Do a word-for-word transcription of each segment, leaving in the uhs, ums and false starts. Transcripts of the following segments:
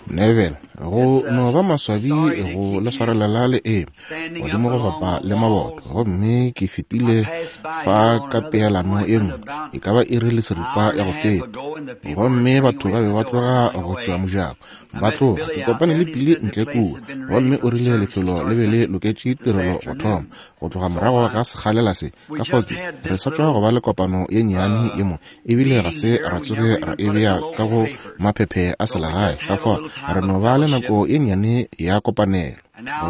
Neville, go no ba maswabi go le swarelela le eme godimo go bapa le maboto, gomme ke fetile fa ka peelano ye nngwe e ka ba iri le seripa ya go feta, gomme batho ba be ba tloga go tšwa mojako ba tloga. Ke kopane le Pili ntle kua, gomme o rile lefelo le be le loketše tirelo go thoma go tloga morago ga sekgalela se. Ka fao ke re sa tšwa go ba le kopano ye nnyane ye mo, ebile ga se ra tsoge ra e bea ka go maphephe a selegae. Ka fao re no ba le nako ye nnyane ya kopanelo.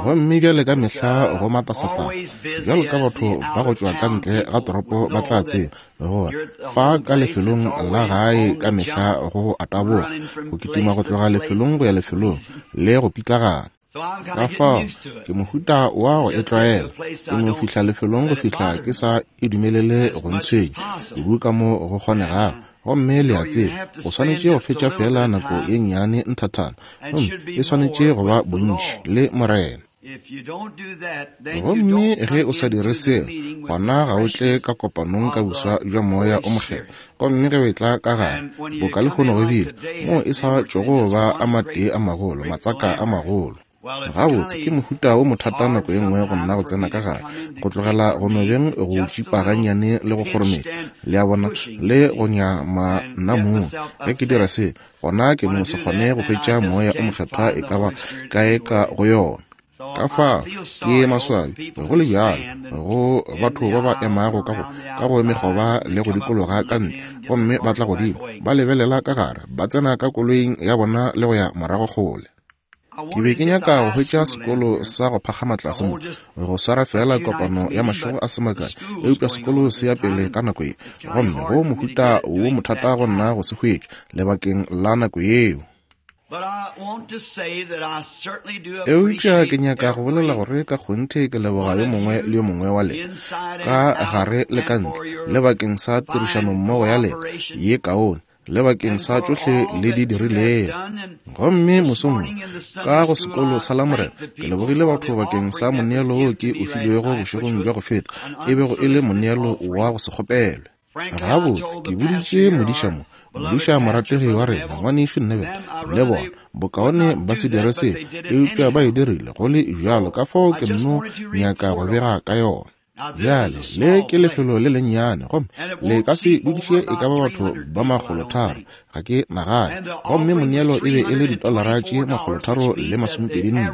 Gomme bjale ka mehla go matasatasa, bjalo ka batho ba go tšwa ka ntle ga toropo ba tla tseba gore fa ka lefelong la gae ka mehla go a taboga, go kitima go tloga lefelong go ya lefelong le go pitlagana. Ka fao ke mohuta wa go e tlwaela, ke no fihla lefelong go fihla ke sa e dumelele go ntshwenya kudu ka mo go kgonegago. Gomme le a tseba, o swanetše go fetša fela nako ye nnyane nthathana, gomme e swanetše go ba bontši le Morena. Gomme ge o sa dire seo, gona ga o tle ka kopanong ka boswa bja Moya o Mokgethwa. Gomme ge o etla ka gare, boka lehono go bile, moo e sa tšogo ba a matee a magolo, matsaka a magolo. Gabotse ke mohuta wo mothata nako ye nngwe go nna go tsena ka gare, go tlogela go no beng go tšipa gannyane le go kgorometša, le a bona, le go nyama nna mong. Ge ke dira se, gona ke no se kgone go hwetša Moya o Mokgethwa e ka ba kae ka go yona. Ka fao ke maswabi go le bjalo go batho ba ba emago ka go ka go mekgoba le go dikologa ka ntle, gomme ba tla godimo ba lebelela ka gare, ba tsena ka koloing ya bona le go ya morago kgole. Ke be ke nyaka go hwetša sekolo sa go phagama tlase mo, go swara fela kopano ya mašego a se makae, eupša sekolo se ya pele ka nako ye, gomme go mohuta wo mothata go nna go se hwetša lebakeng la nako yeo. Eupša ke nyaka go bolela gore ka kgonthe ke leboga yo mongwe le yo mongwe wa lena, ka gare le ka ntle, le bakeng sa tirišanommogo ya lena ye kaone, le bakeng sa tšohle le di dirilego. Gomme mosong ka go sekolo sa Lamorena, ke lebogile batho bakeng sa moneelo wo ke o filwego bošegong bja go feta, e bego e le moneelo wa go se kgopelwe. Gabotse ke boditše modiša mo, modiša morategi wa rena, ngwanešu Neville, le bona bokaone ba se dire se, eupša ba e dirile go le bjalo. Ka fao ke nno nyaka go bega ka yona. Bjale le ke lefelo le lennyane, gomme le ka se dudiše e ka ba batho ba makgolotharo, ga ke nagane. Gomme moneelo e be e le ditolara tše makgolotharo le masomepedi nne,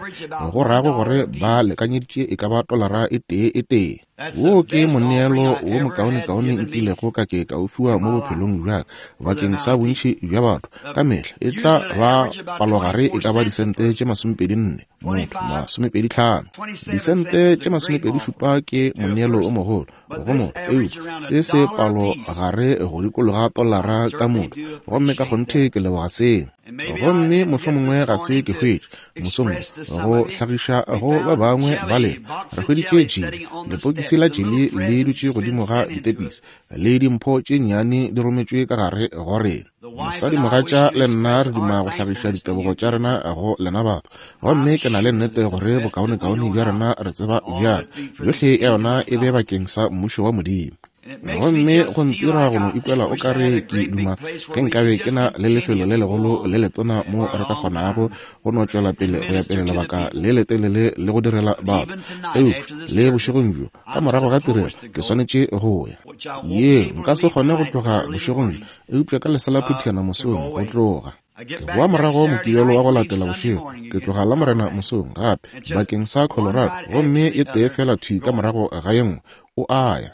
go rago gore ba lekanyeditše e ka ba tolara e tee e tee. Wo ke moneelo wo mokaonekaone nkilego ka ke ka o fiwa mo bophelong bja ka bakeng sa bontši bja batho. Ka mehla e tla ba palogare e ka ba disente tše masomepedi nne motho, masomepedi tlhano. Disente tše masomepedi šupa ke moneelo o mogolo go motho, eupša se se palogare go dikologa tolara ka motho, gomme ka kgonthe ke leboga seo. Gomme mohlomongwe ga se ke hwetše mosong go hlagiša go ba bangwe ba lena. Re hweditše jeli, lepokisi la jeli le dutše godimo ga ditepisi, le dimpho tše nnyane di rometšwe ka gare go rena. Mosadimogatša le nna re duma go hlagiša ditebogo tša rena go lena batho, gomme ke na le nnete gore bokaonekaone bja rena re tseba bjalo, yohle ya yona e be bakeng sa mmušo wa Modimo. Gomme go ntira go no ikwela o kare ke duma ge nkabe ke na le lefelo le legolo le letona mo re ka kgonago go no tšwela pele go ya pele lebaka le letelele le go direla batho. Eupša le bošegong bjo ka morago ga tirelo ke swanetše go ya. Ye nka se kgone go tloga bošegong bjo, eupša ka lesela phuthiana mosong go tloga. Ke boa morago Mokibelo wa go latela bošego, ke tloga Lamorena mosong gape bakeng sa Colorado, gomme e tee fela thwi ka morago ga ye nngwe o a ya.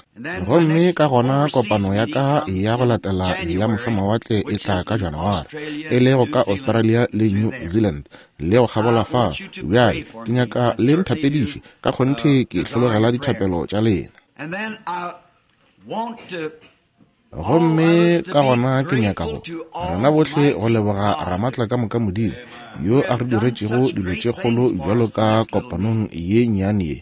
Gomme ka gona kopano ya ka ya go latela ya mošomawatle e tla ka Janaware, e lego ka Australia le New Zealand le go kgabola fa. Bjale ke nyaka le nthapediše, ka kgonthe ke hlologela dithapelo tša lena. Gomme ka gona ke nyaka go rena bohle go leboga Ramatla ka moka Modimo yo a re diretšego dilo tše kgolo bjalo ka kopanong ye nnyane ye.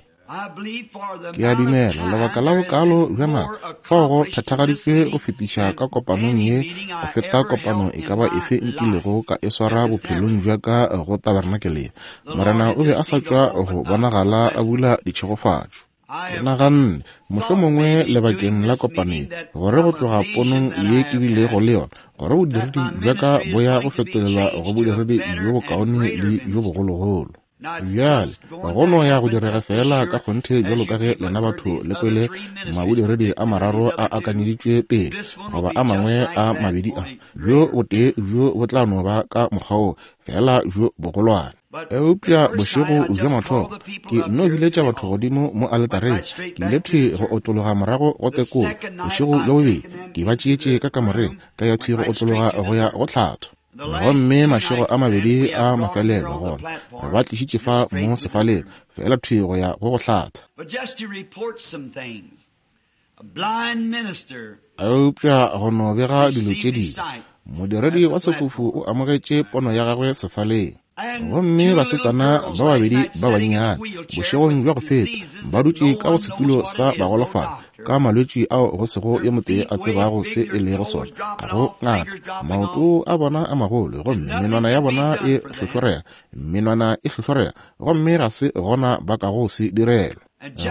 Ke a dumela lebaka la bokalo bja nako fao go phethagaditšwe go fetiša ka kopanong ye go feta kopano e ka ba efe nkilego ka e swara bophelong bja ka go tabernakeleng. Morena o be a sa tšwa go bonagala a bula ditšhegofatšo. Ke naganne, mohlomongwe lebakeng la kopano ye, gore go tloga ponong ye ke bilego le yona, gore bodiredi bja ka bo ya go fetolelwa go bodiredi bjo bokaone le bjo bogologolo. Bjale, go no ya go direga fela ka kgonthe bjalo ka ge lena batho le kwele mabodiredi a mararo a akanyeditšwe pele, goba a mangwe a mabedi a, bjo botee bjo bo tla no ba ka mokgwa wo, fela bjo bogolwane. Eupša bošego bja mathomo ke nno biletša batho godimo mo aletareng, ke ile thwi go otlologa morago go tekolo. Bošego bja bobedi ke ba tšeetše ka kamoreng, ka ya thwi go otlologa go ya go hlatho. Gomme mašego a mabedi a mafelelo gona re ba tlišitše fa mo sefaleng, fela thwi go ya go go hlatha. Eupša go no bega dilo tše dingwe, modiredi wa sefofu o amogetše pono ya gagwe sefaleng. Gomme basetsana ba babedi ba bannyane bošegong bja go feta ba dutše ka go setulo sa bagolofadi ka malwetši ao go sego yo motee a tsebago se e lego sona, ga go ngaka. Maoto a bona a magolo, gomme menwana ya bona e hlohlorega, menwana e hlohlorega, gomme ga se gona ba kago se direlwa.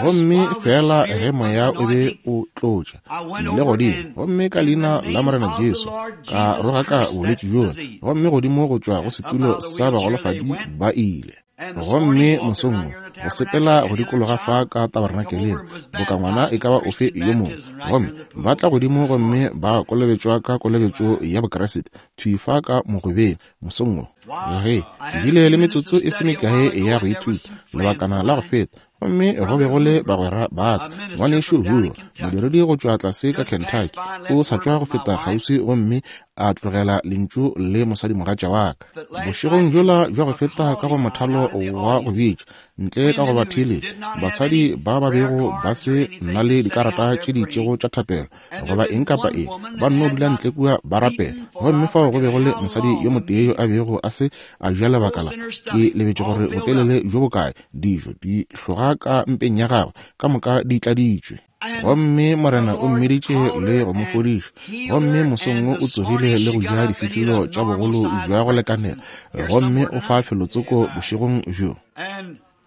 Gomme fela ge moya o be o tlotša, ke ile godimo, gomme ka leina la Morena Jesu ka rogaka bolwetši bjola, gomme godimo go tšwa go setulo sa bagolofadi ba ile. Gomme mosong wo, go sepela go dikologa fa ka tabernakeleng boka ngwana e ka ba ofe yo mongwe, gomme ba tla godimo gomme ba kolobetšwa ka kolobetšo ya Bokriste thwi fa ka mogobeng mosong wo. Ge ke bile le metsotso e se mekae ya go ithuta lebakana la go feta, gomme go be go le bagwera ba ka, ngwanešu Hoover, modiredi go tšwa tlase ka Kentucky, o sa tšwa go feta kgauswi gomme a tlogela lentšu le mosadimogatša wa ka. Bošegong bjola bja go feta ka go mothalo wa go bitša, ntle ka go ba theeletša, basadi ba ba bego ba se na le dikarata tše di itšego tša thapelo goba eng kapa eng, ba nno dula ntle kua ba rapela. Gomme fao go be go le mosadi yo motee yo a bego a se a ja lebaka la, ke lebetše gore botelele bjo bokae, dijo di hloga ka mpeng ya gagwe, ka moka di tladitšwe. Gomme Morena o mmiditše le go mo fodiša, gomme mosong wo o tsogile le go ja difihlolo tša bogolo bja go lekanela, gomme o fa felotsoko bošegong bjo.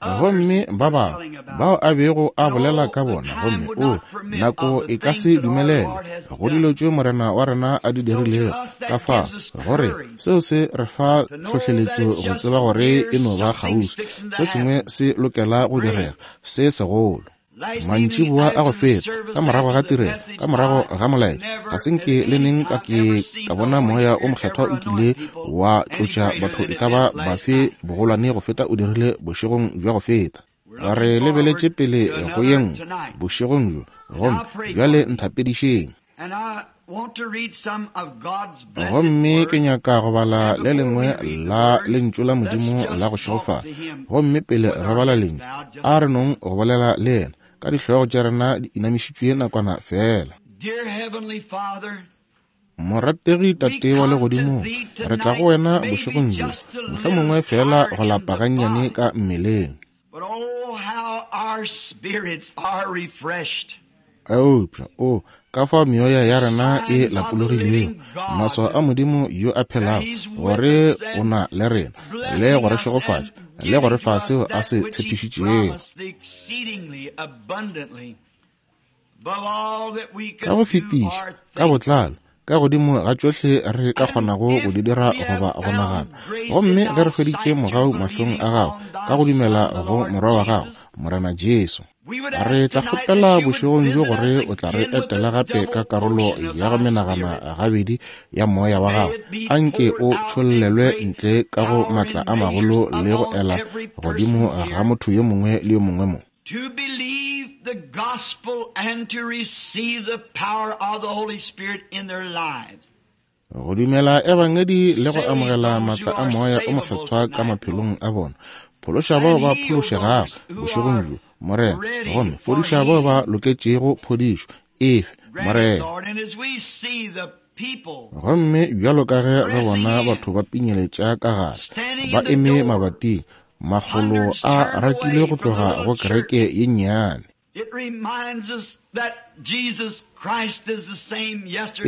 Gomme ba bangwe bao a bego a bolela ka bona, gomme o nako e ka se dumelele go dilo tše Morena wa rena a di dirilego, ka fa gore seo se re fa tlhohleletšo go tseba gore e no ba kgauswi, se sengwe se lokela go direga se segolo. Mantšiboa a go feta, ka morago ga tirelo, ka morago ga molaetša, ga se nke le neng ka ke ka bona moya o mokgethwa o kile wa tlotša batho e ka ba bafe bogolwane go feta o dirile bošegong bja go feta. Re lebeletše pele go ye nngwe bošegong bjo, gomme bjale nthapedišeng. Gomme ke nyaka go bala le lengwe la lentšu la Modimo la go šegofala. Gomme pele re bala lentšu, a re nong go bolela le yena ka dihlogo tša rena di inamišitšwe nakwana fela. Morategi Tate wa legodimong, re tla go wena bošegong bjo, mohlomongwe fela go lapa gannyane ka mmeleng. Eupša o ka fao meoya ya rena e lapologilego, maswao a Modimo yo a phelago, gore o na le rena, le go re šegofatša, le go re fa seo a se tshepišitšego. Ka go fetiša, ka botlalo, ka godimo ga tšohle re ka kgonago go di dira goba go nagana. Gomme ge re hweditše mogau mahlong a gago, ka go dumela go Morwa wa gago, Morena Jesu, re tla kgopela bošegong bjo gore o tla re etela gape ka karolo ya go menagana gabedi ya moya wa gago. Anke o tšhollelwe ntle ka go matla a magolo le go ela godimo ga motho yo mongwe le yo mongwe mo. To believe the gospel and to receive the power of the Holy Spirit in their lives. Go dumela ebangedi le go amogela matla a moya o mokgethwa ka maphelong a bona. Phološa bao ba phološegago bošegong bjo, Morena, gomme fodiša bao ba loketšego phodišo efe, Morena. Gomme bjalo ka ge re bona batho ba pinyeletša ka gare, ba eme mabating, makgolo a rakilwe go tloga go kereke ye nnyane. E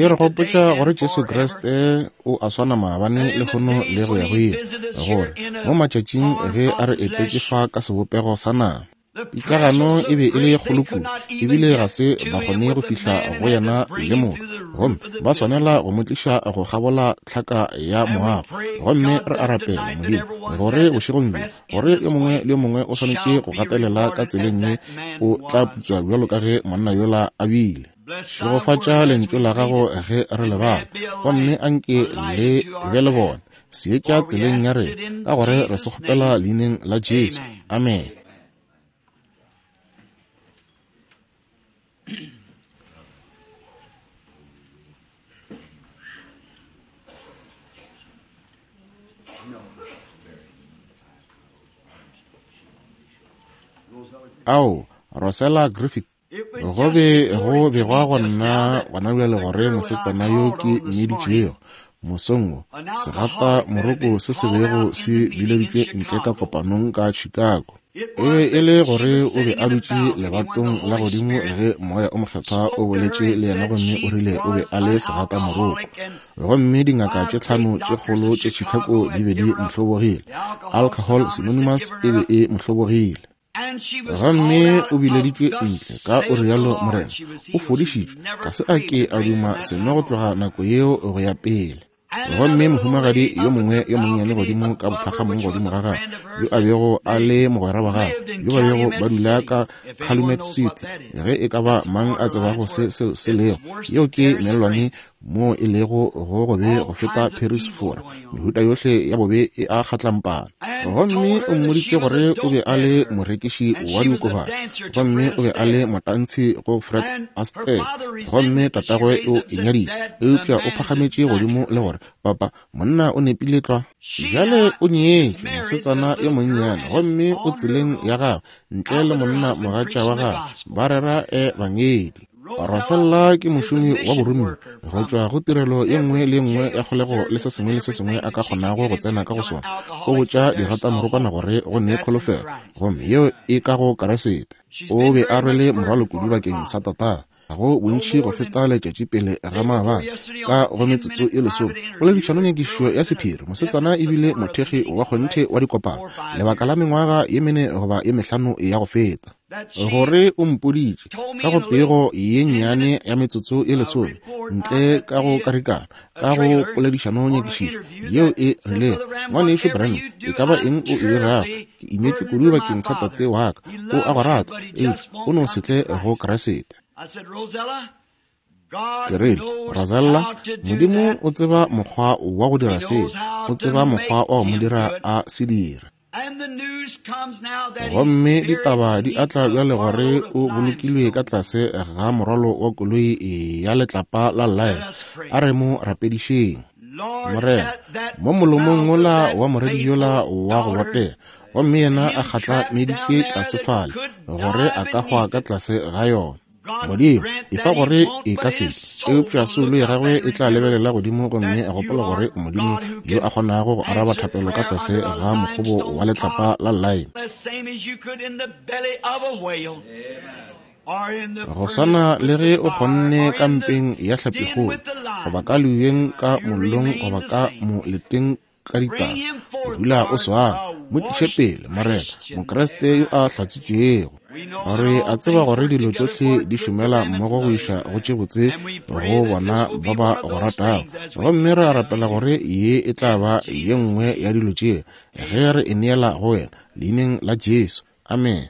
re gopotša gore Jesu Kriste o a swana maabane lehono le go ya go ile, gore mo matšatšing ge a re etetše fa ka sebopego sa nama, Pitlagano e be e le kgolo kudu, ebile ga se ba kgone go fihla go yena le motho, gomme ba swanela go mo tliša go kgabola tlhaka ya moago. Gomme re a rapela, Modimo, gore bošegong bjo, gore yo mongwe le yo mongwe o swanetše go gatelela ka tseleng ye, o tla putswa bjalo ka ge monna yola a bile. Šegofatša lentšu la gago ge re le bala, gomme anke le be le bone seetša tseleng ya rena, ka gore re se kgopela leineng la Jesu. Amen. Ao, Rosella Griffith, go be go begwa go nna gona bjale gore mosetsana yo ke mmiditšego mosong wo, segata moroko se se bego se bileditšwe ntle ka kopanong ka Chicago. E be e le gore o be a dutše lebatong la godimo ge moya o mokgethwa o boletše le yena, gomme o rile o be a le segata moroko. Gomme dingaka tše tlhano tše kgolo tše Chicago di be di mo hlobogile. Alcohol Synonymous e be e mo hlobogile. Gomme o bileditšwe ntle ka o rialo Morena, o fodišitšwe, ga se a ke a duma seno go tloga nako yeo go ya pele. Gomme mohumagadi yo mongwe yo monnyane godimo ka bophagamong godimo ga gagwe, yo a bego a le mogwera wa gagwe, yo ba bego ba dula ka Calumet City, ge e ka ba mang a tsebago se seo se lego, yeo ke mellwane mo e lego go gobe go feta Paris, Fora, mehuta yohle ya bobe e a kgatlampana. Gomme o mmoditše gore o be a le morekiši wa diokobatši, gomme o be a le motantshi go Fred Astaire, gomme tatagwe o e nyaditše, eupša o phagametše godimo le gore, papa, monna o nepile tlwa. Bjale o nyetšwe, mosetsana yo monnyane, gomme o tseleng ya gagwe ntle le monna mogatša wa gagwe, ba rera ebangedi. Rosella ke mošomi wa boromiwa go tšwa go tirelo ye nngwe le ye nngwe ya kgolego le se sengwe le se sengwe a ka kgonago go tsena ka go sona. O botša digatamorokwana gore go ne kholofelo, gomme yeo e ka go Keresete. O be a rwele morwalo kudu bakeng sa tata, go bontši go feta letšatši pele ga maabane ka go metsotso e lesome. Poledišanonyakišišo ya sephiri, mosetsana ebile mothekgi wa kgonthe wa dikopano lebaka la mengwaga ye mene goba ye mehlano ya go feta. Gore o mpoditše ka go pego ye nnyane ya metsotso e lesome ntle ka go karikana ka go poledišanonyakišišo yeo e rilego, ngwanešu Branham, e ka ba eng o e dirago, ke imetšwe kudu bakeng sa tate wa ka, o a go rata, eupša o no se tle go Keresete. Ke rile, Rosella, Modimo o tseba mokgwa wa go dira seo, o tseba mokgwa wa go mo dira a se dira. Gomme ditaba di atla bjale gore o bolokilwe ka tlase ga morwalo wa koloi ya letlapa la Lyle. A re mo rapedišeng. Morena, mo molomong wola wa moredi yola wa go botega, gomme yena a kgatlameditšwe tlase fale gore a ka hwa ka tlase ga yona. Modimo, e fa gore e ka se, eupša soulo ya gagwe e tla lebelela godimo gomme a gopola gore Modimo yo a kgonago go araba thapelo ka tlase ga mokgobo wa letlapa la lime. Go swana le ge o kgonne ka mpeng ya hlapikgolo, goba ka leubeng ka mollong, goba ka moleteng ka ditaba, o dula o swana. Mo tliše pele, Morena, Mokriste yo a hlatsitšwego, gore a tseba gore dilo tšohle di šomela mmogo go iša go tše botse go bona ba ba go ratago. Gomme re a rapela gore ye e tla ba ye nngwe ya dilo tše ge re e neela go wena, leineng la Jesu. Amen.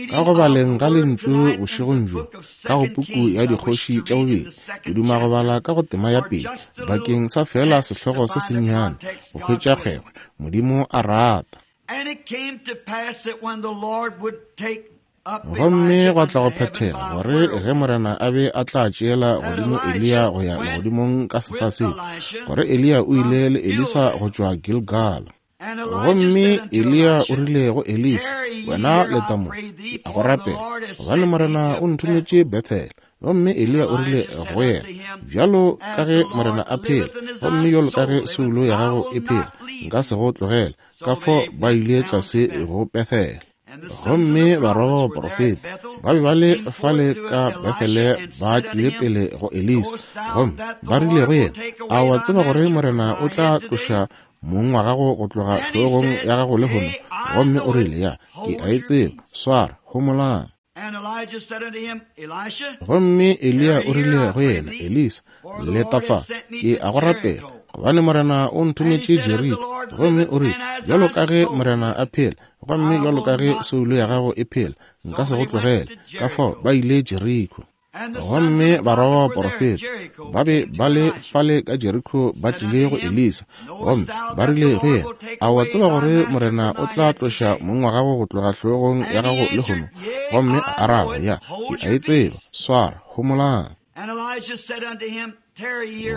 Ka go baleng ga lentšu bošegong bjo ka go puku ya Dikgoši tša bobedi, ke duma go bala ka go tema ya pele bakeng sa fela sehlogo se sennyane, go hwetša kgwekgwe, Modimo a rata. Gomme gwa tla go phethega gore ge Morena a be a tla tšeela godimo Eliya go ya legodimong ka sesa seo, gore Eliya o ile le Elisa go tšwa Gilgala. Gomme Eliya o rile go Elisa, wena leta mo, ke a go rapela, gobane Morena o nthometše Bethele. Gomme Eliya o rile go yena, bjalo ka ge Morena a phela, gomme bjalo ka ge soulo ya gago e phela, nka se go tlogele. Ka fao ba ile tlase go Bethele. Gomme barwa ba baprofeta ba be ba le fale ka Bethele, ba tlile pele go Elisa, gomme ba rile go yena, a wa tseba gore Morena o tla tloša mong wa gago go tloga hlogong ya gago lehono? Gomme o rile, ya, ke a e tseba, swara, homolang. Gomme Eliya o rile go yena, Elisa, leta fa, ke a go rapela, gobane Morena o nthometše Jeriko. Gomme o rile, bjalo ka ge Morena a phela, gomme bjalo ka ge soulo ya gago e phela, nka se go tlogele. Ka fao ba ile Jeriko. Gomme barwa ba baporofeta ba be ba le fale ka Jeriko, ba tlile go Elisa, gomme ba rile go yena, a wa tseba gore Morena o tla tloša mong wa gago go tloga hlogong ya gago lehono? Gomme a araba, ya, ke a e tseba, swara, homolang.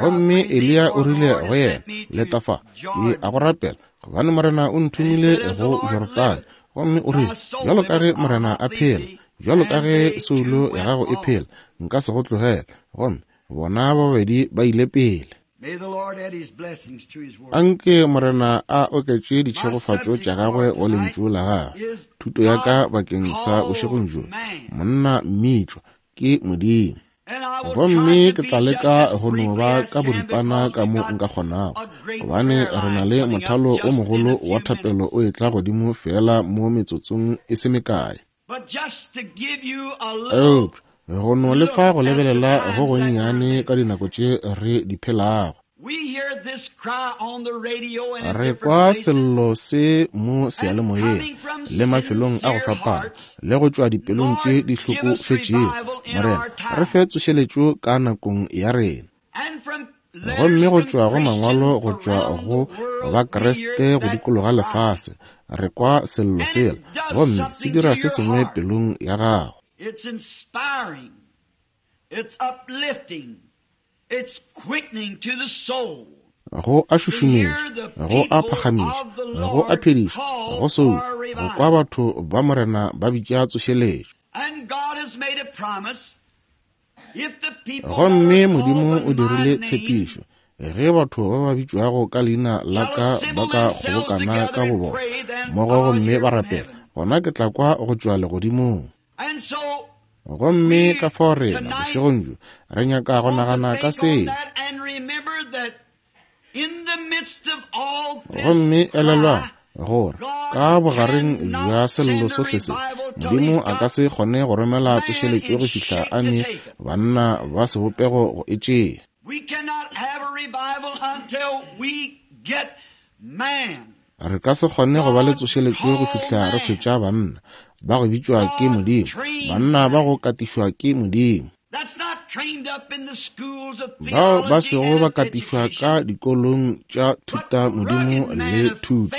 Gomme Eliya o rile go yena, leta fa, ke a go rapela, gobane Morena o nthomile go Jorodane. Gomme o rile, bjalo ka ge Morena a phela, bjalo ka ge soulo ya gago e phela, nka se go tlogele. Gomme bona ba babedi ba ile pele. Anke Morena a oketše ditšhegofatšo tša gagwe go lentšu la gagwe. Thuto ya ka bakeng sa bošegong bjo, monna mmitšwa ke Modimo. Gomme ke tla leka go no ba ka boripana ka mo nka kgonago, gobane re na le mothalo o mogolo wa thapelo o etla godimo fela mo metsotsong e se mekae. Eupša go no le fa go lebelela go gonnyane ka dinako tše re di phelago. Re kwa sello se mo seyalemoyeng le mafelong a go fapana, le go tšwa dipelong tše di hlokofetšego. Morena, re fe tsošeletšo ka nakong ya rena. Gomme go tšwa go mangwalo go tšwa go Bakriste go dikologa lefase, re kwa sello sela, gomme se dira se sengwe pelong ya gago. It's inspiring, it's uplifting, it's quickening to the soul. Go a šušumetša, go a phagamiša, go a phediša, go soulo, go kwa batho ba Morena ba bitša tsošeletšo. And God has made a promise. If the people Gomme Modimo o dirile tshepišo, ge batho ba ba bitšwago ka leina la ka ba ka kgobokana ka bobona mmogo gomme ba rapela, gona ke tla kwa go tšwa legodimong. And so Gomme ka fao rena bošegong bjo re nyaka go nagana ka seo. Gomme elelwang gore ka bogareng bja sello sohle se, Modimo a ka se kgone go romela tsošeletšo go fihla a ne banna ba sebopego go e tšea. We cannot have a revival until we get man. Re ka se kgone go ba le tsošeletšo go fihla re hwetša banna ba go bitšwa ke Modimo, banna ba go katišwa ke Modimo, That's not trained up in the schools of bao ba theology sego and ba of katišwa education, ka dikolong tša thuta Modimo le thuto,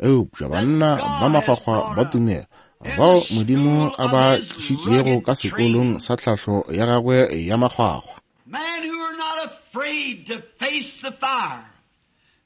eupša banna ba makgwakgwa ba tumelo bao Modimo a ba tlišitšego ka sekolong sa tlhahlo ya gagwe ya makgwakgwa. Men who are not afraid to face the fire.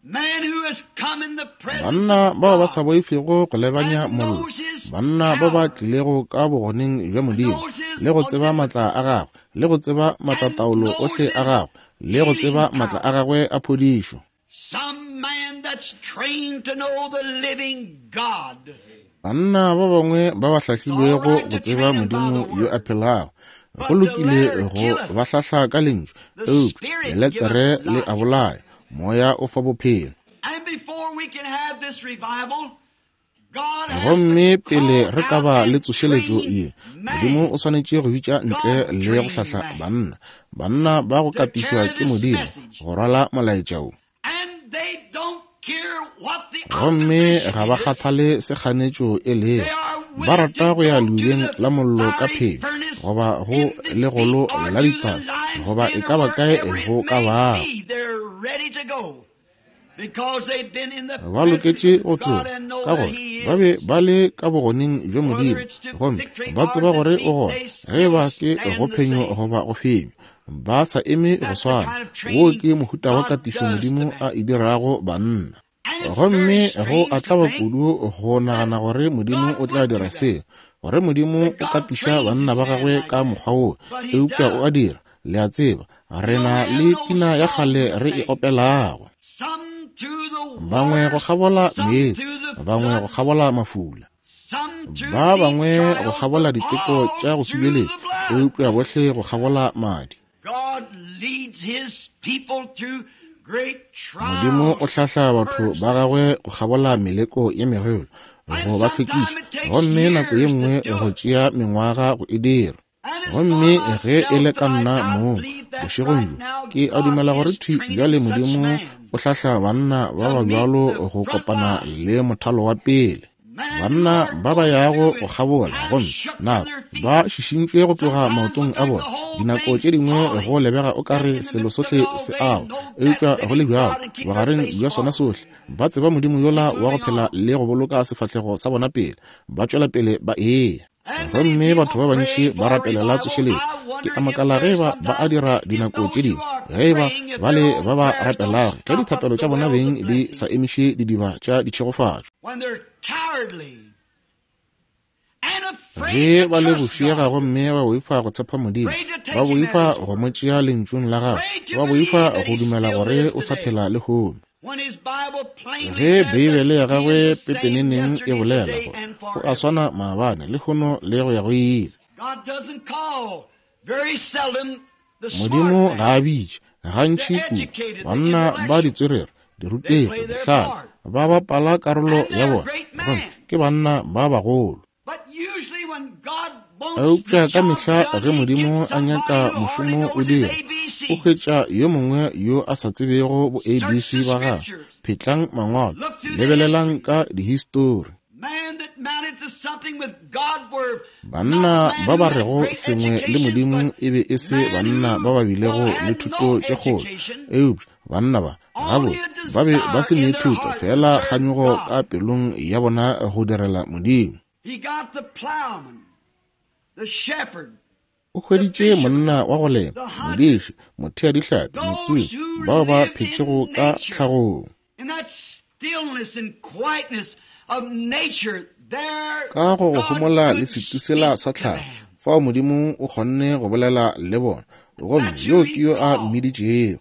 Men who has come in the presence Banna of bao ba sa God boifego go lebanya mollo, banna ba ba tlilego ka bogoneng bja Modimo, le go tseba matla a gagwe, le go tseba maatlataolo ohle a gagwe, le go tseba matla a gagwe a phodišo. Some man that's trained to know the living God. Banna ba bangwe ba ba hlahlilwego go tseba Modimo yo a phelago, go lokile go ba hlahla ka lentšu, eupša leletere le a bolaya, moya o fa bophelo. And before we can have this revival, God has Gomme to pele call re ka out ba le and tsošeletšo train ye, Modimo man. o swanetše go bitša ntle le go hlahla banna, banna ba go To katišwa carry ke this Modimo message. go rwala molaetša wo. And they don't care what the Gomme ga opposition ba is. kgathale se kganetšo e lego, They are ba willing rata to go ya go to leubeng the la mollo ka fiery phenyo, furnace goba go in the legolo deep or la to the ditaba, lion's goba e den ka or ba kae wherever it go ka may bago. be. They're ready to go because they've been in the Ba presence loketše of go God tloga and know ka that gore He ba be is. ba le ka bogoneng bja Whether Modimo, it's to gomme victory ba or tseba gore o defeat, gona, they ge still ba ke stand go the phenyo same. goba go fenywa, ba sa eme go That's the swana. kind of Wo training ke mohuta wa God katišo does to Modimo man. a e dirago banna. And it's very Gomme go strange a to tlaba think kudu go nagana gore Modimo God o tla would do dira that. se, gore Modimo That o God katiša trains banna his ba man gagwe like ka that. mokgwa wo, But he eupša o a does. dira. Le a tseba, re You don't na have le no pina ya song kgale to re e sing. opelago. Some through the Bangwe go waters, kgabola some meetse, through the bangwe go floods, kgabola mafula, some through ba deep bangwe go trials, kgabola but diteko all tša go through the subeletša, blood. eupša bohle go kgabola madi. God leads his people through Modimo o hlahla batho ba gagwe go kgabola meleko ye megolo, go ba hlwekiša, gomme nako ye nngwe go tšea mengwaga go e dira. Gomme ge e le ka nna mong, bošegong bjo, ke a dumela gore thwi bjale Modimo o hlahla banna ba ba bjalo go kopana le mothalo wa pele. Banna ba ba yago go kgabola, gomme nako ba šišintšwe go tloga maotong a bona. Dinako tše dingwe go lebega o ka re selo sohle se awa, eupša go le bjalo bogareng bja sona sohle ba tseba Modimo yola wa go phela le go boloka sefahlego sa bona pele, ba tšwela pele ba eya. Gomme batho ba bantši ba rapelela tsošeletšo. Ke a makala ge ba ba a dira dinako tše dingwe, ge ba ba le ba ba rapelago, ge dithapelo tša bona beng di sa emiše didiba tša ditšhegofatšo. Ge ba le bofiega gomme ba boifa go tshepa Modimo, ba boifa go mo tšea lentšung la gagwe, ba boifa go dumela gore o sa phela lehono. Ge Beibele ya gagwe pepeneneng e bolela gore o a swana maabane, lehono le go ya go ile. Modimo ga a bitše gantši kudu banna ba ditswerere, dirutegi, dihlale, ba bapala karolo ya bona, gomme ke banna ba bagolo. Eupša ka mehla ge Modimo a nyaka mošomo o dira, o hwetša yo mongwe yo a sa tsebego bo A B C ba gagwe. Phetlang mangwalo, lebelelang ka dihistori. Banna ba ba rego sengwe le Modimo e be e se banna ba ba bilego le thuto tše kgolo, eupša banna ba gabotse ba be ba se ne thuto, fela kganyogo ka pelong ya bona go direla Modimo. O hweditše monna wa go lema, modiši, mothea dihlapi, motsomi, bao ba phetšego ka tlhagong. Ka go go homola le setusela sa tlhago, fao Modimo o kgonne go bolela le bona, gomme yo ke yo a mmiditšego.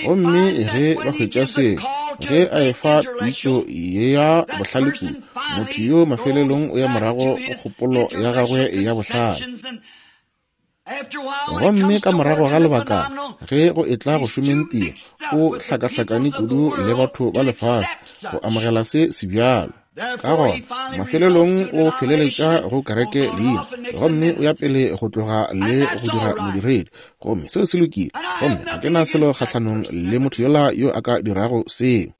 Gomme ge ba hwetša seo, ge a efa pitšo ya bohlale kudu, motho yo mafelelong o ya morago go kgopolo ya gagwe ya bohlale. Gomme ka morago ga lebaka, ge go etla go šomeng tiro, o hlakahlakane kudu le batho ba lefase go amogela se se bjalo. Ka gona mafelelong o feleletša go kereke leina, gomme o ya pele go tloga le go dira modiredi, gomme seo se lokile, gomme ga ke na selo kgahlanong le motho yola yo a ka dirago seo.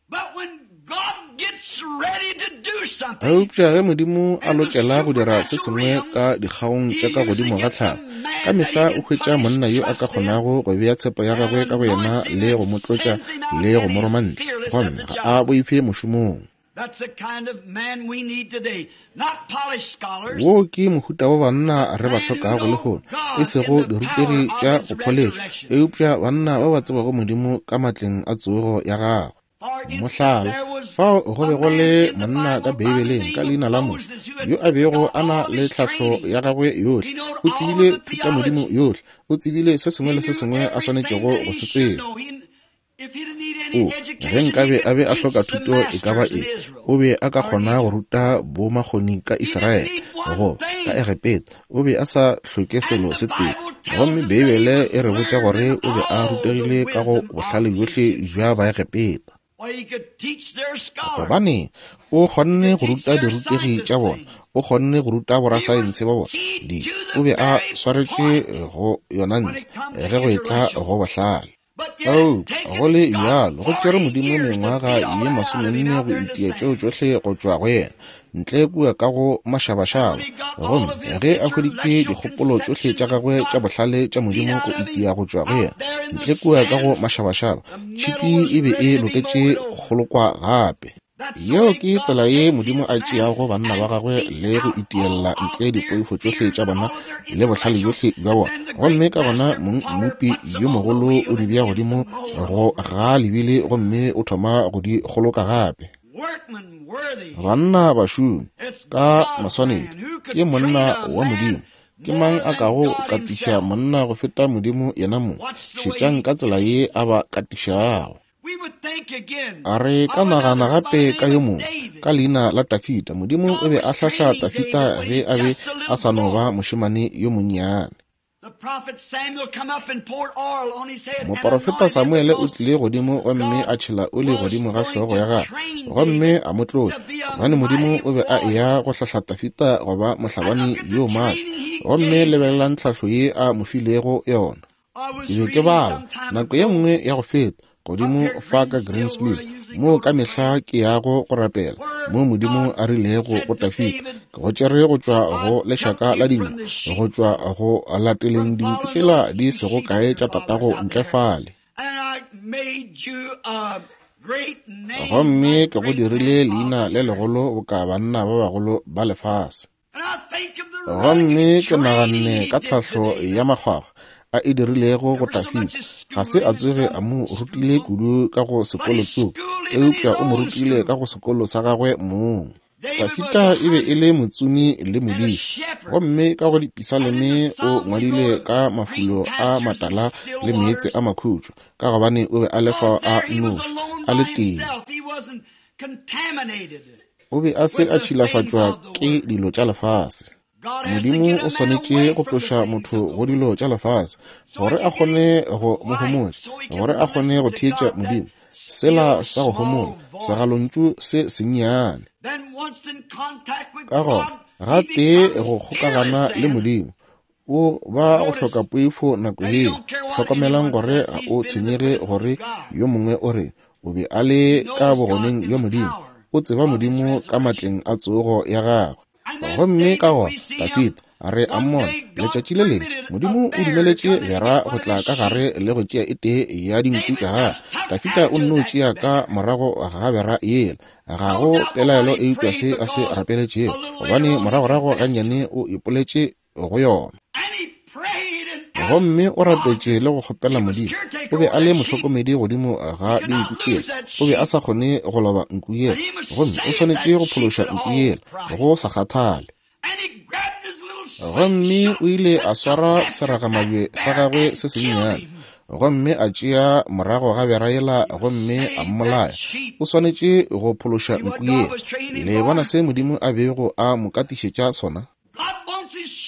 Eupša ge Modimo a lokela go dira se sengwe ka dikgaong tša ka godimo ga tlhago, ka mehla o hwetša monna yo a ka kgonago go bea tshepo ya gagwe ka go yena le go mo tlotša le go mo roma ntle, gomme ga a boife mošomong. Wo ke mohuta wa banna re ba hlokago lehono, e sego dirutegi tša go pholešwa, eupša banna ba ba tsebago Modimo ka matleng a tsogo ya gagwe. Mohlala, fao go be go le monna ka Beibeleng ka leina la Moshe, yo a bego a na le tlhahlo ya gagwe yohle, o tsebile thutamodimo yohle, o tsebile se sengwe le se sengwe a swanetšego go se tseba. O, ge nkabe a be a hloka thuto e ka ba eng, o be a ka kgona go ruta bomakgoni ka Israele, go ka Egepeta, o be a sa hloke selo se tee. Gomme Beibele e re botša gore o be a rutegile ka go bohlale bjohle bja Baegepeta. Gobane o kgonne go ruta dirutegi tša bona, o kgonne go ruta borasaense ba bona, di o be a swaretše go yona ntle ge go etla go bohlale. Eupša go le bjalo go tšere Modimo mengwaga ye masomenne go itia tšeo tšohle go tšwa go yena, ntle kua ka go mašabašaba. Gomme ge a hweditše dikgopolo tšohle tša gagwe tša bohlale tša Modimo go itia go tšwa go yena, ntle kua ka go mašabašaba, tšhipi e be e loketše go kgolokwa gape. Yeo ke tsela ye Modimo a tšeago banna ba gagwe le go itiella ntle dipoifo tšohle tša bona le bohlale bjohle bja bona, gomme ka gona mmopi yo mogolo o di bea godimo go ga lebile gomme o thoma go di kgoloka gape. Banna bašomi ka maswanedi ke monna wa Modimo. Ke mang a kago katiša monna go feta Modimo yena mong? Šetšang ka tsela ye a ba katišago. A re ka nagana gape ka yo mongwe ka leina la Tafita. Modimo o be a hlahla Tafita ge a be a sa no ba mošemane yo monnyane. Moporofeta Samuele o tlile godimo gomme a tšhela oli godimo ga hlogo ya gagwe gomme a mo tlotša, gobane Modimo o be a eya go hlahla Dafida go ba mohlabani yo maatla. Gomme lebelelang tlhahlo ye a mo filego yona. Ke be ke bala nako ye nngwe ya go feta godimo fa ka Greensville, moo ka mehla ke yago go rapela, moo Modimo a rilego go Dafida, ke go tšere go tšwa go lešaka la dinku, go tšwa go lateleng dinku tšela di sego kae tša tatago ntle fale. Gomme ke go dirile leina le legolo boka banna ba bagolo ba lefase. Gomme ke naganne ka tlhahlo ya makgwakgwa a e dirilego go Dafida. Ga se a tsoge a mo rutile kudu ka go sekolo tsoko, eupša o mo rutile ka go sekolo sa gagwe mong. Dafida e be e le motsomi le modiši, gomme ka go dipisaleme o ngwadile ka mafulo a matala le meetse a makhutšo, ka gobane o be a le fao a nnoši, a le tee. O be a se a tšhilafatšwa ke dilo tša lefase. Modimo o swanetše go tloša motho go dilo tša lefase gore a kgone go mo homotša, gore a kgone go theetša Modimo. Sela sa go homola, segalontšu se sennyane. Ka gona, gatee go kgokagana le Modimo, o ba go hloka poifo nako yeo. Hlokomelang gore ga o tshwenyege gore yo mongwe o re o be a le ka bogoneng bja Modimo. O tseba Modimo ka matleng a tsogo ya gagwe. Gomme ka gona Dafida re a mmona letšatši le lengwe Modimo o dumeletše bera go tla ka gare le go tšea e tee ya dinku tša gagwe. Dafida o nno tšea ka morago ga bera yela. Ga go pelaelo eupša se a se rapeletšego, gobane moragorago gannyane o ipoletše go yona. Gomme o rapetše le go kgopela Modimo. O be a le mohlokomedi godimo ga dinku tšela. O be a sa kgone go loba nku yela, gomme o swanetše go phološa nku yela go sa kgathale. Gomme o ile a swara seragamabje sa gagwe se sennyane, gomme a tšea morago ga bera yela gomme a mmolaya. O swanetše go phološa nku yela. Le bona se Modimo a bego a mo katišetša sona?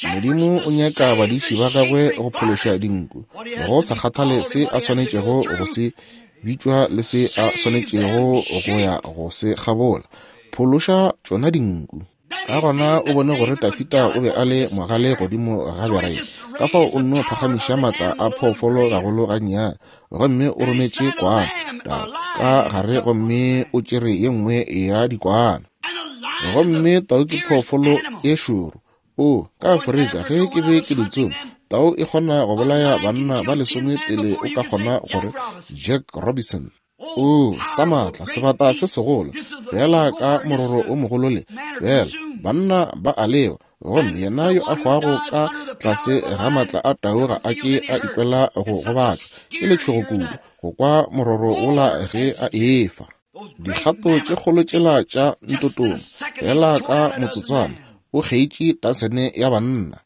Modimo o nyaka badiši ba gagwe go phološa dinku, go sa kgathale se a swanetšego go se bitšwa le se a swanetšego go ya go se kgabola. Phološa tšona dinku. Ka gona o bone gore Dafida o be a le mogale godimo ga bera ye, ka fao o nno phagamiša maatla a phoofolo gagolo gannyane, gomme o rometše kwana ka gare gomme o tšere ye nngwe ya dikwana. Gomme tau ke phoofolo e šoro. O, ka Afrika, ge ke be ke di tsoma, tau e kgona go bolaya banna ba lesome pele o ka kgona gore Jack Robinson. O, sa maatla, sebata se segolo, fela ka mororo o mogolo le, fela, banna ba a lewa, gomme yena yo a hwago ka tlase ga maatla a tau ga a ke a ikwela go gobatšwa ke letšhogo kudu go kwa mororo wola ge a efa. Dikgato tše kgolo tšela tša ntotong, fela ka motsotswana, o kgeitše tasene ya banna.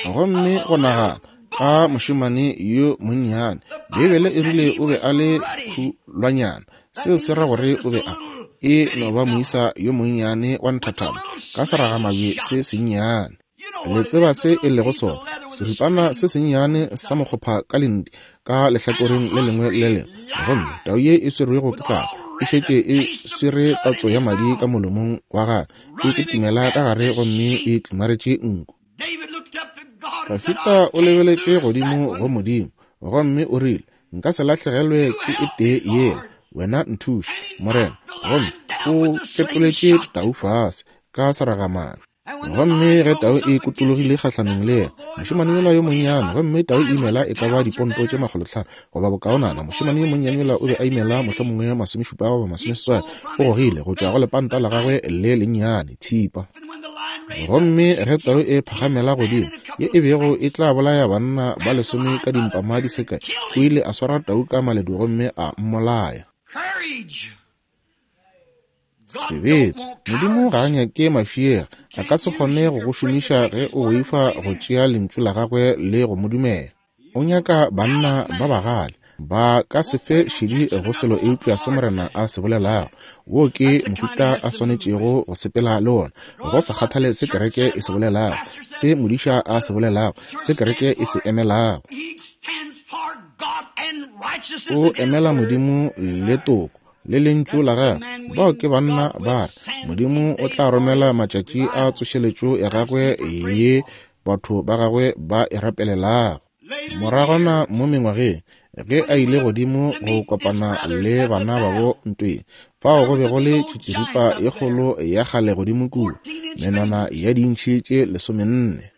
Gomme go nagana ka mošemane yo monnyane, Beibele e rile o be a le khulwanyana. Seo se ra gore o be a e no ba moisa yo monnyane wa nthathana ka seragamabje se sennyane. Le tseba se e lego sona, seripana se sennyane sa mokgopha ka lenti ka lehlakoreng le lengwe le lengwe. Gomme tau ye e swerwego ke tlala e šetše e swere tatso ya madi ka molomong wa gagwe, e kitimela ka gare gomme e tlimaretše nku. Dafida o lebeletše godimo go Modimo, gomme o rile, nka se lahlegelwe ke e tee yela, wena nthuše, Morena. Gomme o ketoletše tau fase ka seragamabje. Gomme ge tau e kutologile kgahlanong le yena, mošemane yola yo monnyane, gomme tau e imela e ka ba diponto tše makgolotlhano goba bokaonana, mošemane yo monnyane yola o be a imela mohlomongwe masomešupa goba masomeseswai, o gogile go tšwa go lepanta la gagwe le lennyane thipa. Gomme ge tau e phagamela godimo, ye e bego e tla bolaya banna ba lesome ka dimpama di se kae, o ile a swara tau ka maledu gomme a mmolaya. Sebete. Modimo ga a nyake mafiega, a ka se kgone go go šomiša ge o boifa go tšea lentšu la gagwe le go mo dumela. O nyaka banna ba bagale, Ba ka se fe šedi go selo eupša se Morena a se bolelago. Wo ke mohuta a swanetšego go sepela le wona, go sa kgathale se kereke e se bolelago, se modiša a se bolelago, se kereke e se emelago. O emela Modimo le toko le lentšu la gagwe. Bao ke banna ba re Modimo o tla romela matšatši a tsošeletšo ya gagwe ye batho ba gagwe ba e rapelelago. Moragwana mo mengwageng ge a ile godimo go kopana le bana babo ntweng, fao go be go le tšitširipa ye kgolo ya kgale godimo kua, menwana ya dintšhi tše lesomenne.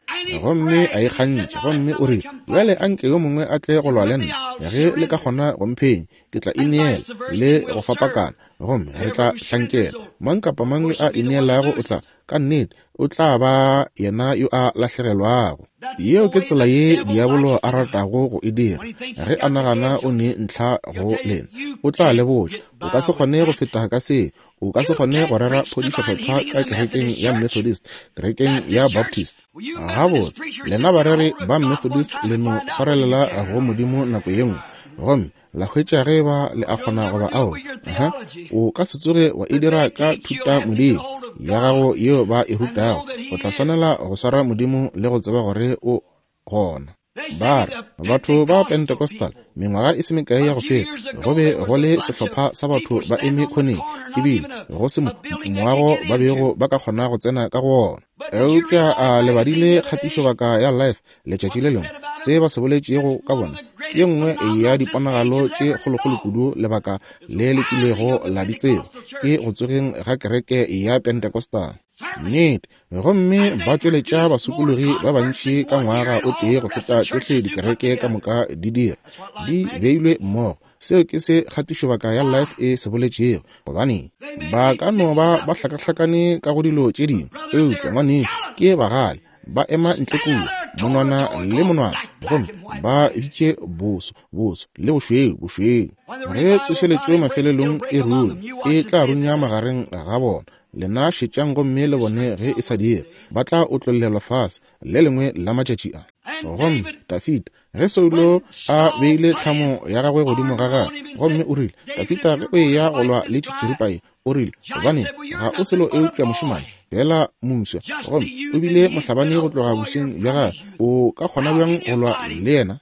Gomme a ikgantšha, gomme o rile, bjale anke yo mongwe a tle go lwa le nna, ge le ka kgona go mphenya, ke tla ineela le go fapakana, gomme re tla hlankela. Mang kapa mang yo a ineelago o tla, ka nnete, o tla ba yena yo a lahlegelwago. Yeo ke tsela ye diabolo a ratago go e dira. Ge a nagana o ne ntlha go lena, o tla le botša, o ka se kgone go feta ka se. O ka se kgone go rera phodišo kgethwa ka kerekeng ya Methodist, kerekeng ya Baptist. Gabotse, lena bareri ba Methodist le no swarelela go Modimo nako ye nngwe, gomme la hwetša ge ba le a kgona goba ao. Aha, o ka se tsoge wa e dira ka thuta Modimo ya gago yeo ba e rutago. O tla swanela go swara Modimo le go tseba gore o gona. Ba re batho ba Pentecostal mengwaga e se mekae ya go feta, go be go le sehlopha sa batho ba eme khoneng, ebile go se moago ba bego ba ka kgona go tsena ka go wona. Eupša a le badile kgatišobaka ya Life letšatši le lengwe, se ba se boletšego ka bona ye nngwe ya diponagalo tše kgolokgolo kudu lebaka le le kilego la di tseba ke go tsogeng ga kereke ya Pentecostal. Nnete, gomme ba tšweletša basokologi ba bantši ka ngwaga o tee go feta tšohle dikereke ka moka di dira, di beilwe mmogo. Seo ke se kgatišobaka ya Life e se boletšego. Gobane ba ka no ba ba hlakahlakane ka go dilo tše dingwe, eupša ngwanešu ke bagale, ba ema ntle kua monwana le monwana, gomme ba bitše boso boso le bošweu bošweu. Ge tsošeletšo mafelelong e rune, e tla runya magareng ga bona. Lena šetšang gomme le bone ge e sa dire, ba tla otlollelwa fase le lengwe la matšatši a. Gomme Dafida, ge Saulo a beile tlhamo ya gagwe godimo ga gagwe, gomme o rile, Dafida, ge o eya go lwa le tšitširipa ye, o rile, gobane ga o selo eupša mošemane fela moswa, gomme o bile mohlabani go tloga bosweng bja gagwe, o ka kgona bjang go lwa le yena?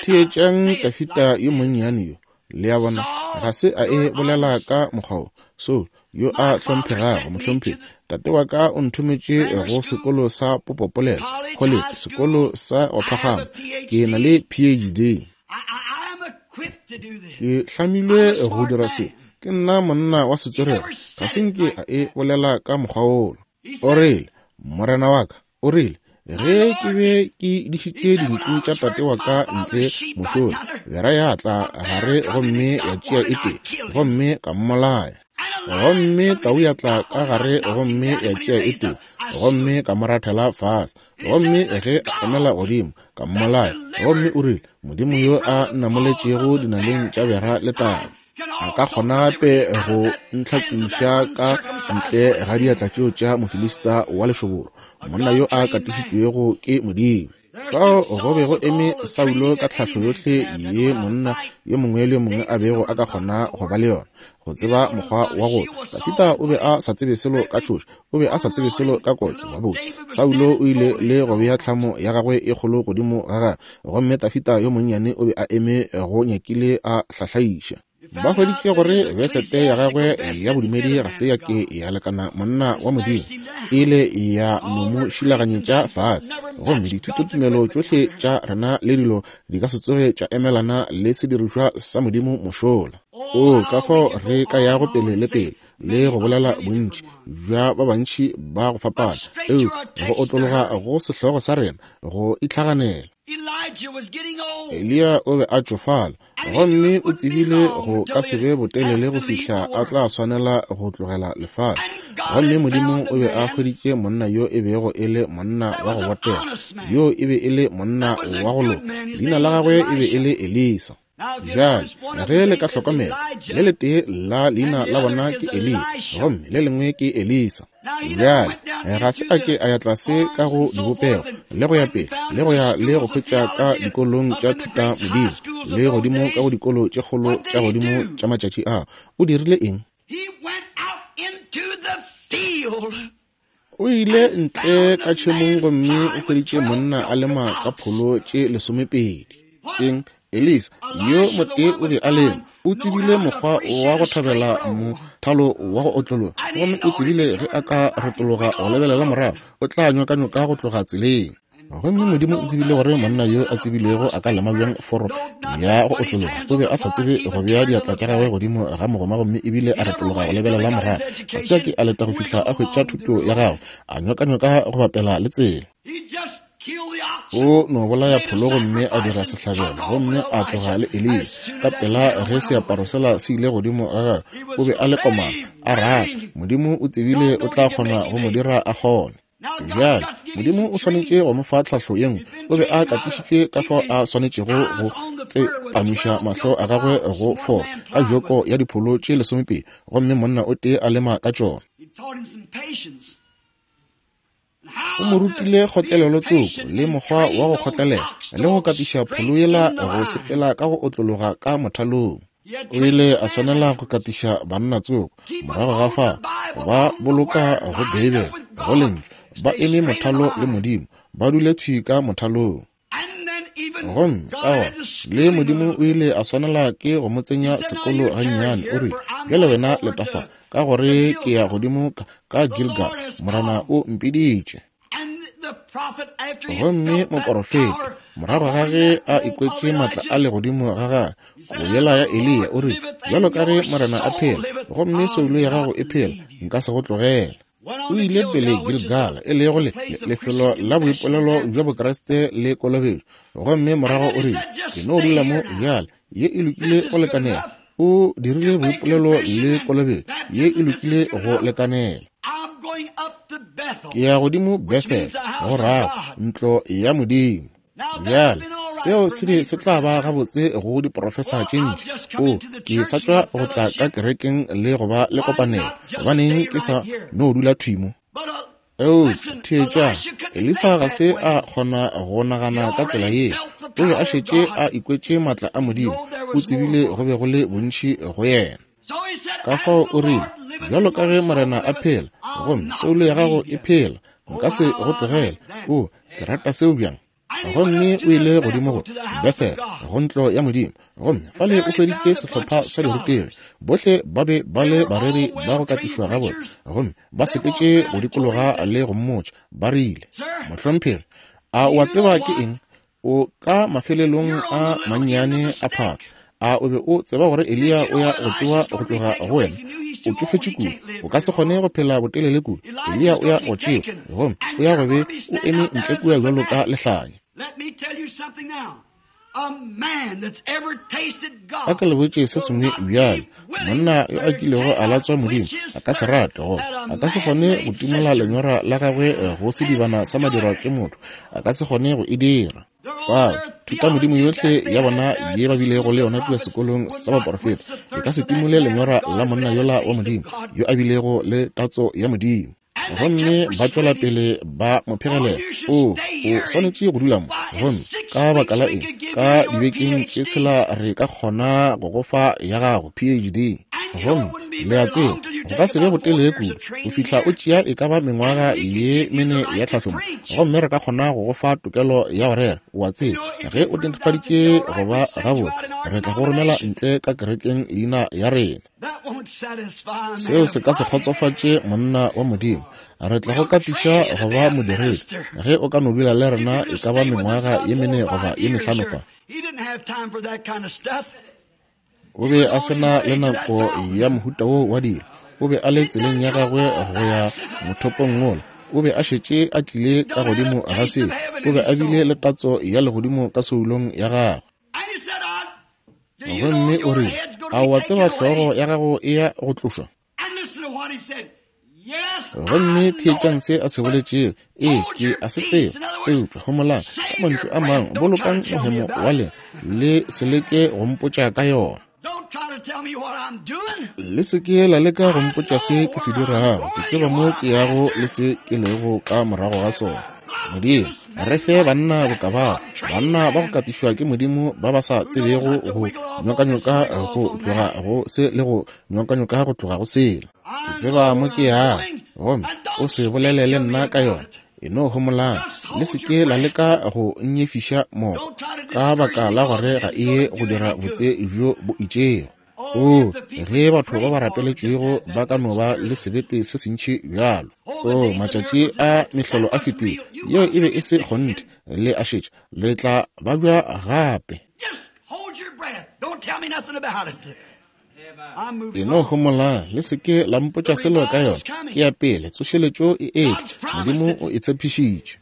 Theetšang Dafida yo monnyane yo. Le a bona, ga se a e bolela ka mokgwa wo. Saul yo a hlomphegago, mohlomphegi, tate wa ka o nthometše go sekolo sa popopolelo, college, sekolo sa go phagama. Ke na le P H D. Ke hlamilwe go dira se. Ke nna monna wa setswerere. Ga se nke a e bolela ka mokgwa wola. O rile, morena wa ka, o rile, ge ke be ke dišitše dinku tša tate wa ka ntle mošola, bera ya tla gare gomme ya tšea e tee, gomme ka mmolaya. Gomme tau ya tla ka gare gomme ya tšea e tee, gomme ka mo rathela fase. Gomme ge a emela godimo, ka mmolaya. Gomme o rile, Modimo yo a nnamoletšego dinaleng tša bera le tau, a ka kgona gape go ntlhakiša ka ntle ga diatla tšeo tša Mofilista wa lešoboro, monna yo a katišitšwego ke Modimo. Fao go be go eme Saulo ka tlhahlo yohle ye monna yo mongwe le yo mongwe a bego a ka kgona go ba le yona, go tseba mokgwa wa go. Dafida o be a sa tsebe selo ka tšhoša, o be a sa tsebe selo ka kotsi. Gabotse, Saulo o ile le go bea tlhamo ya gagwe e kgolo godimo ga gagwe, gomme Dafida yo monnyane o be a eme go nyakile a hlahlaiša. Ba hweditše gore besete ya gagwe ya bodumedi ga se ya ke ya lekana monna wa Modimo, ile ya no mo šilaganyetša fase. Gomme dithutotumelo tšohle tša rena le dilo di ka se tsoge tša emelana le sedirišwa sa Modimo mošola. O ka fao re ka yago pele le pele le go bolela bontši bja ba bantši ba go fapana, eupša go otlologa go sehlogo sa rena go itlhaganela. Eliya o be a tšofala, gomme o tsebile go ka se be botelele go fihla a tla swanela go tlogela lefase. Gomme Modimo o be a hweditše monna yo e bego e le monna wa go botega, yo e be e le monna wa go loka. Leina la gagwe e be e le Elisa. Bjale ge le ka hlokomela, le letee la leina la bona ke Eliya gomme le lengwe ke Elisa. Bjale ga se a ke a ya tlase ka go dibopego le go ya pele le go ya le go hwetša ka dikolong tša thuta modimo le godimo ka go dikolo tše kgolo tša godimo tša matšatši a. O dirile eng? O ile ntle ka tšhemong gomme o hweditše monna a lema ka pholo tše lesomepedi. Eng? Elisa yo motee o be a lema, o tsebile mokgwa wa go thabela mothalo wa go otlologa, gomme o tsebile ge a ka retologa go lebelela morago o tla nyokanyoka go tloga tseleng. Gomme Modimo o tsebile gore monna yo a tsebilego a ka lema bjang foro ya go otlologa. O be a sa tsebe go bea diatla tša gagwe godimo ga mogoma gomme ebile a retologa go lebelela morago. Ga se a ke a leta go fihla a hwetša thuto ya gagwe, a nyokanyoka go bapela le tsela. O no bolaya pholo gomme a dira sehlabelo gomme a tloga le Eliya. Ka pela ge seaparo sela se ile godimo ga gagwe, o be a le komana a rata. Modimo o tsebile o tla kgona go mo dira a kgone. Bjale Modimo o swanetše go mo fa tlhahlo ye nngwe. O be a katišitšwe ka fao a swanetšego go tsepamiša mahlo a gagwe go foro ka joko ya dipholo tše lesomepedi gomme monna o tee a lema ka tšona. O mo rutile kgotlelelo tsoko le mokgwa wa go kgotlelela le go katiša pholo yela go sepela ka go otlologa ka mothalong. O ile a swanela go katiša banna tsoko morago ga fa ba boloka go Beibele go lentšu, ba eme mothalo le Modimo, ba dule thwi ka mothalong. Gomme ka gona le Modimo o ile a swanela ke go mo tsenya sekolo gannyane. O rile, bjale wena letafa, ka gore ke ya godimo ka Gilgal, Morena o mpiditše. Gomme moporofeta morago ga ge a ikwetše matla a legodimo ga gagwe go yela ya Eliya, o rile, bjalo ka ge Morena a phela gomme soulo ya gago e phela, nka se go tlogela. O ile pele Gilgal, e lego le lefelo la boipolelo bja Bokriste le kolobetšo, gomme morago o rile, ke no dula mo bjale, ye e lokile go lekanela. O dirile boipolelo le kolobetšo, ye e lokile go lekanela. Ke ya godimo Bethel, go rago ntlo ya Modimo. Bjale seo se be se tla ba gabotse go diprofesa tše ntši. O, ke sa tšwa go tla ka kerekeng le go ba le kopanelo, gobaneng ke sa no dula thwi mo? Eupša theetša, Elisa ga se a kgona go nagana ka tsela ye. O be a šetše a ikwetše matla a Modimo, o tsebile go be go le bontši go yena. Ka fao o rile, bjalo ka ge Morena a phela gomme soulo ya gago e phela, nka se go tlogela. O, ke rata seo bjang. Gomme o ile godimo go Bethel, go ntlo ya Modimo, gomme fale o hweditše sehlopha sa dirutegi. Bohle ba be ba le bareri ba go katišwa gabotse, gomme ba sepetše go dikologa le go mmotša. Ba rile, mohlomphegi, a o a tseba ke eng? O ka mafelelong a mannyane a phaka. A o be o tseba gore Eliya o ya go tšewa go tloga go wena? O tšofetše kudu, o ka se kgone go phela botelele kudu. Eliya o ya go tšewa, gomme o ya go be o eme ntle kua bjalo ka lehlanya. A ka le botše se sengwe bjale, monna yo a kilego a latswa Modimo a ka se rate goba a ka se kgone go timola lenyora la gagwe go sedibana sa madirwa ke motho, a ka se kgone go e dira. Fao thuta modimo yohle ya bona ye ba bilego le yona kua sekolong sa baporofeta e ka se timole lenyora la monna yola wa Modimo yo a bilego le tatso ya Modimo. Gomme ba tšwela pele ba mo phegelela, o o swanetše go dula mo, gomme ka baka la eng, ka dibekeng tše tshela re ka kgona go go fa ya gago P H D. Gomme le a tseba go ka se be botelele kudu go fihla o tšea e ka ba mengwaga ye mene ya tlhahlomo, gomme re ka kgona go go fa tokelo ya go rera. O a tseba ge o netefaditše go ba gabotse, re tla go romela ntle ka kerekeng leina ya rena. Seo se ka se kgotsofatše monna wa Modimo. Re tla go katiša go ba modiredi ge o ka no dula le rena e ka ba mengwaga ye mene goba ye mehlano fa. O be a se na le nako ya mohuta wo wa dilo. O be a le tseleng ya gagwe go ya mothopong wola. O be a šetše a tlile ka godimo ga seo. O be a bile le tatso ya legodimo ka soulong ya gagwe. Gomme o rile, a o a tseba hlogo ya gago e ya go tlošwa? Gomme theetšang se a se boletšego. Ee, ke a se tseba. Eupša homolang, ka mantšu a mangwe, bolokang mohemo wa lena, le se leke go mpotša ka yona. Le se ke la leka go mpotša se ke se dirago. Ke tseba mo ke yago le se ke lego ka morago ga sona. Modimo, re fe banna boka bao, banna ba go katišwa ke Modimo ba ba sa tsebego go nyokanyoka go tloga go se le go nyokanyoka go tloga go sela. Ke tseba mo ke yago, gomme o se bolele le nna ka yona. E no homolang, le se ke la leka go nyefiša moko, ka baka la gore ga e ye go dira botse bjo bo itšego. O, ge batho ba ba rapeletšwego ba ka no ba le sebete se sentši bjalo. O, matšatši a mehlolo a fetile, yeo e be e se kgonthe, le a šetša, le tla babja gape. E no homolang, le se ke la mpotša selo ka yona. Ke ya pele, tsošeletšo e etla, Modimo o e tshepišitše.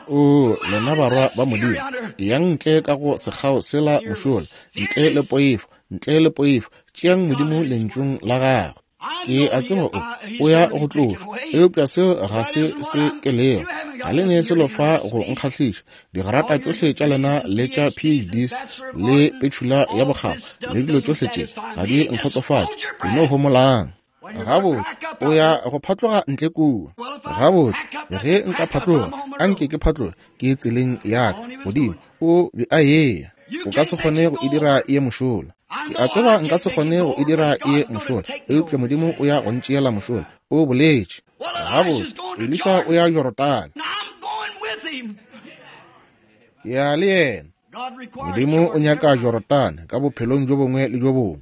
O, lena barwa ba Modimo, eyang ntle ka go sekgao sela mošola, ntle le poifo, ntle le poifo, tšeang Modimo lentšung la gagwe. Ke a tseba o, o ya go tlošwa, eupša seo ga se se ke lego. Ga le ne selo fa go nkgahliša. Digrata tšohle tša lena le tša P H Ds le petšhula ya bokgabo le dilo tšohle tše ga di nkgotsofatše. Ke no homolang. Gabotse, o ya go phatloga ntle kua. Gabotse, ge nka phatloga, anke ke phatloge, ke tseleng ya ka godimo. O be a eya. O ka se kgone go e dira ye mošola. Ke a tseba nka se kgone go e dira ye mošola, eupša Modimo o ya go ntšeela mošola. O boletše. Gabotse, Elisa o ya Jorodane. Ke ya le yena. Modimo o nyaka Jorodane ka bophelong bjo bongwe le bjo bongwe.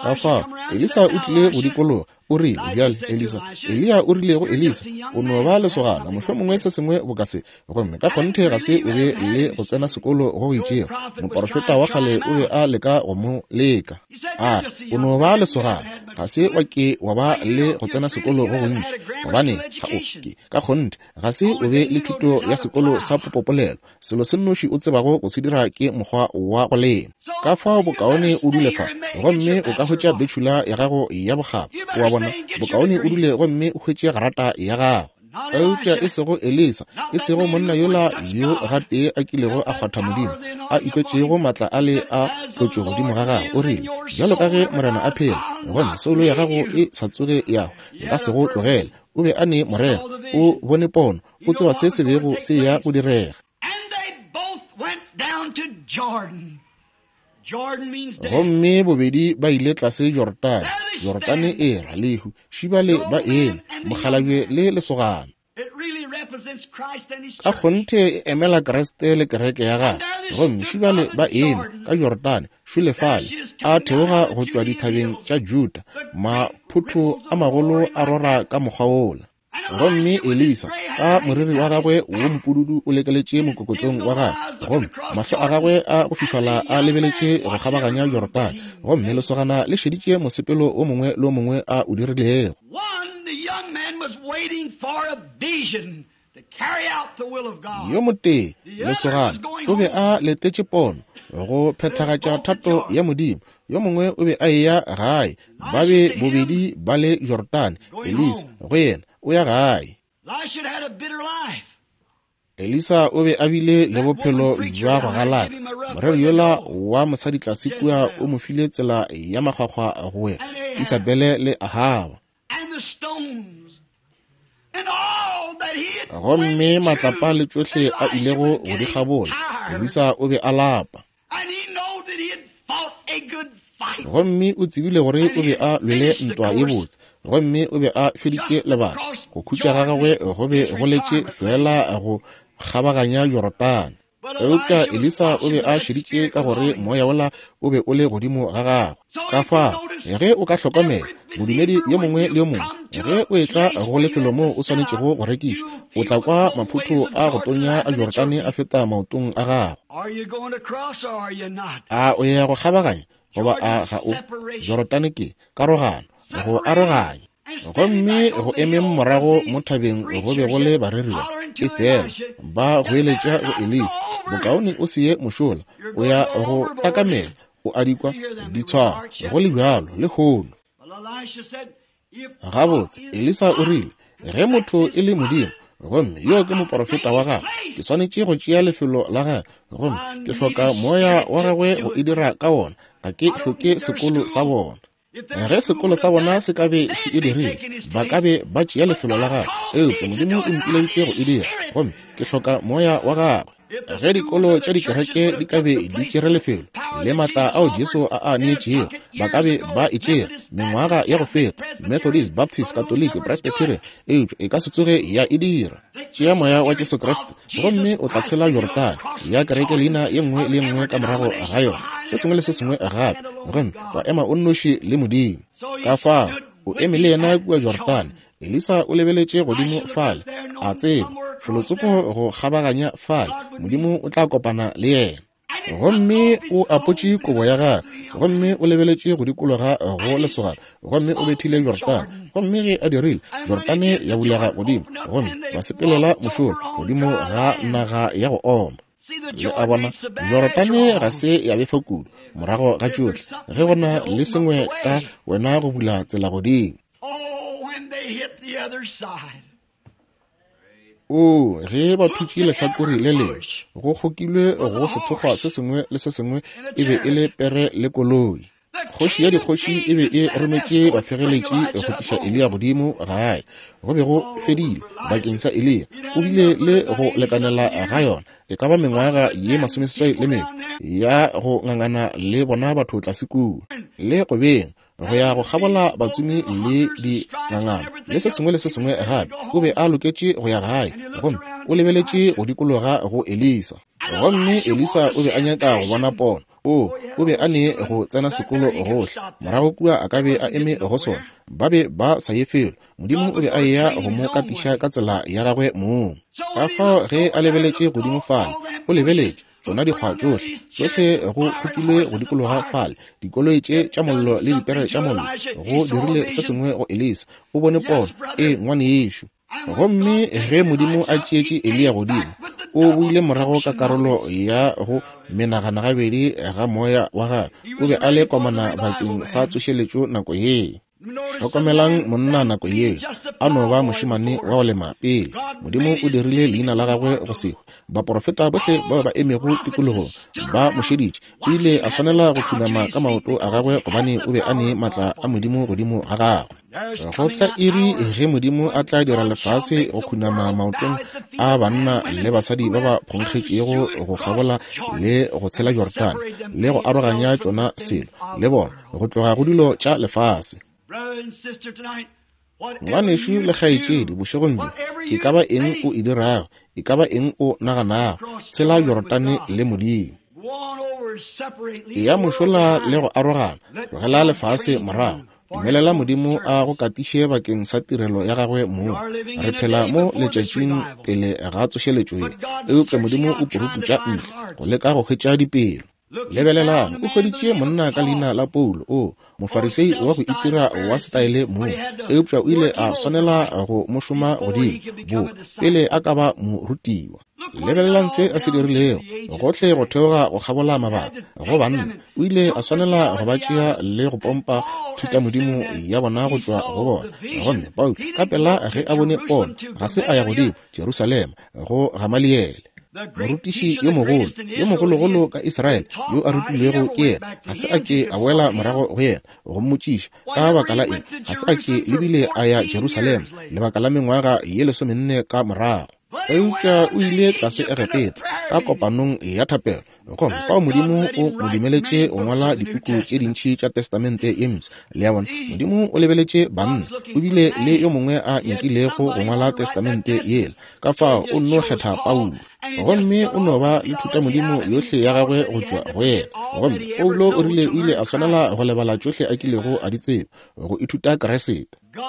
Ka fao, Elisa o tlile go dikologa. O rile, bjale, Elisa, Eliya o rile go Elisa, o no ba lesogana, mohlomongwe se sengwe boka se, gomme ka kgonthe ga se o be le go tsena sekolo go go itšego. Moporofeta wa kgale o be a leka go mo leka. A re, o no ba lesogana, ga se wa ke wa ba le go tsena sekolo go gontši, gobane ga o ke, ka kgonthe ga se o be le thuto ya sekolo sa popopolelo. Selo se nnoši o tsebago go se dira ke mokgwa wa go lema. Ka fao bokaone o dule fa, gomme o ka hwetša betšhula ya gago ya bokgabo. O a bona, bokaone o dule gomme o hwetše grata ya gago. Eupša e sego Elisa, e sego monna yola yo gatee a kilego a kgwatha Modimo, a ikwetšego matla a le a tlotšwe godimo ga gagwe. O rile, bjalo ka ge Morena a phela, gomme soulo ya gago e sa tsoge ya hwa, nka se go tlogele. O be a ne morero, o bone pono, o tseba se se bego se ya go direga. Gomme bobedi ba ile tlase Jorodane. Jorodane e ra lehu, šibale ba eme, mokgalabje le lesogana. Ka kgonthe e emela Kriste le kereke ya gagwe. Gomme šibale ba eme ka Jorodane, šule fale, a theoga go tšwa dithabeng tša Juda, maphotho a magolo a rora ka mokgwa wola. Gomme Elisa, ka moriri wa gagwe wo mopududu o lekeletše mokokotlong wa gagwe, gomme mahlo a gagwe a go fifala a lebeletše go kgabaganya Jorodane, gomme lesogana le šeditše mosepelo o mongwe le o mongwe a o dirilego. Yo motee, lesogana, o be a letetše pono go phethagatša thato ya Modimo. Yo mongwe o be a eya gae. Ba be bobedi ba le Jorodane. Elisa go yena o ya gae. Elisa o be a bile le bophelo bja go galaka. Moreri yola wa mosadi tlase kua o mo file tsela ya makgwakgwa go wena, Isabele le Ahaba. Gomme matlapa le tšohle a ilego go di kgabola, Elisa o be a lapa. Gomme o tsebile gore o be a lwele ntwa ye botse, gomme o be a feditše lebaka. Go khutša ga gagwe go be go letše fela go kgabaganya Jorodane. Eupša Elisa o be a šeditše ka gore moya wola o be o le godimo ga gagwe. Ka fao, ge o ka hlokomela, modumedi yo mongwe le yo mongwe, ge o etla go lefelo moo o swanetšego go rekiša, o tla kwa maphotho a go tonya a Jorodane a feta maotong a gago. A o ya go kgabaganya goba a ga o? Jorodane ke karogano, go aroganya. Gomme go emeng morago mo thabeng go be go le bareri ba, efela ba goeletša go Elisa, bokaone o se ye mošola, o ya go takamela, o a dikwa ditshwaro, go le bjalo lehono. Gabotse, Elisa o rile, ge motho e le Modimo, gomme yo ke moporofeta wa gagwe, ke swanetše go tšea lefelo la gagwe, gomme ke hloka moya wa gagwe go e dira ka wona, ga ke hloke sekolo sa bona. Ge sekolo sa bona se ka be se e dirile, ba ka be ba tšea lefelo la gagwe, eupša Modimo o mpileditše go e dira, gomme ke hloka moya wa gagwe. Ge dikolo tša dikereke di ka be di tšere lefelo le matla ao Jesu a a neetšego, ba ka be ba e tšere mengwaga ya go feta, Methodist, Baptist, Catholic, Presbyterian, eupša e ka se tsoge ya e dira. Tšea moya wa Jesu Kriste gomme o tla tshela Jorodane ya kereke leina ye nngwe le ye nngwe ka morago ga yona, se sengwe le se sengwe gape, gomme wa ema o nnoši le Modimo. Ka fao o eme le yena kua Jorodane. Elisa o lebeletše godimo fale, a tseba felotsoko go kgabaganya fale, Modimo o tla kopana le yena. Gomme o apotše kobo ya gagwe, gomme o lebeletše go dikologa go lesogana, gomme o bethile Jorodane. Gomme ge a dirile, Jorodane ya bulega godimo, gomme ba sepelela mošola godimo ga naga ya go oma. Le a bona, Jorodane ga se ya befa kudu morago ga tšohle, ge go na le sengwe ka wena go bula tsela godimo. O, ge ba thutše lehlakore le lengwe, go kgokilwe go sethokgwa se sengwe le se sengwe e be e le pere le koloi. Kgoši ya dikgoši e be e rometše bafegeletši go tliša Eliya godimo gae. Go be go fedile bakeng sa Eliya. O bile le go lekanela ga yona, e ka ba mengwaga ye masomeseswai le mene ya go ngangana le bona batho tlase kua, le go beng go ya go kgabola batsomi le dingangana le se sengwe le se sengwe gape. O be a loketše go ya gae, gomme o lebeletše go dikologa go Elisa. Gomme Elisa o be a nyaka go bona pono. O, o be a ne go tsena sekolo gohle morago kua a ka be a eme go sona. Ba be ba sa ye felo. Modimo o be a eya go mo katiša ka tsela ya gagwe mong. Ka fao ge a lebeletše godimo fale, o lebeletše tšona dikgwa tšohle, tšohle go kgokilwe go dikologa fale, dikoloi tše tša mollo le dipere tša mollo, go dirile se sengwe go Elisa. O bone pono, e ngwanešo. Gomme ge Modimo a tšeetše Eliya godimo, o boile morago ka karolo ya go menagana gabedi ga moya wa gagwe. O be a le komana bakeng sa tsošeletšo nako ye. Hlokomelang monna nako yeo, a no ba mošemane wa go lema pele. Modimo o dirile leina la gagwe go sehwe. Baporofeta bohle bao ba emego tikologong ba mo šeditše. O ile a swanela go khunama ka maoto a gagwe gobane o be a ne matla a Modimo godimo ga gagwe. Go tla iri ge Modimo a tla dira lefase go khunama maotong a banna le basadi ba ba phonkgetšego go kgabola le go tshela Jorodane le go aroganya tšona selo le bona go tloga go dilo tša lefase. Ngwanešu le kgaetšedi, bošegong bjo, e ka ba eng o e dirago, e ka ba eng o naganago, tshela Jorodane le Modimo. Eya mošola le go arogana, tlogela lefase morago. Dumelela Modimo a go katiše bakeng sa tirelo ya gagwe mong. Re phela mo letšatšing pele ga tsošeletšo ye, eupša Modimo o puruputša ntle go leka go hwetša dipelo. Lebelelang, o hweditše monna ka leina la Paulo, o mofarisei wa go itira wa setaele mong, eupša o ile a swanela go mo šoma godimo bo pele a ka ba morutiwa. Lebelelang se a se dirilego gohle go theoga go kgabola mabaka go banna. O ile a swanela go ba tšea le go pompa thutamodimo ya bona go tšwa go bona. Gomme Paulo ka pela ge a bone pono, ga se a ya godimo Jerusalema go Gamaliele, morutiši yo mogolo, yo mogologolo ka Israele, yo a rutilwego ke yena. Ga se a ke a boela morago go yena go mmotšiša ka baka la eng ga se a ke lebile a ya Jerusalema lebaka la mengwaga ye lesomenne ka morago. Eupša o ile tlase Egepeta ka kopanong ya thapelo, gomme fao Modimo o mo dumeletše go ngwala dipuku tše dintši tša Testamente ye Mpsha. Le a bona, Modimo o lebeletše banna, o bile le yo mongwe a nyakilego go ngwala Testamente yela, ka fao o nno kgetha Paulo. Gomme o no ba le thutamodimo yohle ya gagwe go tšwa go yena. Gomme Paulo o rile o ile a swanela go lebala tšohle a kilego a di tseba go ithuta Kriste.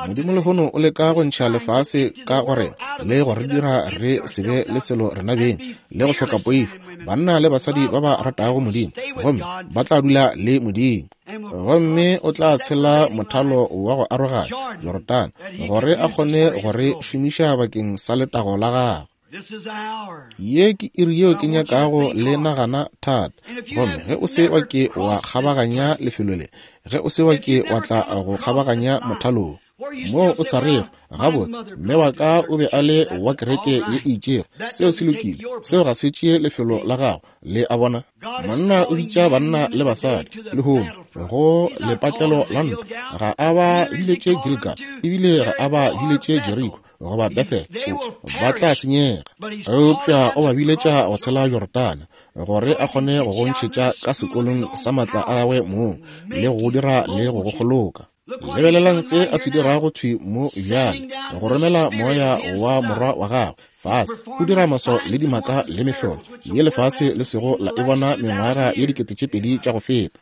Modimo lehono o leka go ntšha lefase ka go rena le go re dira re se be le selo rena beng le go hloka poifo, banna le basadi ba ba ratago Modimo, gomme ba tla dula le Modimo. Gomme o tla tshela mothalo wa go aroganya Jorodane gore a kgone go re šomiša bakeng sa letago la gagwe. Ye ke iri yeo ke nyakago le nagana thata. Gomme ge o se wa ke wa kgabaganya lefelo le, ge o se wa ke wa tla go kgabaganya mothalong, Moo o sa rego, gabotse, mme wa ka o be a le wa kereke ye e itšego. Seo se lokile. Seo ga se tšee lefelo la gago. Le a bona? Monna o bitša banna le basadi lehono go lepatlelo la ntwa. Ga a ba biletše Gilgal, ebile ga a ba biletše Jericho goba Bethel. Ba tla senyega. Eupša o ba biletša go tshela Jorodane, gore a kgone go go ntšhetša ka sekolong sa matla a gagwe mong, le go dira le go go kgoloka. Lebelelang se a se dirago thwi mo bjale, go romela moya wa morwa wa gagwe fase, o dira maswao le dimaka le mehlolo ye lefase le sego la e bona mengwaga ye dikete tše pedi tša go feta.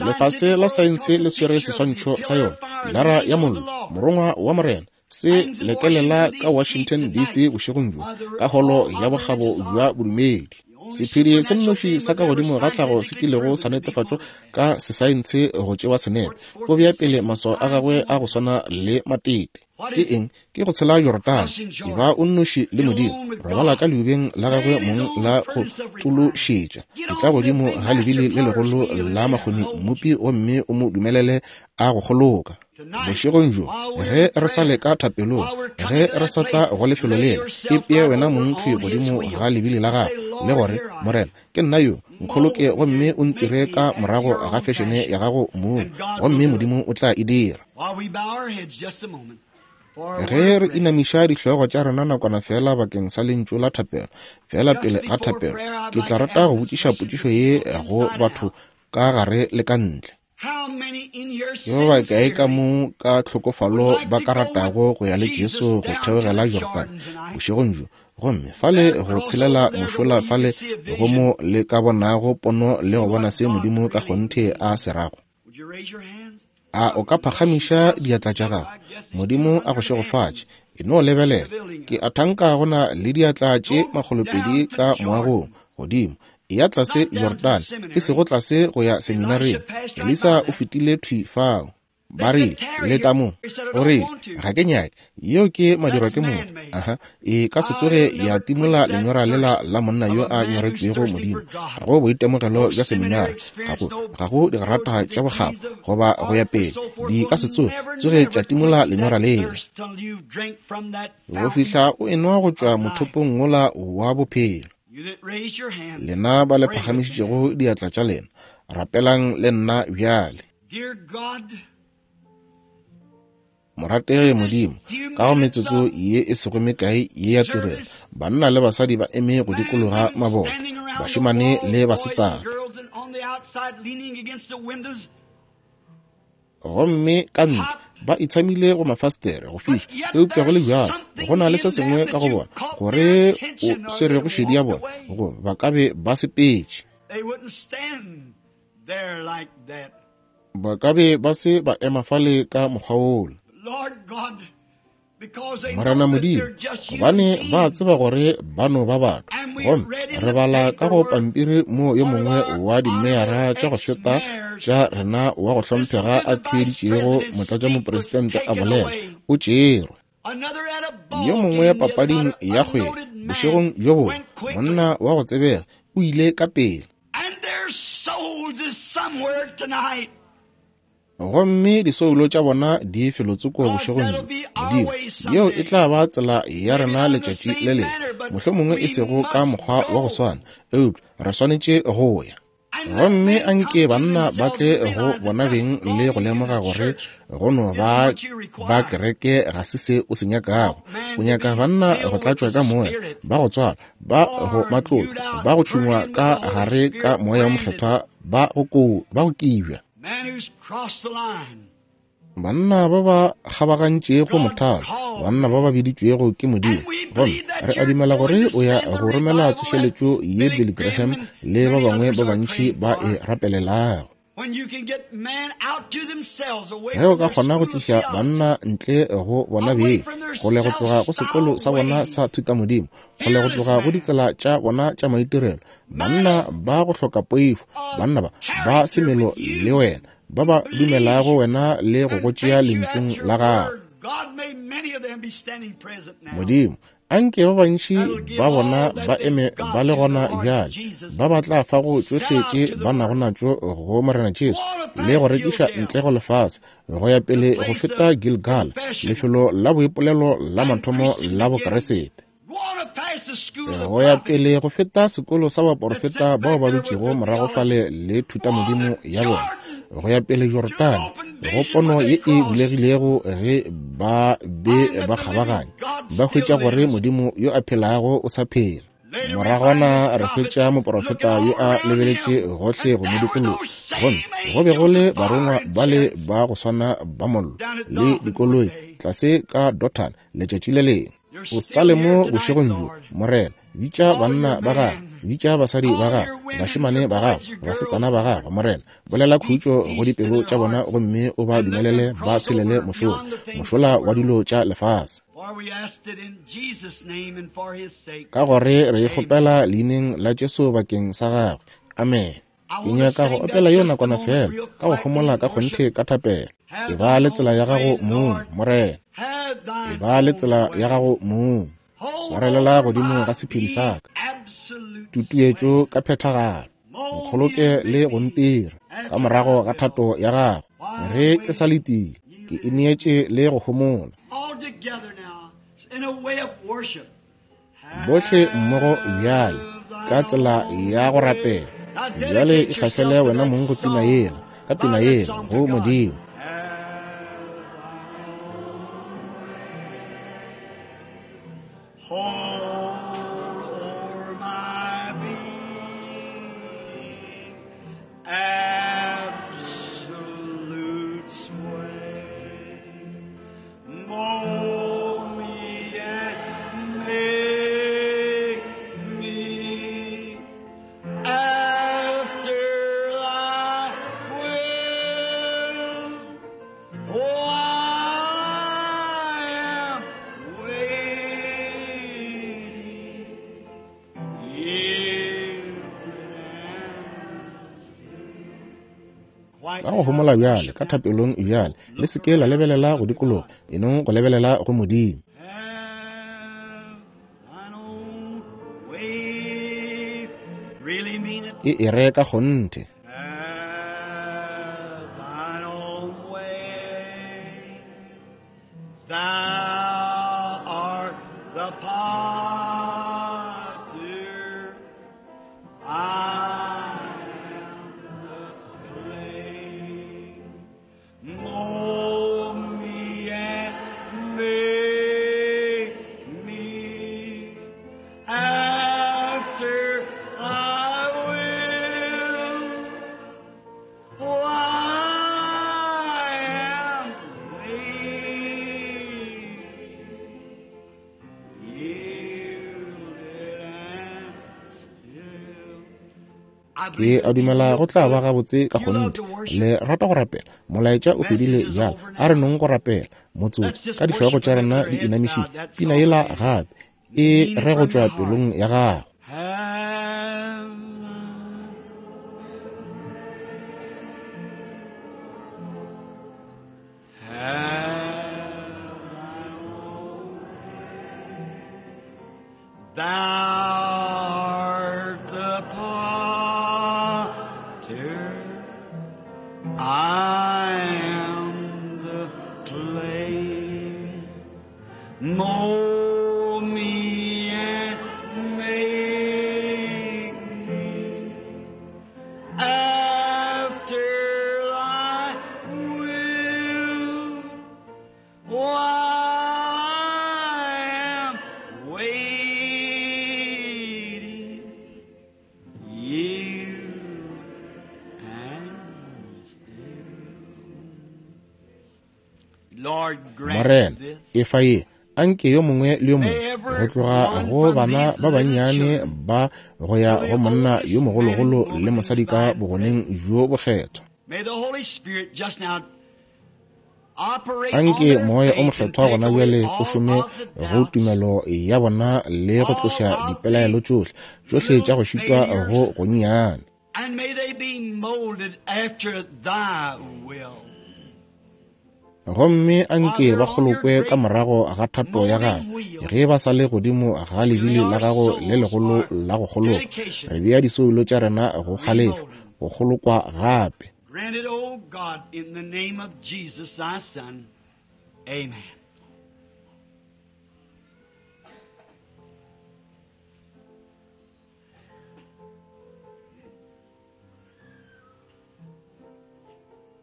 Lefase la saense le swere seswantšho sa yona, pilara ya mollo, morongwa wa Morena, se lekelela ka Washington D C bošegong bjo, ka holo ya bokgabo bja bodumedi. Sephedi se nnoši sa ka godimo ga tlhago se kilego sa netefatšwa ka sesaense go tšewa senepe, o bea pele maswao a gagwe a go swana le matete. Ke eng? Ke go tshela Jorodane. Eba o nnoši le Modimo. Robala ka leubeng la gagwe mong la go tološetša. Etla godimo ga lebili le legolo la makgoni mmopi gomme o mo dumelele a go kgoloka. Bošegong bjo, ge re sa leka thapelong, ge re sa tla go lefelo lela, ipee wena mong thwi godimo ga lebili la gago, le gore, Morena, ke nna yo, nkgoloke gomme o ntire ka morago ga fešene ya gago mong, gomme Modimo o tla e dira. Ge re inamiša dihlogo tša rena nakwana fela bakeng sa lentšu la thapelo, fela pele ga thapelo, ke tla rata go botšiša potšišo ye go batho ka gare le ka ntle. Ke ba bakae ka mo ka tlhokofalo ba ka ratago go ya le Jesu go theogela Jorodane bošegong bjo, gomme fale go tshelela mošola fale go mo le ka bonago pono le go bona se Modimo ka kgonthe a se rago? A o ka phagamiša diatla tša gago? Modimo a go šegofatše. E no lebelela. Ke a thanka go na le diatla tše makgolopedi ka moagong godimo. Ya tlase Jorodane, e sego tlase go ya seminareng. Elisa o fetile thwi fao. Ba rile, leta mo. O rile, ga ke nyake. Yeo ke madirwa ke motho. Aha, e ka se tsoge ya timola lenyora lela la monna yo a nyoretšwego Modimo. Ga go boitemogelo bja seminare, ga go, ga go digrata tša bokgabo, goba go ya pele. Di ka se tsoge, tsoge tša timola lenyora lela. Go fihla o enwa go tšwa mothopong wola wa bophelo. Lena ba le phagamišitšego diatla tša lena, rapelang le nna bjale. Morategi Modimo, ka go metsotso ye e sego mekae ye ya tirelo, banna le basadi ba eme go dikologa maboto, bašemane le basetsana, gomme ka ntle ba itshamile go mafastere go fiša, eupša go le bjalo go na le se sengwe ka go bona gore o swerego šedi ya bona, go ba ka be ba sepetše, ba ka be ba se ba ema fale ka mokgwa wola. Morena Modimo, gobane ba tseba gore ba no ba batho, gomme re bala ka go pampiri mo yo mongwe wa dimeyara tša go feta tša rena wa go hlomphega a theeditšego motlatšamopresidente a bolela, o tšerwe. Yo mongwe papading ya kgwele bošegong bjo bongwe, monna wa go tsebega o ile ka pele, gomme disoulo tša bona di felotsoko bošegong bjo. Modimo, yeo e tla ba tsela ya rena letšatši le lengwe, mohlomongwe e sego ka mokgwa wa go swana, eupša re swanetše go ya. Gomme anke banna ba tle go bona beng le go lemoga gore go no ba ba kereke ga se se o se nyakago. O nyaka banna go tlatšwa ka moya, ba go tswala, ba go matlolo, ba go tšhungwa ka gare ka moya o mokgethwa, ba go ba go kibja. Banna ba ba kgabagantšego mothalo, banna ba ba biditšwego ke Modimo. Gomme re a dumela gore o ya go romela tsošeletšo ye Billy Graham le ba bangwe ba bantši ba e rapelelago. Ge o ka kgona go tliša banna ntle go bona beng, kgole go tloga go sekolo sa bona sa thutamodimo, kgole go tloga go ditsela tša bona tša maitirelo, banna ba go hloka poifo, banna ba ba semelo le wena, ba ba dumelago wena le go go tšea lentšung la gago. Modimo, Anke ba bantši ba bona ba eme ba le gona bjale, ba ba tla fago tšohle tše ba nago natšo go Morena Jesu, le go rekiša ntle go lefase, go ya pele go feta Gilgal, lefelo la boipolelo la mathomo la Bokriste, go ya pele go feta sekolo sa baporofeta bao ba dutšego morago fale le thutamodimo ya bona, go ya pele Jorodane, go pono ye e bulegilego ge ba be ba kgabaganya, ba hwetša gore Modimo yo a phelago o sa phela. Moragwana re hwetša moporofeta yo a lebeletše gohle go mo dikologa, gomme go be go le barongwa ba le ba go swana ba mollo le dikoloi tlase ka Dothan letšatši le lengwe. O sa le mo bošegong bjo, Morena, bitša banna ba gago, bitša basadi ba gago, bašemane ba gago, basetsana ba gago, Morena, bolela khutšo go dipelo tša bona gomme o ba dumelele ba tshelele mošola, mošola wa dilo tša lefase. Ka gore re kgopela leineng la Jesu bakeng sa gagwe. Amen. Ke nyaka go opela yeo nakwana fela, ka go homola ka kgonthe ka thapelo. E ba le tsela ya gago mong, Morena. E ba le tsela ya gago mong. Swarelela godimo ga sephiri sa ka. Tutuetšo ka phethagalo. Nkgoloke le go ntira ka morago ga thato ya gago. Ge ke sa letile, ke ineetše le go homola. Bohle mmogo bjale ka tsela ya go rapela. Bjale e hlahlele wena mong go pina yela, ka pina yela go Modimo. Ka go homola bjale, ka thapelong bjale, le se ke la lebelela go dikologa, enong go lebelela go Modimo. E e re ka kgonthe. Ke a dumela go tla ba gabotse ka kgonthe. Le rata go rapela. Molaetša o fedile bjale. A re nong go rapela motsotso ka dihlogo tša rena di inamišitše. Pina yela gape e re go tšwa pelong ya gago. Morena, efa ye, anke yo mongwe le yo mongwe, go tloga go bana ba bannyane ba go ya go monna yo mogologolo le mosadi ka bogoneng bjo bokgethwa. Anke moya o mokgethwa gona bjale o šome go tumelo ya bona le go tloša dipelaelo tšohle, tšohle tša go šitwa go gonnyane. Gomme anke ba kgolokwe ka morago ga thato ya gago, ge ba sa le godimo ga lebili la gago le legolo la go kgolokwa. Re bea disoulo tša rena go kgalefo, go kgolokwa gape. Grant it, O God, in the name of Jesus, thy Son. Amen.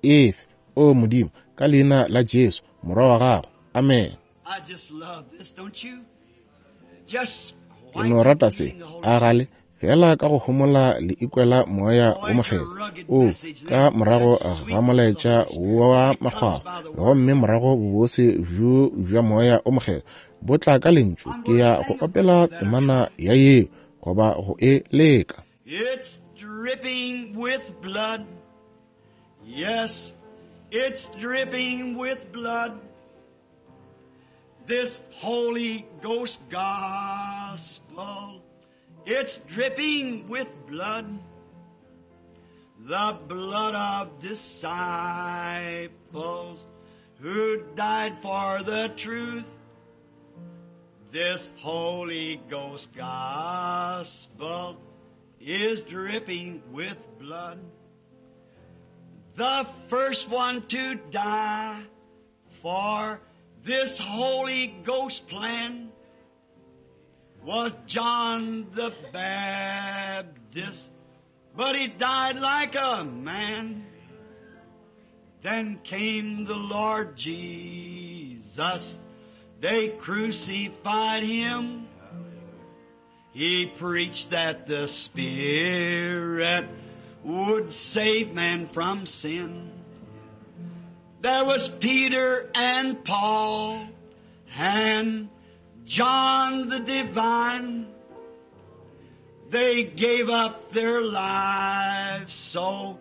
Efe, o Modimo, ka leina la Jesu, morwa wa gago. Amen. I just love this, don't you? Just Ke no rata se, a gale, fela ka go homola le ikwela moya o mokgethwa. O ka morago ga molaetša wa makgwakgwa, gomme morago bobose bjo bja moya o mokgethwa bo tla ka lentšu. Ke ya go opela temana ya yeo, goba go e leka. It's dripping with blood. Yes, it's dripping with blood. This Holy Ghost gospel, it's dripping with blood. The blood of disciples who died for the truth. This Holy Ghost gospel is dripping with blood. The first one to die for this Holy Ghost plan was John the Baptist, but he died like a man. Then came the Lord Jesus. They crucified him. He preached that the Spirit would save man from sin. There was Peter and Paul and John the Divine. They gave up their lives so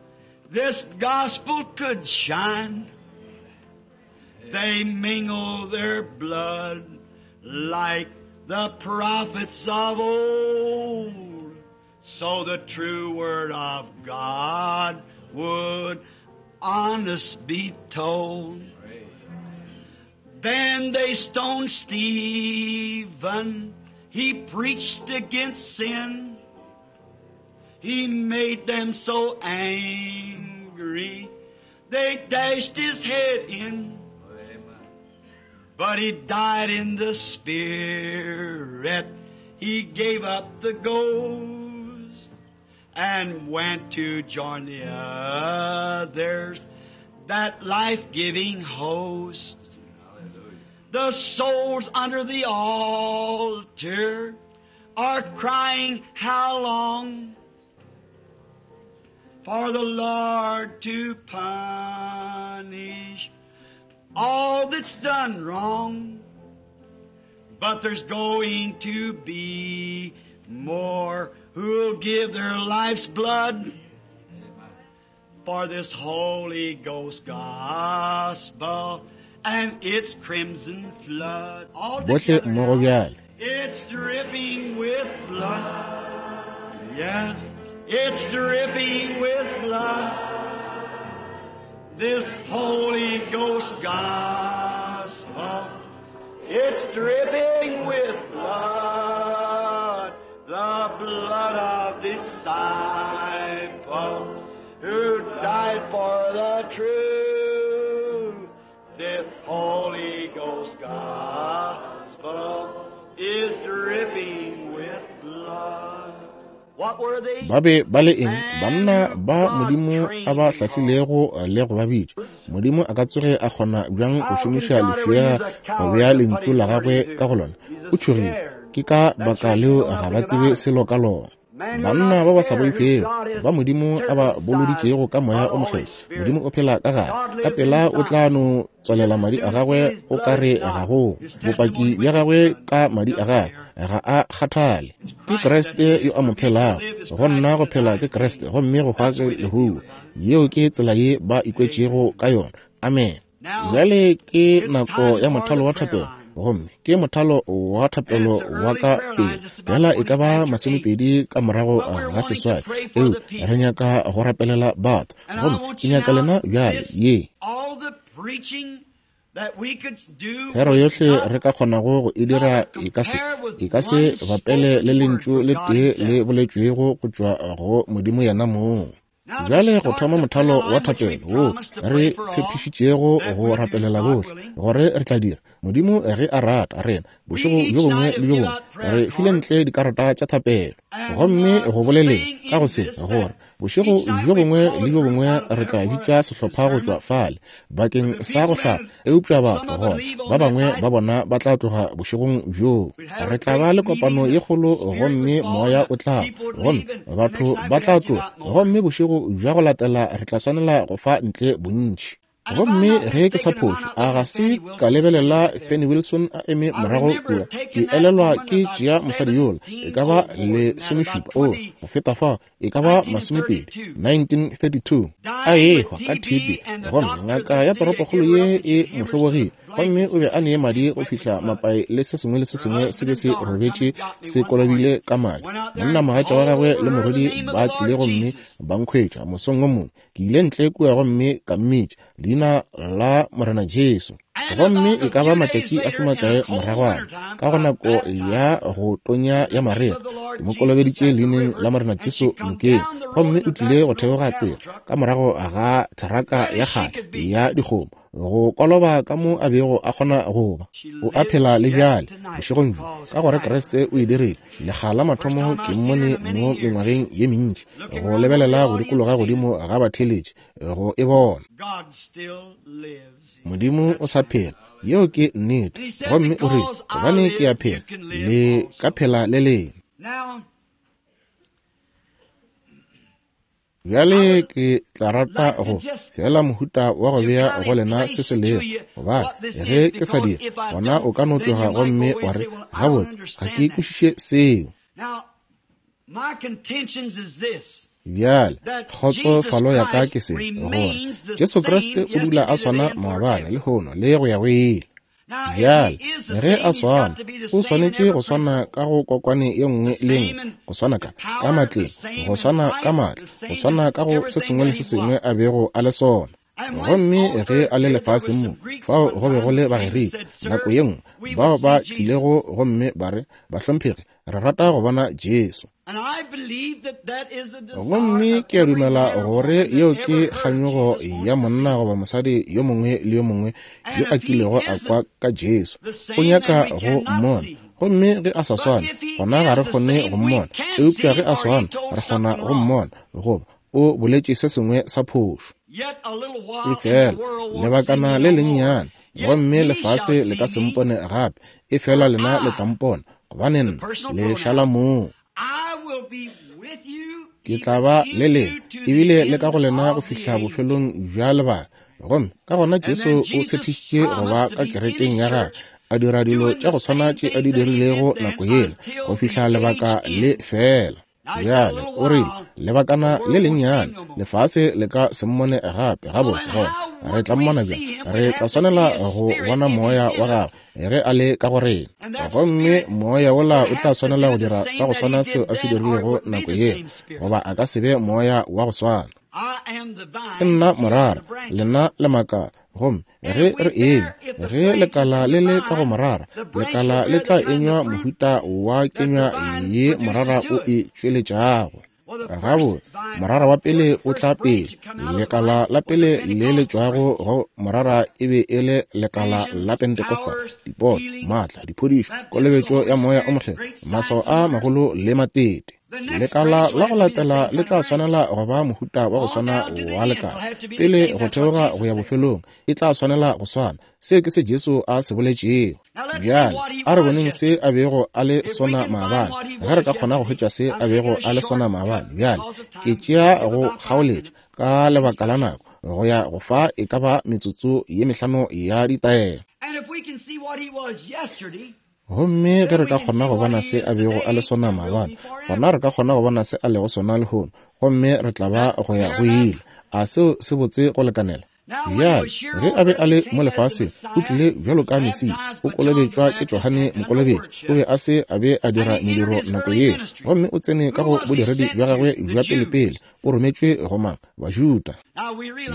this gospel could shine. They mingled their blood like the prophets of old, so the true word of God would honest be told. Then they stoned Stephen. He preached against sin. He made them so angry they dashed his head in. But he died in the Spirit. He gave up the ghost and went to join the others, that life-giving host. The souls under the altar are crying, how long? For the Lord to punish all that's done wrong. But there's going to be more who'll give their life's blood for this Holy Ghost gospel and its crimson flood. All Bohle mmogo bjale. It's dripping with blood. Yes, it's dripping with blood. This Holy Ghost gospel, it's dripping with blood, the blood of disciples who died for the truth. This Holy Ghost gospel is dripping with blood. What were they? Ba be ba le eng? Banna ba Modimo a ba hlahlilego le go ba bitša. Modimo a ka tsoge a kgona bjang go šomiša lefšega go bea lentšu la gagwe ka go lona? O tšhogile. Ke ka baka leo ga ba tsebe selo ka lona. Banna ba ba sa boifego ba Modimo a ba boloditšego ka moya o mokgethwa. Modimo o phela ka gare. Ka pela o tla no tswalela madi a gagwe o ka re ga go. Bopaki bja gagwe ka madi a gagwe ga a kgathale. Ke Kriste yo a mo phelago. Go nna go phela ke Kriste, gomme go hwa ke lehuo. Yeo ke tsela ye ba ikwetšego ka yona. Amen. Bjale ke nako ya mothalo wa thapelo. Gomme ke mothalo wa thapelo wa ka pele. Bjala e ka ba masomepedi ka morago ga seswai. Eo re nyaka go rapelela batho. Gomme ke nyaka lena bjale ye. All the preaching Thero yohle re ka kgonago go e dira e ka se e ka se bapele le lentšu le tee le boletšwego go tšwa go Modimo yena mong. Bjale go thoma mothalo wa thapelo wo re tshepišitšego go rapelela bohle gore re tla dira, Modimo ge a rata rena bošego bjo bongwe le bjo bongwe re file ntle dikarata tša thapelo. Gomme go boleleng ka go se gore bošego bjo bongwe le bjo bongwe re tla bitša sehlopha go tšwa fale bakeng sa go hlapa, eupša batho gona ba bangwe ba bona ba tla tloga bošegong bjoo. Re tla ba le kopano ye kgolo gomme moya o tla, gomme batho ba tla tloga, gomme bošego bja go latela re tla swanela go fa ntle bontši. Gomme ge ke sa phošo, a ga se ka lebelela Fanny Wilson a eme morago kua, ke elelwa ke tšea mosadi yola, e ka ba lesomešupa, o go feta fa, e ka ba masomepedi, nineteen thirty-two, a ehwa ka T B. Gomme ngaka ya toropokgolo ye e mo hlobogile, gomme o be a nee madi go fihla mapai le se sengwe le se sengwe se be se robetše se kolobile ka madi. Monna mogatša wa gagwe le morwedi ba tlile gomme ba nkhwetša mosong o mongwe. Ke ile ntle kua gomme ka mmitša leina la Morena Jesu. Gomme e ka ba matšatši a se makae moragwana, ka go nako ya go tonya ya marega, ke mo kolobeditše leineng la Morena Jesu nokeng. Gomme o tlile go theoga tsela ka morago ga theraka ya kgale ya dikgomo, go koloba ka mo a bego a kgona go ba. O a phela le bjale bošegong bjo, ka gore Kriste o e dirile. Lekga la mathomo ke mmone mo mengwageng ye mentši, go lebelela go dikologa godimo ga batheeletši go e bona. Modimo o sa phela, yeo ke nnete. Gomme o rile, gobane ke a phela, le ka phela le lena. Bjale ke tla rata go fela mohuta wa go bea go lena se se lego, gobane ge ke sa dira, gona o ka no tloga gomme wa re, gabotse, ga ke kwešiše seo. Bjale kgotsofalo ya ka ke se, gore Jesu Kriste o dula a swana maabane, lehono le go ya go ile. Bjale ge a swana, o swanetše go swana ka go kokwane ye nngwe le nngwe, go swana ka ka matleng, go swana ka maatla, go swana ka go se sengwe le se sengwe a bego a le sona. Gomme ge a le lefaseng mo, fao go be go le Bagerika nako ye nngwe bao ba tlilego gomme ba re, bahlomphegi, re rata go bona Jesu. Gomme ke a dumela gore yeo ke kganyogo ya monna goba mosadi yo mongwe le yo mongwe yo a kilego a kwa ka Jesu. O nyaka go mmona. Gomme ge a sa swane, gona ga re kgone go mmona. Eupša ge a swana, re kgona go mmona, goba o boletše se sengwe sa phošo. Efela lebakana le lennyane, gomme lefase le ka se mpone gape, efela lena le tla mpona, gobane nna le šala moo. Ke tla ba le lena, ebile le ka go lena go fihla bofelong bja lebaka. Gomme ka gona Jesu o tshepišitše go ba ka kerekeng ya gagwe, a dira dilo tša go swana tše a di dirilego nako yela, go fihla lebaka le fela. Bjale o rile, lebakana le lennyane, lefase le ka se mmone gape. Gabotse, gona re tla mmona bjang? Re tla swanela go bona moya wa gagwe ge a le ka go rena. Gomme moya wola o tla swanela go dira sa go swana seo a se dirilego nako yela, goba a ka se be moya wa go swana. Ke nna morara, lena le makala. Gomme ge re eme, ge lekala le le ka go morara, lekala le tla enywa mohuta wa kenywa ye morara o e tšweletšago. Gabotse, morara wa pele o tla pele. Lekala la pele le le tšwago go morara e be e le lekala la Pentecostal, dipono, maatla, diphodišo, kolobetšo ya moya o mokgethwa, maswao a magolo le matete. Lekala la go latela le tla swanela go ba mohuta wa go swana wa lekala. Pele go theoga go ya bofelong, e tla swanela go swana. Seo ke se Jesu a se boletšego. Bjale a re boneng se a bego a le sona maabane, ge re ka kgona go hwetša se a bego a le sona maabane. Bjale ke tšea go kgaoletša ka lebaka la nako, go ya go fa e ka ba metsotso ye mehlano ya ditaelo. Gomme ge re ka kgona go bona se a bego a le sona maabane, gona re ka kgona go bona se a lego sona lehono, gomme re tla ba go ya go ile. A seo se botse go lekanela? Bjale, ge a be a le mo lefaseng, o tlile bjalo ka Mesia, o kolobetšwa ke Johane Mokolobetši. O be a se a be a dira mediro nako yeo, gomme o tsene ka go bodiredi bja gagwe bja pelepele. O rometšwe go mang? Bajuda.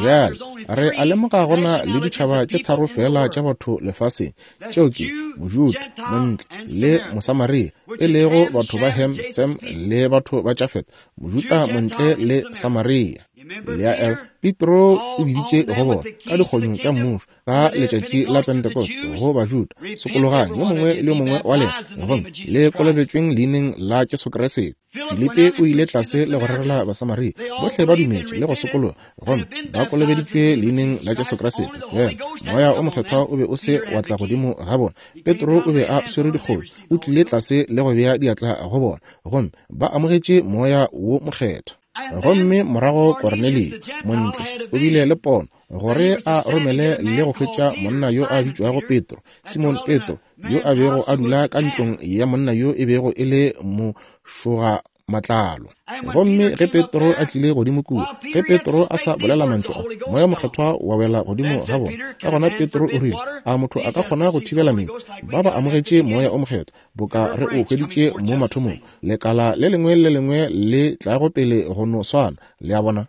Bjale, re a lemoga go na le ditšhaba tše tharo fela tša batho lefaseng, tšeo ke Mojuda, Montle le Mosamaria, e lego batho ba Ham, Sem le batho ba Jafet. Mojuda, Montle le Samaria. Le Petro o biditše go bona ka dikgonyo tša mmušo ka letšatši la Pentecost go Bajuda, sokologang yo mongwe le yo mongwe wa lena gomme le kolobetšweng leineng la Jesu Kriste. Filipe o ile tlase le go rerela Basamaria, bohle ba dumetše le go sokologa gomme ba kolobeditšwe leineng la Jesu Kriste. Fela Moya o Mokgethwa o be o se wa tla godimo ga bona. Petro o be a swere dikgomo, o tlile tlase le go bea diatla go bona gomme ba amogetše Moya wo Mokgethwa. Gomme morago Kornelio montle o bile le pono gore a romele le go hwetša monna yo a bitšwago Petro, Simon Petro, yo a bego a dula ka ntlong ya monna yo e bego e le mošoga matlalo. Gomme ge Petro a tlile godimo kua, ge Petro a sa bolela mantšu a, Moya Mokgethwa wa wela godimo ga bona. Ka gona Petro o rile, a motho a ka kgona go thibela meetse? Ba ba amogetše Moya o Mokgethwa boka re o hweditše mo mathomong. Lekala le lengwe le lengwe le tlago pele go no swana. Le a bona?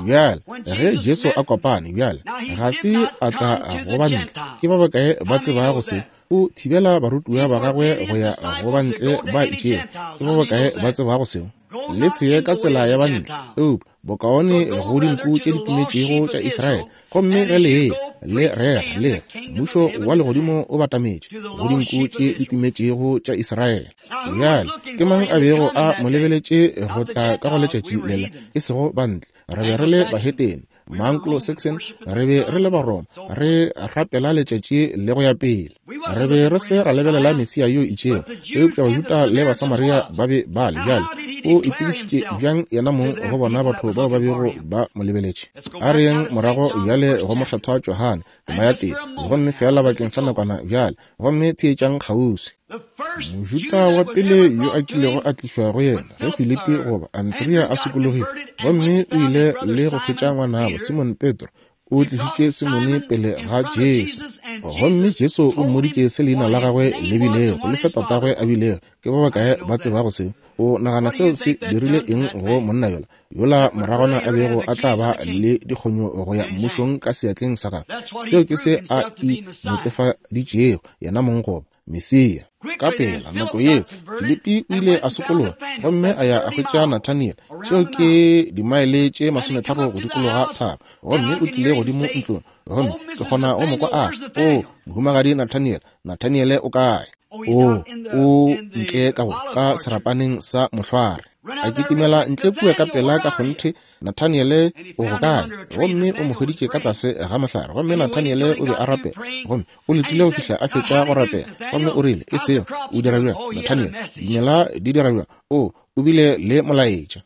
Bjale, ge Jesu a kopane bjale, ga se a tla go ba ntle. Ke ba bakae ba tsebago se? O thibela barutiwa ba gagwe go ya go ba ntle ba itšego. Ke ba bakae ba tsebago seo? Le se ye ka tsela ya bantle, eupša bokaone go dinku tše di timetšego tša Israele. Gomme ge le ye le rera le re, mmušo wa legodimo o batametše go dinku tše di timetšego tša Israele. Bjale, ke mang a bego a mo lebeletše go tla ka go letšatši lela? E sego bantle, re be re le bahetene, Maanglo-Saxon, re be re le Baroma, re rapela letšatši le go ya pele. Re be re se ra lebelela Mesia yo itšego, eupša Bajuda le Basamaria ba be ba le. Bjale, o itsebišitše bjang yena mong go bona batho bao ba bego ba mo lebeletše? A re yeng morago bjale go Mokgethwa Johane, tema ya tee, gomme fela bakeng sa nakwana bjale, gomme theetšang kgauswi. Mojuda wa pele yo a kilego a tlišwa go yena ge Filipi goba Andrea a sokologile, gomme o ile le go hwetša ngwanabo Simon Petro, o tlišitše Simone pele ga Jesu. Gomme Jesu o mmoditše se leina la gagwe le bilego le se tatagwe a bilego. Ke ba bakae ba tsebago seo? O nagana seo se dirile eng go monna yola yola moragwana a bego a tla ba le dikgonyo go ya mmušong ka seatleng sa gagwe? Seo ke se a inetefaditšego yena mong goba Mesia. Ka pela nako yeo Filipi o ile a sokologa gomme a ya a hwetša Nathaniel. Tšeo ke dimaele tše masometharo go dikologa thaba. Gomme o tlile godimo ntlong, gomme ke kgona go mo kwa a o mohumagadi Nathaniel. Nathaniel o kae? O o ntle ka go ka serapaneng sa mohlware. A kitimela ntle kua ka pela ka kgonthe. Nathaniel o go kae? Gomme o mo hweditše ka tlase ga mohlare. Gomme Nathaniel o be a rapela, gomme o letile go fihla a fetša go rapela. Gomme o rile, e seo o dira bjang Nathaniel? Dimela di dira bjang? O o bile le molaetša.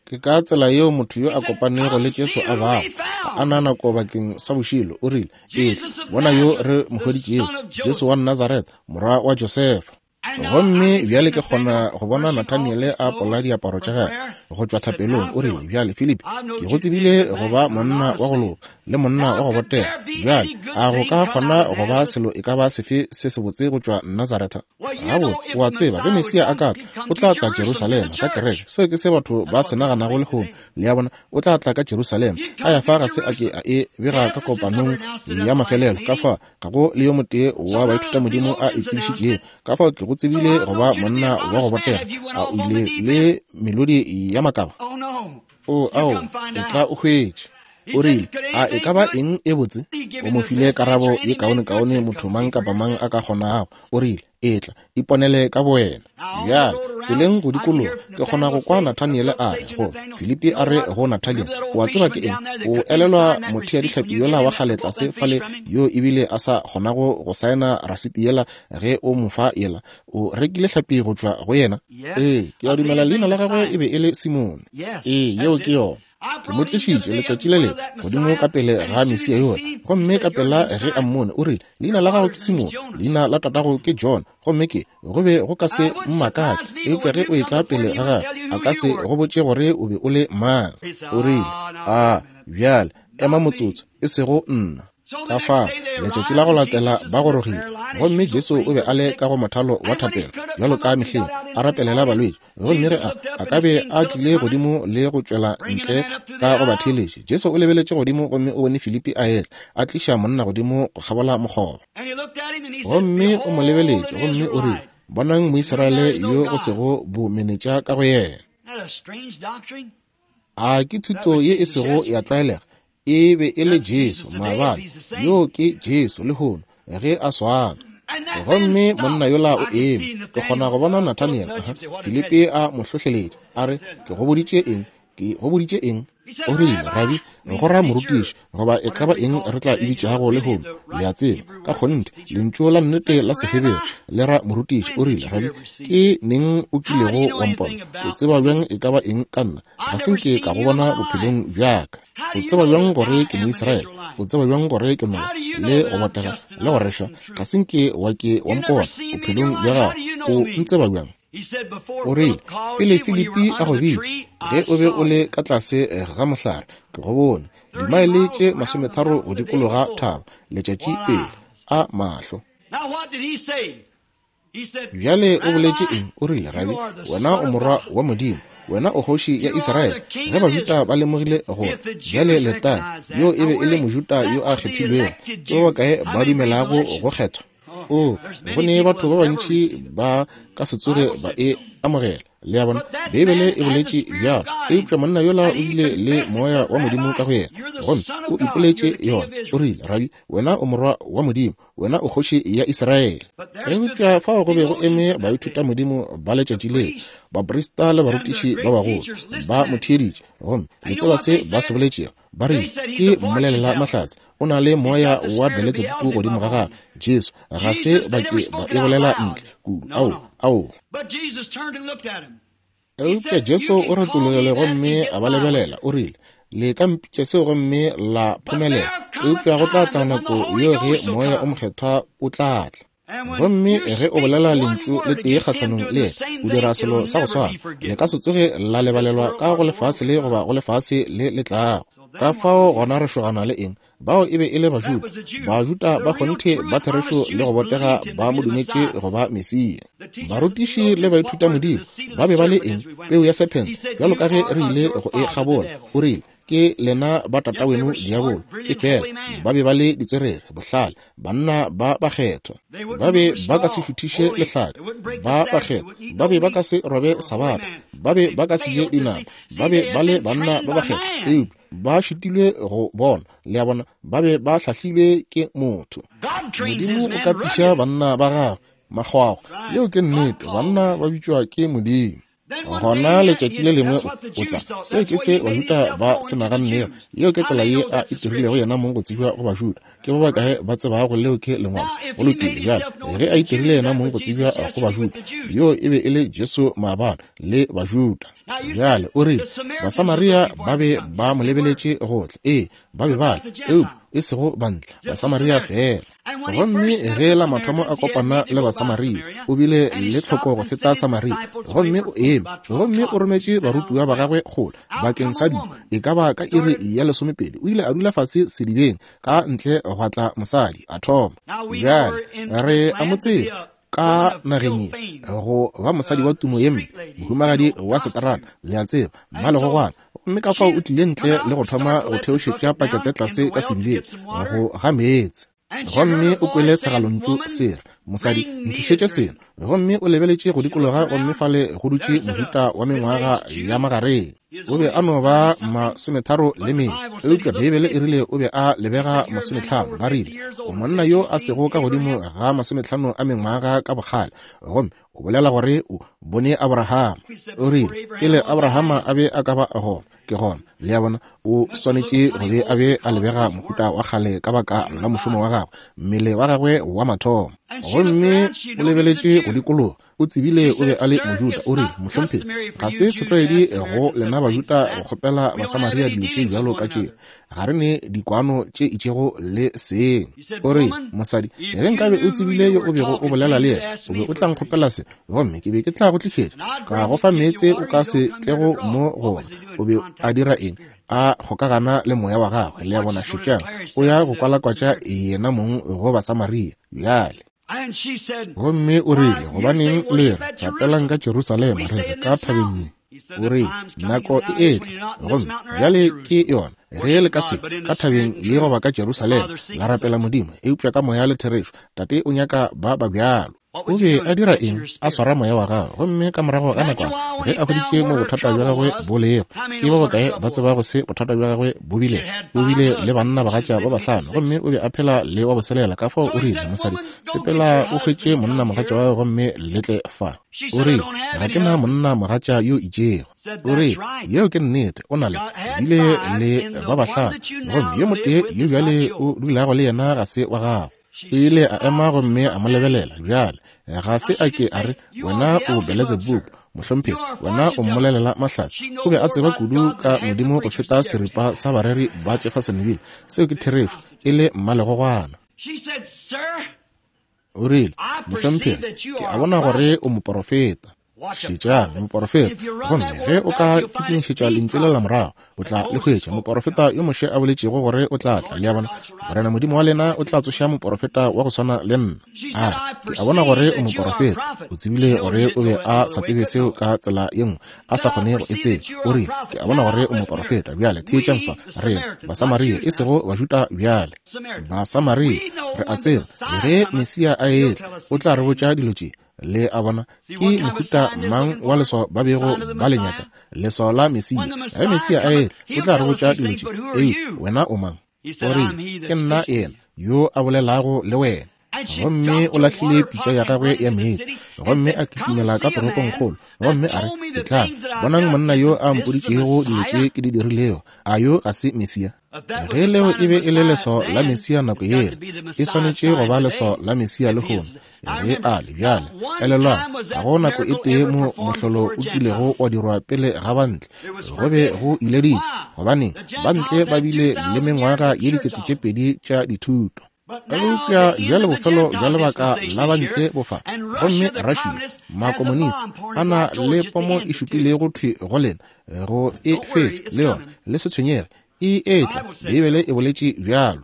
Ke ka tsela yeo motho yo a kopanego le Jesu a bago, a na nako bakeng sa bošilo. O rile, etla bona yo re mo hweditšego, Jesu wa Nazaretha, morwa wa Josefa. Gomme bjale ke kgona go bona Nathaniel a pola diaparo tša gagwe go tšwa thapelong. O rile, bjale Filipi, ke go tsebile go ba monna wa go loka le monna wa go botega. Bjale a go ka kgona go ba selo e ka ba sefe se sebotse go tšwa Nazaretha? Gabotse, o a tseba ge Mesia a ka tla, o tla tla Jerusalema ka kereke. Seo ke se batho ba se naganago lehono. Le a bona, o tla tla ka Jerusalema. A ya fa ga se a ke a e bega ka kopanong ya mafelelo. Ka fa ga go le yo motee wa baithutamodimo a e tsebišitšego. Ka fao ke go tsebile go ba monna wa go botega. A o ile le melodi ya makaba? O ao, e tla o hwetše. O rile, a e ka ba eng e botse? O mo file karabo ye kaonekaone motho mang kapa mang a ka kgonago. O rile, etla, iponele ka bowena. Bjale, tseleng go dikologa, ke kgona go kwa Nathaniel a re go Filipi, a re go Nathaniel, o a tseba ke eng? O elelwa motheadihlapi yola wa kgale tlase fale yo ebile a sa kgonago go saena rasiti yela ge o mo fa yela? O rekile hlapi go tšwa go yena? Ee, ke a dumela leina la gagwe e be e le Simone. Ee, yeo ke yona. Ke mo tlišitše letšatši le lengwe godimo ka pele ga Mesia yola, gomme ka pela ge a mmone o rile, leina la gago ke Simone, leina la tatago ke John, gomme ke go be go ka se mmakatše, eupša ge o etla pele ga gagwe a ka se go botše gore o be o le mang. O rile, a bjale ema motsotso, e sego nna. Ka fao letšatši la go latela ba gorogile, gomme Jesu o be a le ka go mothalo wa thapelo bjalo ka mehleng, a rapelela balwetši. Gomme re a a ka be a tlile godimo le go tšwela ntle ka go ba theeletše. Jesu o lebeletše godimo gomme o bone Filipi a etla, a tliša monna godimo go kgabola mokgoba. Gomme o mo lebeletše gomme o rile, bonang Moisraele yo go sego bomenetša ka go yena. A ke thuto ye e sego ya tlwaelega. E be e le Jesu maabane, yo ke Jesu lehono ge a swana. Gomme monna yola o eme, ke kgona go bona Nathaniel, Filipi a mo hlohleletša, a re, ke go boditše eng? Ke go boditše eng? O rile, Rabi, go ra morutiši, goba e ka ba eng re tla e bitšago lehono, le a tseba, ka kgonthe, lentšu la nnete la Sehebere le ra morutiši. O rile, Rabi, ke neng o kilego wa mpona? O tseba bjang e ka ba eng ka nna? Ga se nke ka go bona bophelong bja ka. O tseba bjang gore ke Moisraele? O tseba bjang gore ke noga le go botega le go rešwa? Ga se nke wa ke wa mpona bophelong bja gago. O ntseba bjang? O rile, pele Filipi a go bitša, ge o be o le ka tlase ga mohlare, ke go bone, dimaele tše masometharo go dikologa thaba, letšatši pele, a mahlo. Bjale o boletše eng? O rile, Rabi, wena o morwa wa Modimo, wena o kgoši ya Israele. Ge Bajuda ba lemogile gore bjale letang yo e be e le Mojuda yo a kgethilwego, ke ba bakae ba dumelago go kgethwa? O, go ne batho ba bantši ba ka se tsoge ba e amogela. Le a bona, Beibele e boletše bjalo, eupša monna yola o bile le moya wa Modimo ka go yena, gomme o ipoletše yona. O rile, Rabi, wena o morwa wa Modimo, wena o kgoši ya Israele. Eupša fao go be go eme baithuta Modimo ba letšatši leo, baprista le barutiši ba bagolo, ba mo theeditše, gomme le tseba se ba se boletšego. Ba rile, ke mmolelela mahlatse, o na le moya wa Beletsebubu godimo ga gagwe. Jesu ga se ba ke ba e bolela ntle kudu. Ao, ao. Eupša Jesu o retologile gomme a ba lebelela, o rile, le ka mpitša seo gomme la phomelela, eupša go tla tla nako yeo ge moya o mokgethwa o tla tla. Gomme ge o bolela lentšu le tee kgahlanong le yena, o dira selo sa go swana, le ka se tsoge la lebalelwa ka go lefase le goba go lefase le le tlago. Ka fao gona re šogana le eng? Bao e be e le Bajuda. Bajuda ba kgonthe ba therešo le go botega ba mo dumetše go ba Mesia. Barutiši le baithuta Modimo ba be ba le eng? Peu ya sephente, bjalo ka ge re ile go e kgabola. O rile, ke lena ba tataweno diabolo. Efela ba be ba le ditswerere, bohlale, banna ba bakgethwa. Ba be ba ka se šuthiše lehlaka, ba bakgethwa. Ba be ba ka se robe sabatha, ba be ba ka se je dinama, ba be ba le banna ba bakgethwa. Eupša ba šitilwe go bona, le a bona, ba be ba hlahlilwe ke motho. Modimo o katiša banna ba gagwe makgwakgwa. Yeo ke nnete, banna ba bitšwa ke Modimo. Gona letšatši le lengwe o tla. Seo ke se Bajuda ba se nagannego. Yeo ke tsela ye a itirilego yena mong go tsebja go Bajuda. Ke ba bakae ba tsebago leo ke lengwalo? Go lokile bjale, ge a itirile yena mong go tsebja go Bajuda, yo e be e le Jesu maabane le Bajuda. Bjale o rile, Basamaria ba be ba mo lebeletše gohle. Ee, ba be ba le, eupša e sego bantle, Basamaria fela. Gomme ge la mathomo a kopana le Basamaria, o bile le tlhoko go feta Samaria, gomme o eme, gomme o rometše barutiwa ba gagwe kgole bakeng sa dijo, e ka ba ka iri ya lesomepedi. O ile a dula fase sedibeng, ka ntle gwa tla mosadi, a thoma. Bjale re a mo tseba ka nageng ye go ba mosadi wa tumo ye mpe, mohumagadi wa seterata, le a tseba, mmalegogwana. Gomme ka fao o tlile ntle le go thoma go theošetša pakete tlase ka sedibeng go ga meetse. Gomme o kwele segalontšu se re, mosadi, ntlišetše seno. Gomme o lebeletše go dikologa, gomme fale go dutše Mojuda wa mengwaga ya magareng. O be a no ba masometharo le mene, eupša Beibele e rile o be a lebega masometlhano. Ba rile, o monna yo a sego ka godimo ga masometlhano a mengwaga ka bokgale, gomme O bolela gore o bone Abraham. O rile, pele Abraham a be a ka ba gona, ke gona. Le a bona, o swanetše go be a be a lebega mohuta wa kgale ka baka la mošomo wa gagwe, mmele wa gagwe wa mathomo. Gomme o lebeletše go dikologa, o tsebile o be a le Mojuda. O rile, mohlomphegi, ga se setlwaedi go lena Bajuda go kgopela Basamaria dilo tše bjalo ka tšeo. Ga re ne dikwano tše itšego le seng. O rile, mosadi, ge nkabe o tsebile yo o bego o bolela le yena, o be o tla nkgopela se, gomme ke be ke tla go tlišetša ka go fa meetse o ka se tlego mo gona. O be a dira eng? A kgokagana le moya wa gagwe. Le a bona, šetšang, o ya go kwalakwatša yena mong go Basamaria bjale. Gomme o rile, gobaneng le re rapelang ka Jerusalema, re re ka thabeng ye? O rile, nako e etla, gomme bjale ke yona, ge le ka se ka thabeng ye goba ka Jerusalema la rapela Modimo, eupša ka moya le therešo. Tate o nyaka ba ba bjalo. O be a dira eng? A swara moya wa gagwe. Gomme ka morago ga nakwana, ge a hweditše mo bothata bja gagwe bo lego, ke ba bakae ba tsebago se bothata bja gagwe bo bile? O bile le banna bagatša ba bahlano, gomme o be a phela le wa boselela. Ka fao o rile, mosadi, sepela o hwetše monna mogatša wa gagwe gomme le tle fa. O rile, ga ke na monna mogatša yo itšego. O rile, yeo ke nnete, o na le bile le ba bahlano, gomme yo motee yo bjale o dulago le yena ga se wa gago. O ile a ema gomme a mo lebelela. Bjale ga se a ke a re, wena o Beelzebub, mohlomphegi, wena o mmolelela mahlatse. O be a tseba kudu ka Modimo go feta seripa sa bareri ba Jeffersonville. Seo ke therešo, e le mmalegogwana. O rile, mohlomphegi, ke a bona gore o moporofeta. Šetšang, moporofeta. Gomme ge o ka kitimišetša lentšu le la morago, o tla le hwetša. Moporofeta yo Moshe a boletšego gore o tla tla. Le a bona, Morena Modimo wa lena o tla tsoša moporofeta wa go swana le nna. A ke a bona gore o moporofeta. O tsebile gore o be a sa tsebe seo ka tsela ye nngwe, a sa kgone go e tseba. O rile, ke a bona gore o moporofeta. Bjale theetšang fa, re Basamaria, e sego Bajuda bjale. Basamaria, re a tseba ge Mesia a etla, o tla re botša dilo tše. Le a bona, ke mohuta mang wa leswao ba bego ba le nyaka? Leswao la Mesia. Ge Mesia a etla, o tla re botša dilo tše. Ei, wena o mang? O rile, ke nna yena yo a bolelago le wena. Gomme o lahlile pitša ya gagwe ya meetse, gomme a kitimela ka toropongkgolo, gomme a re, ke tla bonang monna yo a mpoditšego dilo tše ke di dirilego. A yo ga se Mesia? Ge leo e be e le leswao la Mesia nako yela, e swanetše go ba leswao la Mesia lehono. Ge a le bjale, elelwang, ga go nako e tee mo mohlolo o kilego wa dirwa pele ga bantle. Go be go ileditšwe, gobane bantle ba bile le mengwaga ye dikete tše pedi tša dithuto. Eupša bjale bofelo bja lebaka la bantle bo fa, gomme Russia, makomonisi, a na le pomo e šupilego thwi go lena, go e fetša le yona. Le se tshwenyege, e etla. Beibele e boletše bjalo.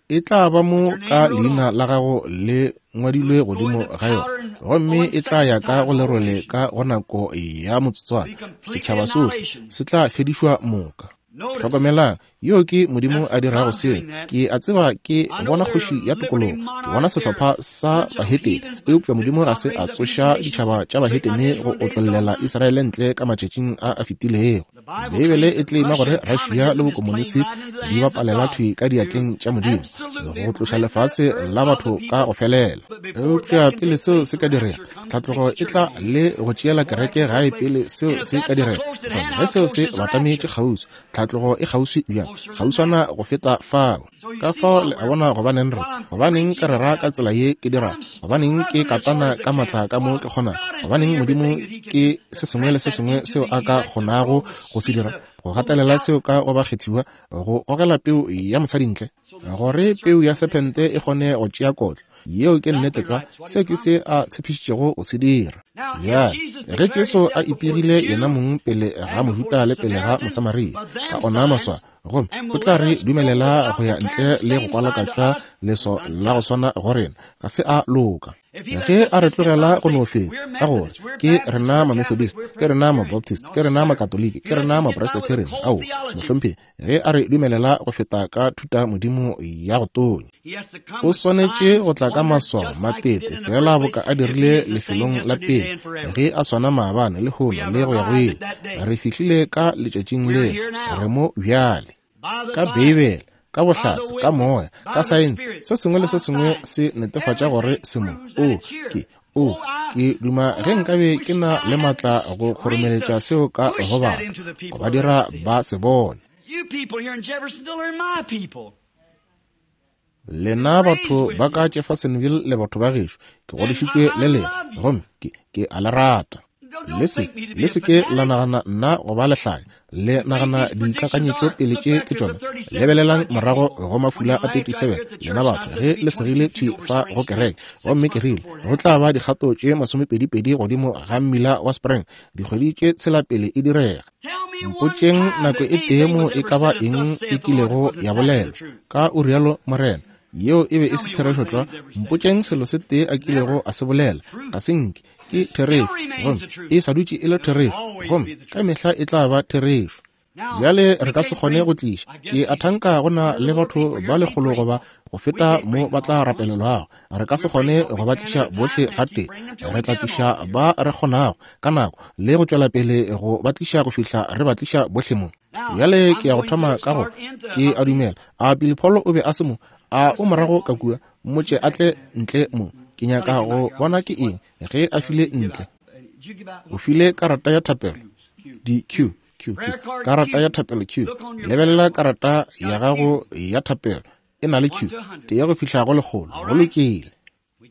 E tla ba mo ka leina la gago le ngwadilwe godimo ga yona, gomme e tla ya ka go lerole ka go nako ya motsotswana. Setšhaba sohle se tla fedišwa moka. Hlokomelang, yo ke Modimo a dirago seo. Ke a tseba ke bona kgoši ya tokologo, ke bona sehlopha sa bahetene, eupša Modimo ga se a tsoša ditšhaba tša bahetene go otlollela Israele ntle ka matšatšing a a fetilego. Beibele e tlema gore Russia le bokomonisi di bapalela thwi ka diatleng tša Modimo go tloša lefase la batho ka go felela. Eupša pele seo se ka direga, tlhatlogo e tla le go tšeela kereke gae pele seo se ka direga. Gomme ge seo se batametše kgauswi, tlhatlogo e kgauswi bjang, kgauswana go feta fao. Ka fao le a bona gobaneng re, gobaneng ke rera ka tsela ye ke dira, gobaneng ke katana ka matla ka mo ke kgona, gobaneng Modimo ke se sengwe le se sengwe seo a ka kgonago go se dira, go gatelela seo ka go bakgethiwa, go gogela peu ya mosadi ntle, gore peu ya sephente e kgone go tšea kotlo. Yeo ke nnete tlwa, seo ke se a tshepišitšego go se dira. Bjale ge Jesu a ipegile yena mong pele ga Mojuda le pele ga Mosamaria ka ona maswao, gomme o tla re dumelela go ya ntle le go kwalakatša leswao la go swana go rena, ga se a loka. Ge a re tlogela go no feta ka gore ke rena ma-Methodist, ke rena ma-Baptist, ke rena ma-Katoliki, ke rena ma-Presbyterian, ao mohlomphegi, ge a re dumelela go feta ka thuta Modimo ya go tonya, o swanetše go tla ka maswao matete fela boka a dirile lefelong la pele, ge a swana maabane lehono le go ya go ile. Re fihlile ka letšatšing le, re mo bjale ka Beibele, ka bohlatse, ka moya, ka saense, se sengwe le se sengwe se netefatša gore se mo. O ke O, ke duma ge nkabe ke na le matla go kgoromeletša seo ka go batho, go ba dira ba se bone. Lena batho ba ka Jeffersonville le batho ba gešo, ke godišitšwe le lena, gomme ke, ke a le rata. Le se, le se ke la nagana nna go ba lehlanya, le nagana dikakanyetšo pele tše ke tšona. Lebelelang morago go mafula a thirty-seven, lena batho, ge le segile thwi fa go kereke, gomme ke rile go tla ba dikgato tše masomepedi-pedi godimo ga mmila wa Spring, dikgwedi tše tshela pele e direga. Mpotšeng nako e tee mo e ka ba eng e kilego ya bolelwa ka o rialo Morena, yeo e be e se therešo tlwa. Mpotšeng selo se tee a kilego a se bolela, ga se nke ke therešo, gomme e sa dutše e le therešo, gomme ka mehla e tla ba therešo. Bjale re ka se kgone go tliša, ke a thanka go na le batho ba lekgolo goba go feta mo ba tla rapelelwago. Re ka se kgone go ba tliša bohle gatee, re tla tliša ba re kgonago ka nako le go tšwela pele go ba tliša go fihla re ba tliša bohle mo. Bjale ke ya go thoma ka go, ke a dumela a Billy Paul o be a se mo, a o morago ka kua, mmotše a tle ntle mo. Ke nyaka go bona ke eng ge a file ntle. O file karata ya thapelo D Q Q Q, karata ya thapelo Q. Lebelela karata ya gago ya thapelo e na le Q, tee ya go fihla go lekgolo. Go lokile.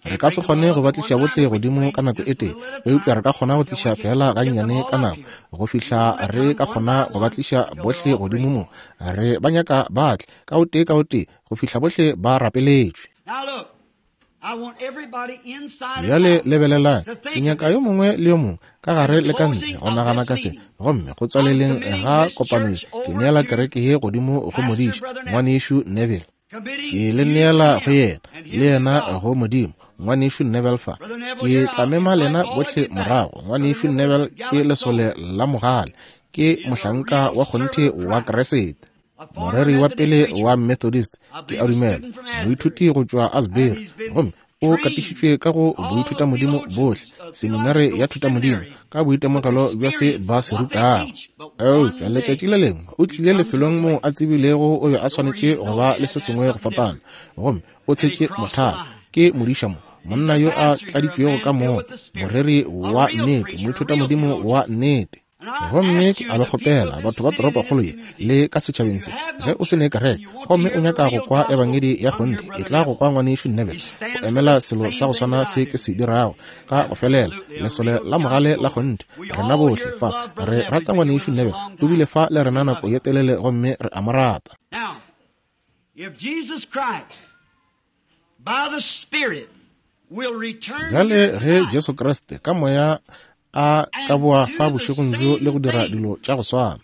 Re ka se kgone go ba tliša bohle godimo ka nako e tee, eupša re ka kgona go tliša fela gannyane ka nako go fihla re ka kgona go ba tliša bohle godimo mo. Re ba nyaka ba tle ka o tee ka o tee go fihla bohle ba rapeletšwe. Bjale lebelelang, ke nyaka yo mongwe le yo mongwe ka gare le ka ntle go nagana ka se, gomme go tswaleleng ga kopano ke neela kereke ye godimo go modiša ngwanešu Neville. Ke le neela go yena, le yena go Modimo, ngwanešu Neville fa. Ke tla mema lena bohle morago. Ngwanešu Neville ke lesole la mogale, ke mohlanka wa kgonthe wa Kriste, moreri wa pele wa Methodist, ke a dumela, moithuti go tšwa Asbury, gomme o katišitšwe ka go boithutamodimo bohle, seminare ya thutamodimo, ka boitemogelo bja se ba se rutago. Eupša letšatši le lengwe o tlile lefelong moo a tsebilego o be a swanetše go ba le se sengwe go fapana, gomme o tshetše mothalo. Ke modiša mo, monna yo a tladitšwego ka moya, moreri wa nnete, moithutamodimo wa nnete. Gomme ke a le kgopela batho ba toropokgolo ye le ka setšhabeng se, ge o se ne kereke gomme o nyaka go kwa ebangedi ya kgonthe, e tla go kwa ngwanešu Neville go emela selo sa go swana se ke se dirago ka go felela, lesole la mogale la kgonthe. Rena bohle fa re rata ngwanešu Neville, o bile fa le rena nako ye telele gomme re a mo rata. Bjale ge Jesu Kriste ka moya a ka boa fa bošegong bjo le go dira dilo tša go swana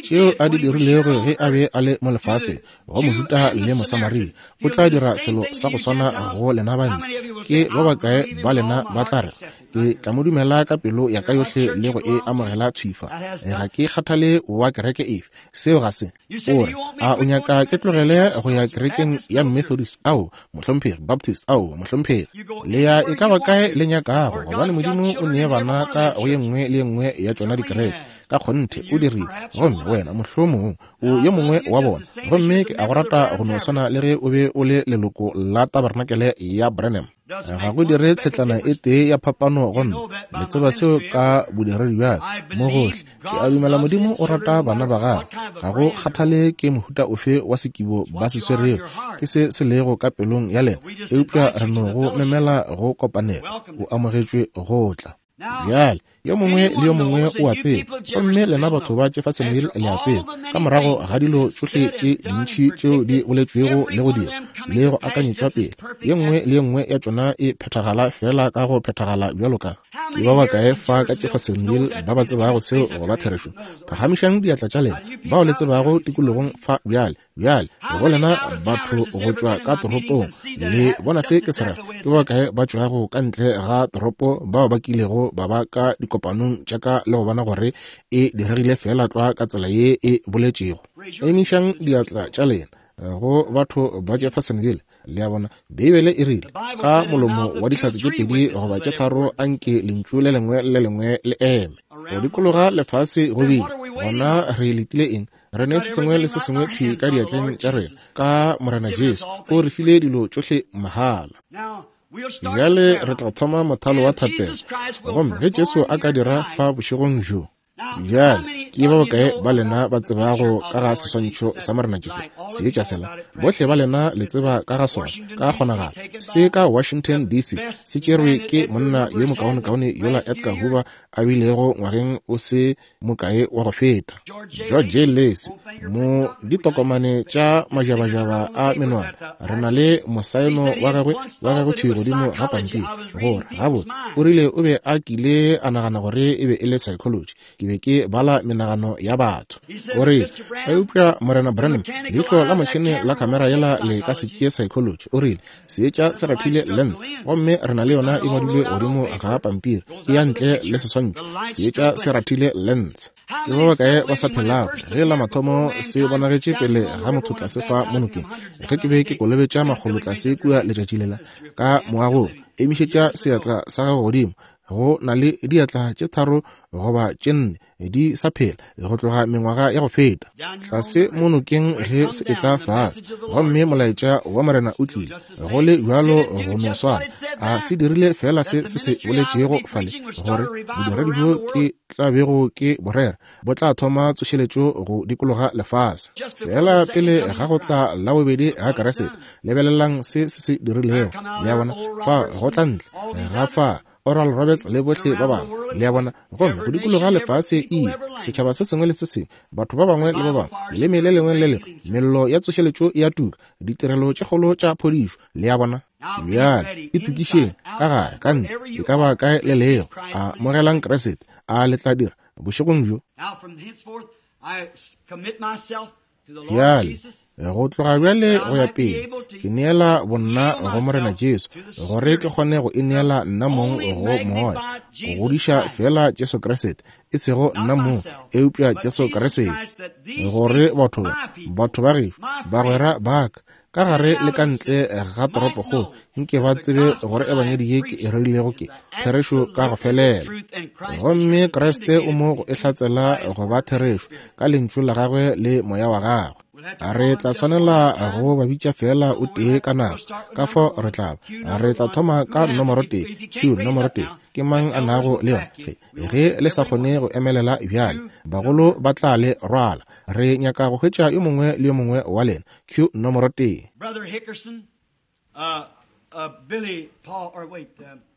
tšeo a di dirilego ge a be a le mo lefaseng go Mojuda le Mosamaria, o tla dira selo sa go swana go lena bantle. Ke ba bakae ba lena ba tla re, ke tla mo dumela ka pelo ya ka yohle le go e amogela thwifa, ga ke kgathale wa kereke efe? Seo ga se. O re, a o nyaka ke tlogele go ya kerekeng ya Methodist? Ao, mohlomphegi. Baptist? Ao, mohlomphegi. Le ya e ka ba kae le nyakago, gobane Modimo o nee bana ka go ye nngwe le ye nngwe ya tšona dikereke. Ka kgonthe o dirile, gomme wena mohlomong o yo mongwe wa bona, gomme ke a go rata go no swana le ge o be o le leloko la tabernacle ya Branham. Ga go dire tshetlana e tee ya phapano go nna, le tseba seo ka bodiredi bja ka mo gohle. Ke a dumela Modimo o rata bana ba gagwe, ga go kgathale ke mohuta ofe wa sekibo ba se swerego, ke se se lego ka pelong ya lena, eupša re no go memela go kopanela. O amogetšwe go tla. Bjale yo mongwe le yo mongwe o a tseba, gomme lena batho ba Jeffersonville le a tseba, ka morago ga dilo tšohle tše dintši tšeo di boletšwego le go dira le go akanyetšwa pele, ye nngwe le ye nngwe ya tšona e phethagala fela ka go phethagala bjalo ka. Ke ba bakae fa ka Jeffersonville ba ba tsebago seo go ba therešo? Phagamišang diatla tša lena bao le tsebago tikologong fa bjale. Bjale go lena batho go tšwa ka toropong, le bona se ke se rego? Ke ba bakae ba tšwago ka ntle ga toropo bao ba kilego ba ba ka dikopanong tša ka le go bona gore e diregile fela tlwa ka tsela ye e boletšego? Emišang diatla tša lena go batho ba Jeffersonville. Le a bona, Beibele e rile ka molomo wa dihlatse tše pedi goba tše tharo anke lentšu le lengwe le lengwe le eme. Go dikologa lefase go bile, gona re letile eng? Re ne se sengwe le se sengwe thwi ka diatleng tša rena ka Morena Jesu, o re file dilo tšohle mahala. Bjale re tla thoma mothalo wa thapelo. Gomme ge Jesu a ka dira fa bošegong bjo. Bjale, ke ba bokae ba lena ba tsebago ka ga seswantšho sa Morena Jesu? Seetša sela. Bohle ba lena le tseba ka ga sona, ka kgonagalo. Se ka Washington D C se tšerwe ke monna yo mokaonekaone yola Edgar Hoover a bilego ngwageng o se mokae wa go feta, George J. Lacy. Mo ditokomane tša majabajaba a menwana re na le mosaeno wa gagwe wa gagwe thwi godimo ga pampiri, gore gabotse o rile o be a kile a nagana gore e be e le psychology. Ke be ke bala menagano ya batho. O rile, eupša Morena Branham, leihlo la motšhene la kamera yela le ka se tšee psychology. O rile, seetša se rathile lens, gomme re na le yona e ngwadilwe godimo ga pampiri, e ya ntle le seswantšho. Seetša se rathile lens. Ke ba bakae ba sa phelago ge la mathomo se bonagetše pele ga motho tlase fa mo nokeng, ge ke be ke kolobetša makgolo tlase kua letšatši lela ka moagong, emišetša seatla sa gago godimo. Go na le diatla tše tharo goba tše nne di sa phela go tloga mengwaga ya go feta tlase mo nokeng ge se etla fase, gomme molaetša wa Morena o tlile go le bjalo go no swana. A se dirile fela se se se boletšego fale, gore bodiredi bjo ke tla bego ke borera bo tla thoma tsošeletšo go dikologa lefase. Fela pele ga go tla la bobedi ga Keresete, lebelelang se se se dirilego. Le a bona, fa go tla ntle ga fa Oral Roberts le bohle ba bangwe, le a bona, gomme go dikologa lefase e setšhaba se sengwe le se sengwe, batho ba bangwe le ba bangwe, leleme le lengwe le lengwe, mello ya tsošeletšo e a tuka, ditirelo tše kgolo tša phodišo. Le a bona. Bjale itokišeng ka gare, ka ntle, e ka ba kae le lego. Amogelang Keresete, a le tla dira bošegong bjo. Bjale, go tloga bjale go ya pele, ke neela bonna go Morena Jesu, gore ke kgone go ineela nna mong go Moya, go godiša fela Jesu Kriste, e sego nna mong, eupša Jesu Kriste, gore batho batho ba gešo, bagwera ba ka, ka gare le ka ntle ga toropokgolo, nke ba tsebe gore ebangedi ye ke e rerilego ke therešo ka go felela. Gomme Kriste o mo go e hlatsela go ba therešo ka lentšu la gagwe le moya wa gagwe. Re tla swanela go ba bitša fela o tee ka nako, ka fao re tla ba. Re tla thoma ka nomoro tee, Q nomoro tee. Ke mang a nago le yona? Ge le sa kgone go emelela bjale, bagolo ba tla le rwala. Re nyaka go hwetša yo mongwe le yo mongwe wa lena. Q nomoro tee.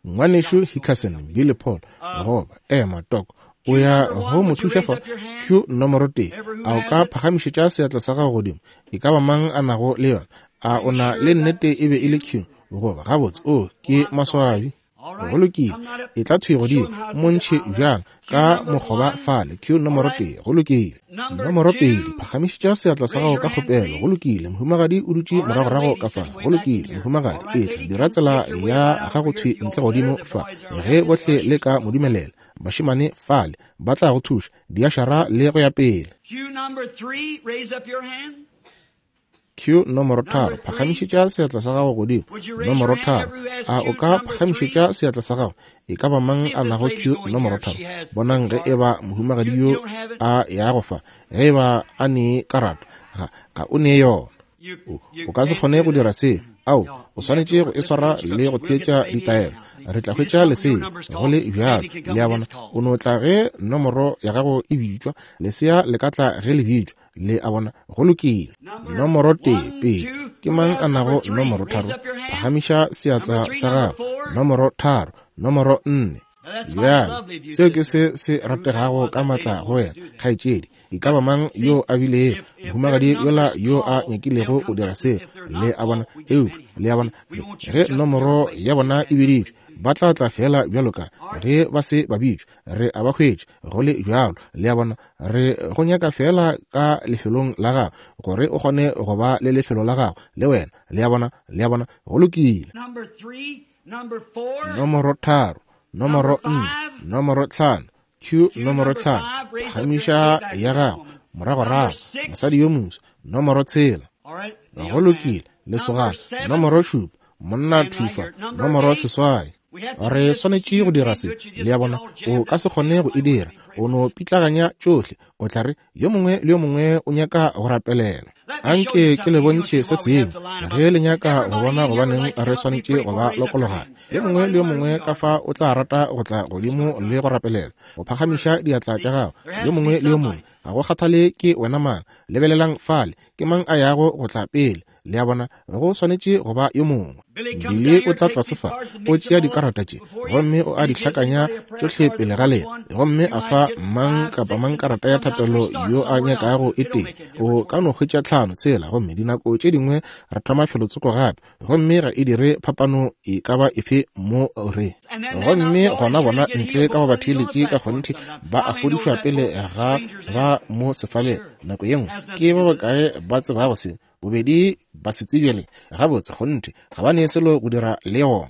Ngwanešu Hickerson, Billy Paul, goba ema Tok, o ya go mo thuša fa. Q nomoro tee. A o ka phagamišetša seatla sa gago godimo? E ka ba mang a nago le yona? A o na le nnete e be e le Q? Goba gabotse, o ke maswabi. Go lokile, e tla thwi godimo, montšhe bjang ka mokgoba fale. Q nomoro tee. Go lokile. Nomoro pedi, phagamišetša seatla sa gago ka kgopelo. Go lokile, mohumagadi o dutše moragorago ka fa. Go lokile, mohumagadi, etla dira tsela ya gago thwi ntle godimo fa. Ge bohle le ka mo dumelela, bašemane fale ba tla go thuša, diašara le go ya pele. Q nomoro tharo, phagamišetša seatla sa gago godimo. Nomoro tharo, a o ka phagamišetša seatla sa gago? E ka ba mang a nago Q nomoro tharo? Bonang ge e ba mohumagadi yo a ya go fa, ge e ba a ne karata, ga ga o ne yona. O, o ka se kgone go dira se. Ao, o swanetše go e swara le go theetša ditaelo. Re tla hwetša lesea go le bjalo. Le a bona, o no tla ge nomoro ya gago e bitšwa. Lesea le ka tla ge le bitšwa. Le a bona, go lokile. Nomoro tee, pedi. Ke mang a nago nomoro tharo? Phagamiša seatla sa gago. Nomoro tharo, nomoro nne. Bjale, seo ke se se rategago ka matla go wena, kgaetšedi. E ka ba mang yo a bilego mohumagadi yola yo a nyakilego go dira seo? Le a bona, eupša le a bona, ge nomoro ya bona e biditšwe, ba tla tla fela bjalo ka ge ba se ba bitšwa. Re a ba hwetša go le bjalo. Le a bona, re go nyaka fela ka lefelong la gago gore o kgone go ba le lefelo la gago le wena. Le a bona, le a bona, go lokile. Nomoro tharo, nomoro nne, nomoro tlhano, Q nomoro tlhano, phagamiša ya gago moragorago, mosadi yo moso. Nomoro tshela, go lokile, lesogana. Nomoro šupa, monna thufa. Nomoro seswai. Re swanetše go dira se. Le a bona, o ka se kgone go e dira. O no pitlaganya tšohle. O tla re yo mongwe le yo mongwe o nyaka go rapelela. Anke ke le bontšhe se sengwe ge le nyaka go bona gobaneng re swanetše go ba lokologana. Yo mongwe le yo mongwe ka fa o tla rata go tla godimo le go rapelela, go phagamiša diatla tša gago. Yo mongwe le yo mongwe, ga go kgathale ke wena mang, lebelelang fale, ke mang a yago go tla pele. Le a bona, go swanetše go ba yo mongwe. Bile o tla tlase fa, o tšea dikarata tše gomme o a di hlakanya tšohle pele ga lena, gomme a fa mang kapa mang karata ya thapelo yo a nyakago e tee. O ka no hwetša tlhano tshela, gomme dinako tše dingwe re thoma felotsoko gape, gomme ga e dire phapano e ka ba efe mo re. Gomme gona bona ntle ka go batheeletši ka kgonthe ba a fodišwa pele ga ba mo sefaleng. Nako ye nngwe ke ba bakae ba tsebago se? Bobedi ba se tsebjele gabotse, kgonthe ga ba ne selo go dira le yona.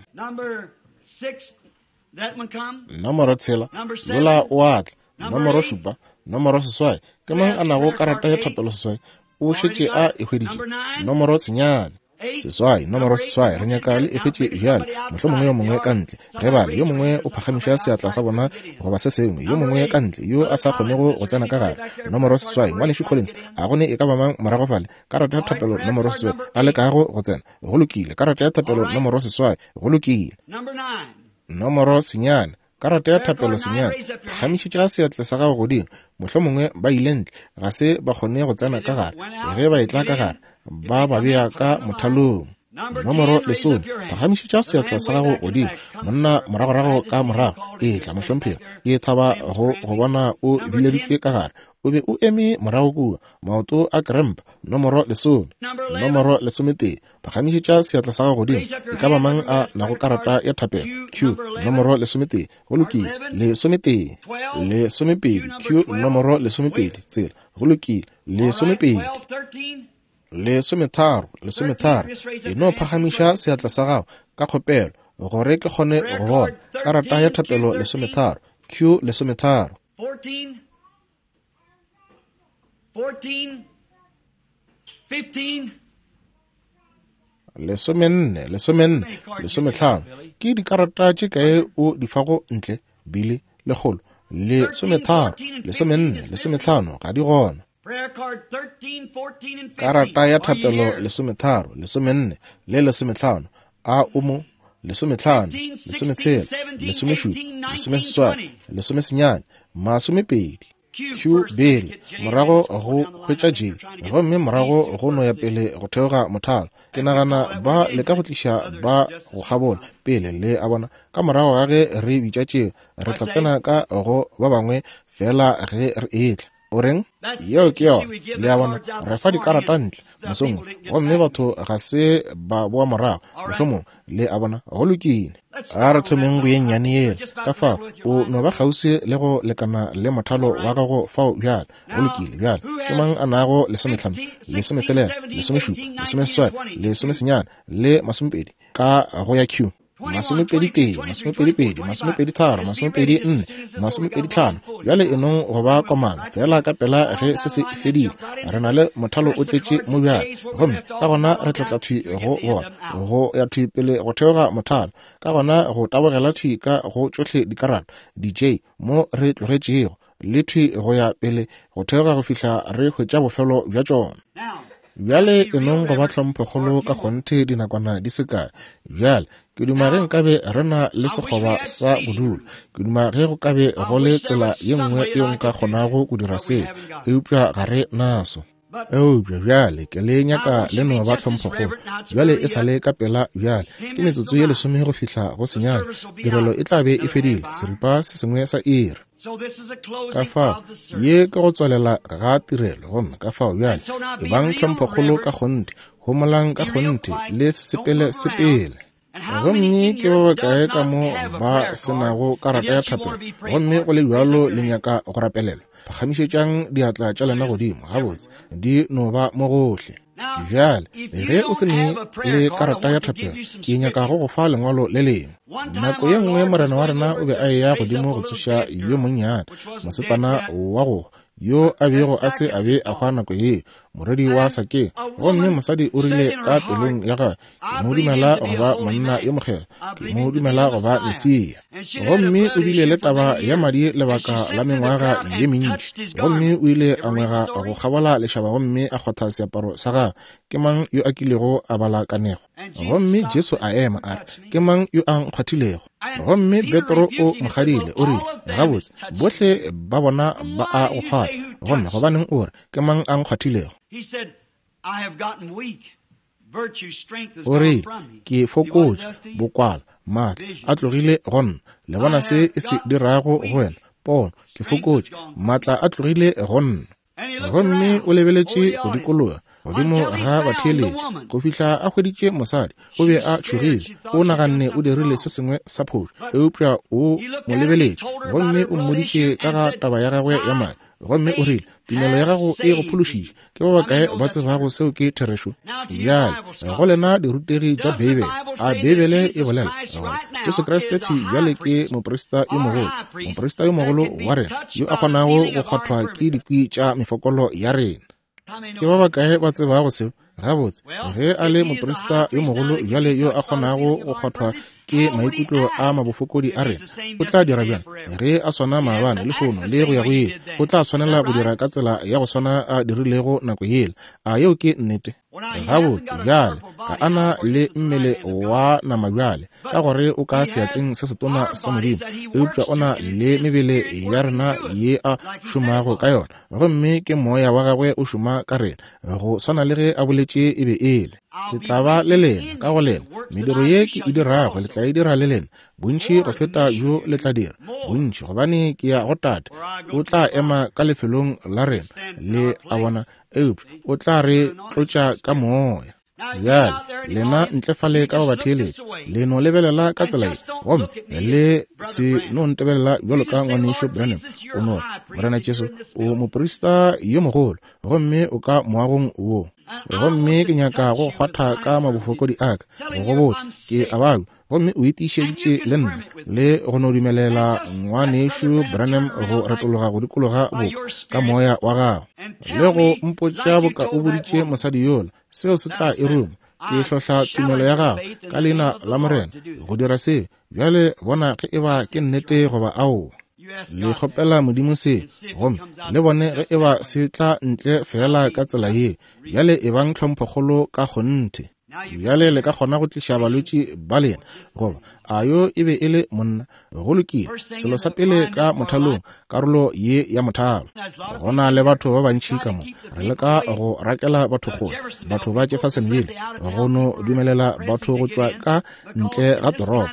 Nomoro tshela, yola o a tla. Nomoro šupa, nomoro seswai. Ke mang a nago karata ya thapelo seswai? O šetše a e hweditše. Nomoro senyane, seswai, nomoro seswai. Re nyaka le e hwetše bjale, mohlomongwe yo mongwe ka ntle. Ge bale yo mongwe o phagamiša seatla sa bona goba se sengwe, yo mongwe ka ntle yo a sa kgonego go tsena ka gare. Nomoro seswai, ngwanešu Collins, a go ne e ka ba mang morago fale? Karata ya thapelo nomoro seswai, a lekago go tsena. Go lokile. Karata ya thapelo nomoro seswai, go lokile. Nomoro senyane, karata ya thapelo senyane, phagamišetša seatla sa gago godimo. Mohlomongwe ba ile ntle, ga se ba kgone go tsena ka gare. Ge ba etla ka gare, ba ba bea ka mothalong. Nomoro lesome, phagamišetša seatla sa gago godimo. Monna moragorago ka morago, etla mohlomphegi, ke thaba go go bona o bileditšwe ka gare. O be o eme morago kua, maoto a krempa. Nomoro lesome. Nomoro lesometee, phagamišetša seatla sa gago godimo. E ka ba mang a nago karata ya thapelo? Q, nomoro lesometee. Go lokile. Lesometee, lesomepedi. Q, nomoro lesomepedi. Tsela. Go lokile. Lesomepedi, lesometharo, lesometharo. E no phagamiša seatla sa gago ka kgopelo gore ke kgone go bona. Karata ya thapelo lesometharo. Q, lesometharo. Lesomenne, lesomenne, lesometlhano. Ke dikarata tše kae o di fago ntle? Bile lekgolo, lesometharo, lesomenne, lesometlhano, ga di gona. Karata ya thapelo lesometharo, lesomenne le lesometlhano. A o mo? Lesometlhano, lesometshela, lesomešupa, lesomeseswai, lesomesenyane, masomepedi. Q bele, morago go hwetša J, gomme morago go no ya pele go theoga mothalo. Ke nagana ba leka go tliša ba go kgabola pele, le a bona. Ka morago ga ge re bitša tšeo, re tla tsena ka go ba bangwe fela ge re etla. O reng? Yeo ke yona. Le a bona, re fa dikarata ntle mosong, gomme batho ga se ba boa morago mohlomongwe. Le a bona, go lokile. A re thomeng go ye nnyane yela. Ka fao o no ba kgauswi le go lekana le mothalo wa gago fao bjale. Go lokile. Bjale ke mang a nago lesometlhano, lesometshelela, lesomešupa, lesomeseswai, lesomesenyane le masomepedi ka go ya Q? Masomepedi tee, masomepedi pedi, masomepedi tharo, masomepedi nne, masomepedi tlhano. Bjale e nong go ba komana fela ka pela ge se se fedile. Re na le mothalo o tletše mo bjale, gomme ka gona re tla tla thwi go bona go ya thwi pele go theoga mothalo, ka gona go tabogela thwi ka go tšohle dikarata di-J mo re tlogetšego, le thwi go ya pele go theoga go fihla re hwetša bofelo bja tšona. Bjale e nong go ba tlhomphokgolo ka kgonthe dinakwana di se kae. Bjale ke duma ge nkabe re na le sekgoba sa bodulo. Ke duma ge go kabe go le tsela ye nngwe yeo nka kgonago go dira seo, eupša ga re naso. Eupša bjale ke le nyaka le no ba tlhomphokgolo. Bjale e sa le ka pela bjale, ke metsotso ye lesome go fihla go senyane. Tirelo e tla be e fedile, seripa se sengwe sa iri. Ka fao ye ke go tswalela ga tirelo, gomme ka fao bjale e bang tlhomphokgolo ka kgonthe, homolang ka kgonthe, le se sepele sepele. Gomme ke ba bakae ka mo ba se nago karata ya thapelo, gomme go le bjalo le nyaka go rapelelwa? Phagamišetšang diatla tša lena godimo. Gabotse, di no ba mo gohle. Bjale ge o se ne le karata ya thapelo, ke nyaka go go fa lengwalo le lengwe. Nako ye nngwe morena wa rena o be a eya godimo go tsoša yo monnyane mosetsana wa go yo a bego a se a be a hwa nako yeo. morwedi wa Sakeo. Gomme mosadi o rile ka pelong ya gagwe, ke mo dumela go ba monna yo mokgethwa, ke mo dumela go ba Mesia. Gomme o bile le taba ya madi lebaka la mengwaga ye mentši. Gomme o ile a ngwega go kgabola lešaba gomme a kgotha seaparo sa gagwe. Ke mang yo a kilego a bala kanego? Gomme Jesu a ema a re, ke mang yo a nkgwathilego? Gomme Petro o mo kgadile, o rile, gabotse, bohle ba bona ba a go kgwatha, gomme gobaneng o re, ke mang a nkgwathilego? O rile, ke fokotše, bokwala, maatla a tlogile go nna. Le bona se e se dirago go wena? Pono, ke fokotše, maatla a tlogile go nna. Gomme o lebeletše go dikologa godimo ga batheeletši go fihla a hweditše mosadi. O be a tšhogile, o naganne o dirile se sengwe sa phošo, eupša o mo lebeletše gomme o mmoditše ka ga taba ya gagwe ya madi. Gomme o rile, tumelo ya gago e go phološitše. Ke ba bakae ba tsebago seo ke therešo? Bjale go lena dirutegi tša Beibele, a Beibele e bolela gore Jesu Kriste thwi bjale ke moprista yo mogolo, moprista yo mogolo wa rena yo a kgonago go kgwathwa ke dikwi tša mefokolo ya rena? Ke ba bakae ba tsebago seo? Gabotse, ge a le moprista yo mogolo bjale yo a kgonago go kgwathwa ke maikutlo a mabofokodi a rena, o tla dira bjang? Ge a swana maabane, lehono le go ya go ile, o tla swanela go dira ka tsela ya go swana a dirilego nako yela. A yeo ke nnete? Gabotse, bjale ga a na le mmele wa nama bjale, ka gore o ka seatleng se setona sa Modimo, eupša o na le mebele ya rena ye a šomago ka yona, gomme ke moya wa gagwe o šoma ka rena, go swana le ge a boletše e be e le. Ke tla ba le lena ka go lena, mediro ye ke e dirago le tla e dira le lena, bontši go feta bjo le tla dira, bontši, gobane ke ya go Tate. O tla ema ka lefelong la rena, le a bona, eupša o tla re tlotša ka moya. Bjale lena ntle fale ka go batheeletši, le no lebelela ka tsela ye, gomme le se no ntebelela bjalo ka ngwanešu Branham. O no re, Morena Jesu, o moprista yo mogolo, gomme o ka moagong wo. Gomme ke nyaka go kgwatha ka mabofokodi a ka, go go botša ke a babja, gomme o itišeditše le nna, le go no dumelela ngwanešu Branham go retologa go dikologa boka ka moya wa gago, le go mpotša boka o boditše mosadi yola, seo se tla e ruma. Ke hlohla tumelo ya gago ka leina la Morena go dira seo. Bjale bona ge eba ke nnete goba aowa. Le kgopela Modimo se, gomme le bone ge eba se tla ntle fela ka tsela ye. Bjale ebang tlhomphokgolo ka kgonthe. Bjale le ka kgona go tliša balwetši ba lena, goba a yo e be e le monna? Go lokile, selo sa pele ka mothalong, karolo ye ya mothalo. Go na le batho ba bantši ka mo, re leka go rakela batho kgole, batho ba Jeffersonville, go no dumelela batho go tšwa ka ntle ga toropo,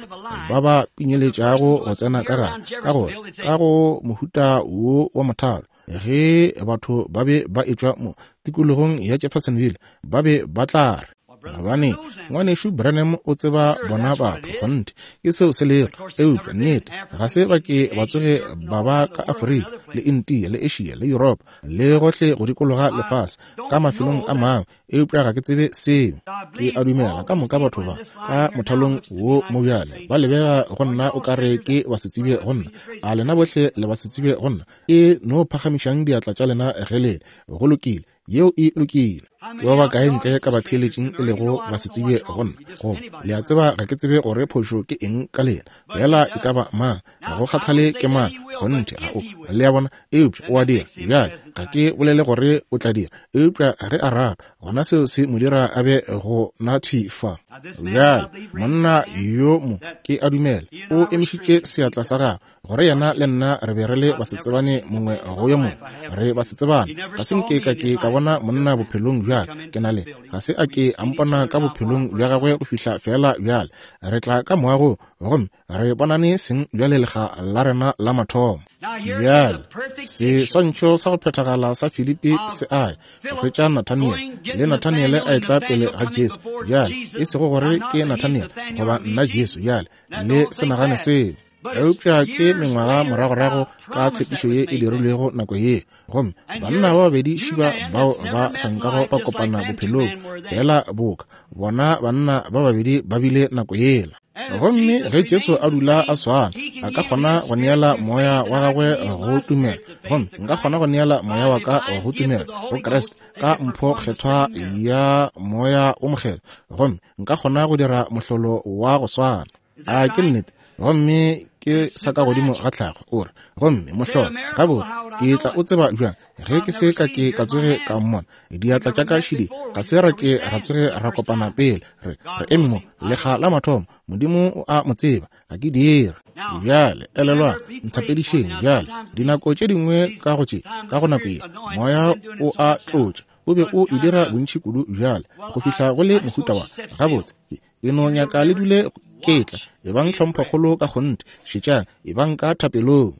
ba ba pinyeletšago go tsena ka gare, ka gore ka go mohuta wo wa mothalo, ge batho ba be ba etšwa mo tikologong ya Jeffersonville, ba be ba tla re, gobane ngwanešu Branham o tseba bona batho, kgonthe ke seo se lego, eupša nnete ga se ba ke ba tsoge ba ba ka Afrika le India le Asia le Europa le gohle go dikologa lefase ka mafelong a mangwe, eupša ga ke tsebe seo. Ke a dumela ka moka batho ba ka mothalong wo mo bjale ba lebega go nna o kare ke ba se tsebe go nna. A lena bohle le ba se tsebe go nna? E no phagamišang diatla tša lena ge le go lokile. Yeo e lokile. Ke ba bakae ntle ka batheeletšing e lego ba se tsebe go nna? Goba le a tseba ga ke tsebe gore phošo ke eng ka lena, fela e ka ba mang, ga go kgathale ke mang, kgonthe ga o, le a bona, eupša o a dira. Bjale ga ke bolele gore o tla dira, eupša ge a rata, gona seo se mo dira a be go na thwi fa. Bjale monna yo mo ke a dumela o emišitše seatla sa gagwe gore yena le nna re be re le basetsebane mongwe go yo mongwe, re basetsebane. Ga se nke ka ke ka bona monna bophelong bja ke na le, ga se a ke a mpona ka bophelong bja gagwe go fihla fela bjale. Re tla ka moago gomme re bonane seng bjale lega la rena la mathomo. Bjale seswantšho sa go phethagala sa Filipi se a go hwetša Nathaniele, le Nathaniele a etla pele ga Jesu. Bjale e sego gore ke Nathaniele goba nna Jesu, bjale le se nagane seo, eupša ke mengwaga moragorago ka tshepišo ye e dirilwego nako ye. Gomme banna ba babedi šiba bao ba sa nkago ba kopana bophelong, fela boka bona banna ba babedi ba bile nako yela. Gomme ge Jesu a dula a swana, a ka kgona go neela moya wa gagwe go tumelo, gomme nka kgona go neela moya wa ka go tumelo go Kriste ka mpho kgethwa ya moya o mokgethwa, gomme nka kgona go dira mohlolo wa go swana. A ke nnete? Gomme ke sa ka godimo ga tlhago o re, gomme mohlolo gabotse ke tla o tseba bjang ge ke se ka ke ka tsoge ka mmona? Diatla tša ka šidi ga se ra ke ra tsoge ra kopana pele, re re eme mo lekga la mathomo. Modimo o a mo tseba, ga ke dira. Bjale elelwang, nthapedišeng bjale. Dinako tše dingwe ka go tše ka go nako ye moya o a tlotša, o be o e dira bontši kudu bjale go fihla go le mohuta wa gabotse ke no nyaka le dule ke tla. Ebang tlhomphokgolo ka kgonthe, šetšang, ebang ka thapelong.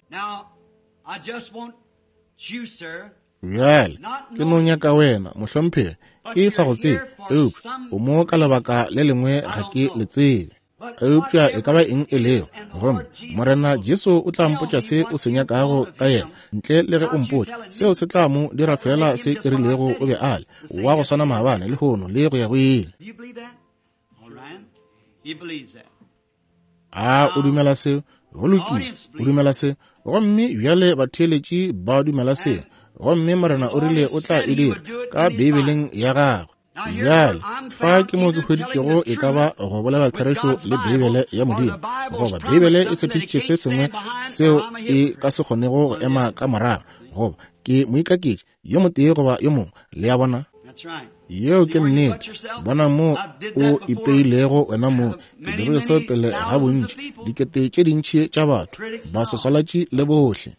Bjale ke no nyaka wena mohlomphegi, ke sa go tsebe, eupša o mo ka lebaka le lengwe ga ke le tsebe, eupša e ka ba eng e lego. Gomme Morena Jesu o tla mpotša se o se nyakago ka yena, ntle le ge o mpotša seo se tla mo dira fela se ke rilego o be a le wa go swana maabane, lehono le go ya go ile. A o dumela seo? Go lokile, o dumela se. Gomme bjale batheeletši ba dumela seo. Gomme Morena o rile o tla e dira ka Beibeleng ya gagwe. Bjale fa ke mo ke hweditšego e ka ba go bolela therešo le Beibele ya Modimo, goba Beibele e tshepišitše se sengwe seo e ka se kgonego go ema ka morago, goba ke moikaketši yo motee goba yo mongwe. Le a bona? Yeo ke nnete. Bona mo o ipeilego wena mo. Ke dirile seo pele ga bontši, dikete tše dintši tša batho, baswaswalatši le bohle.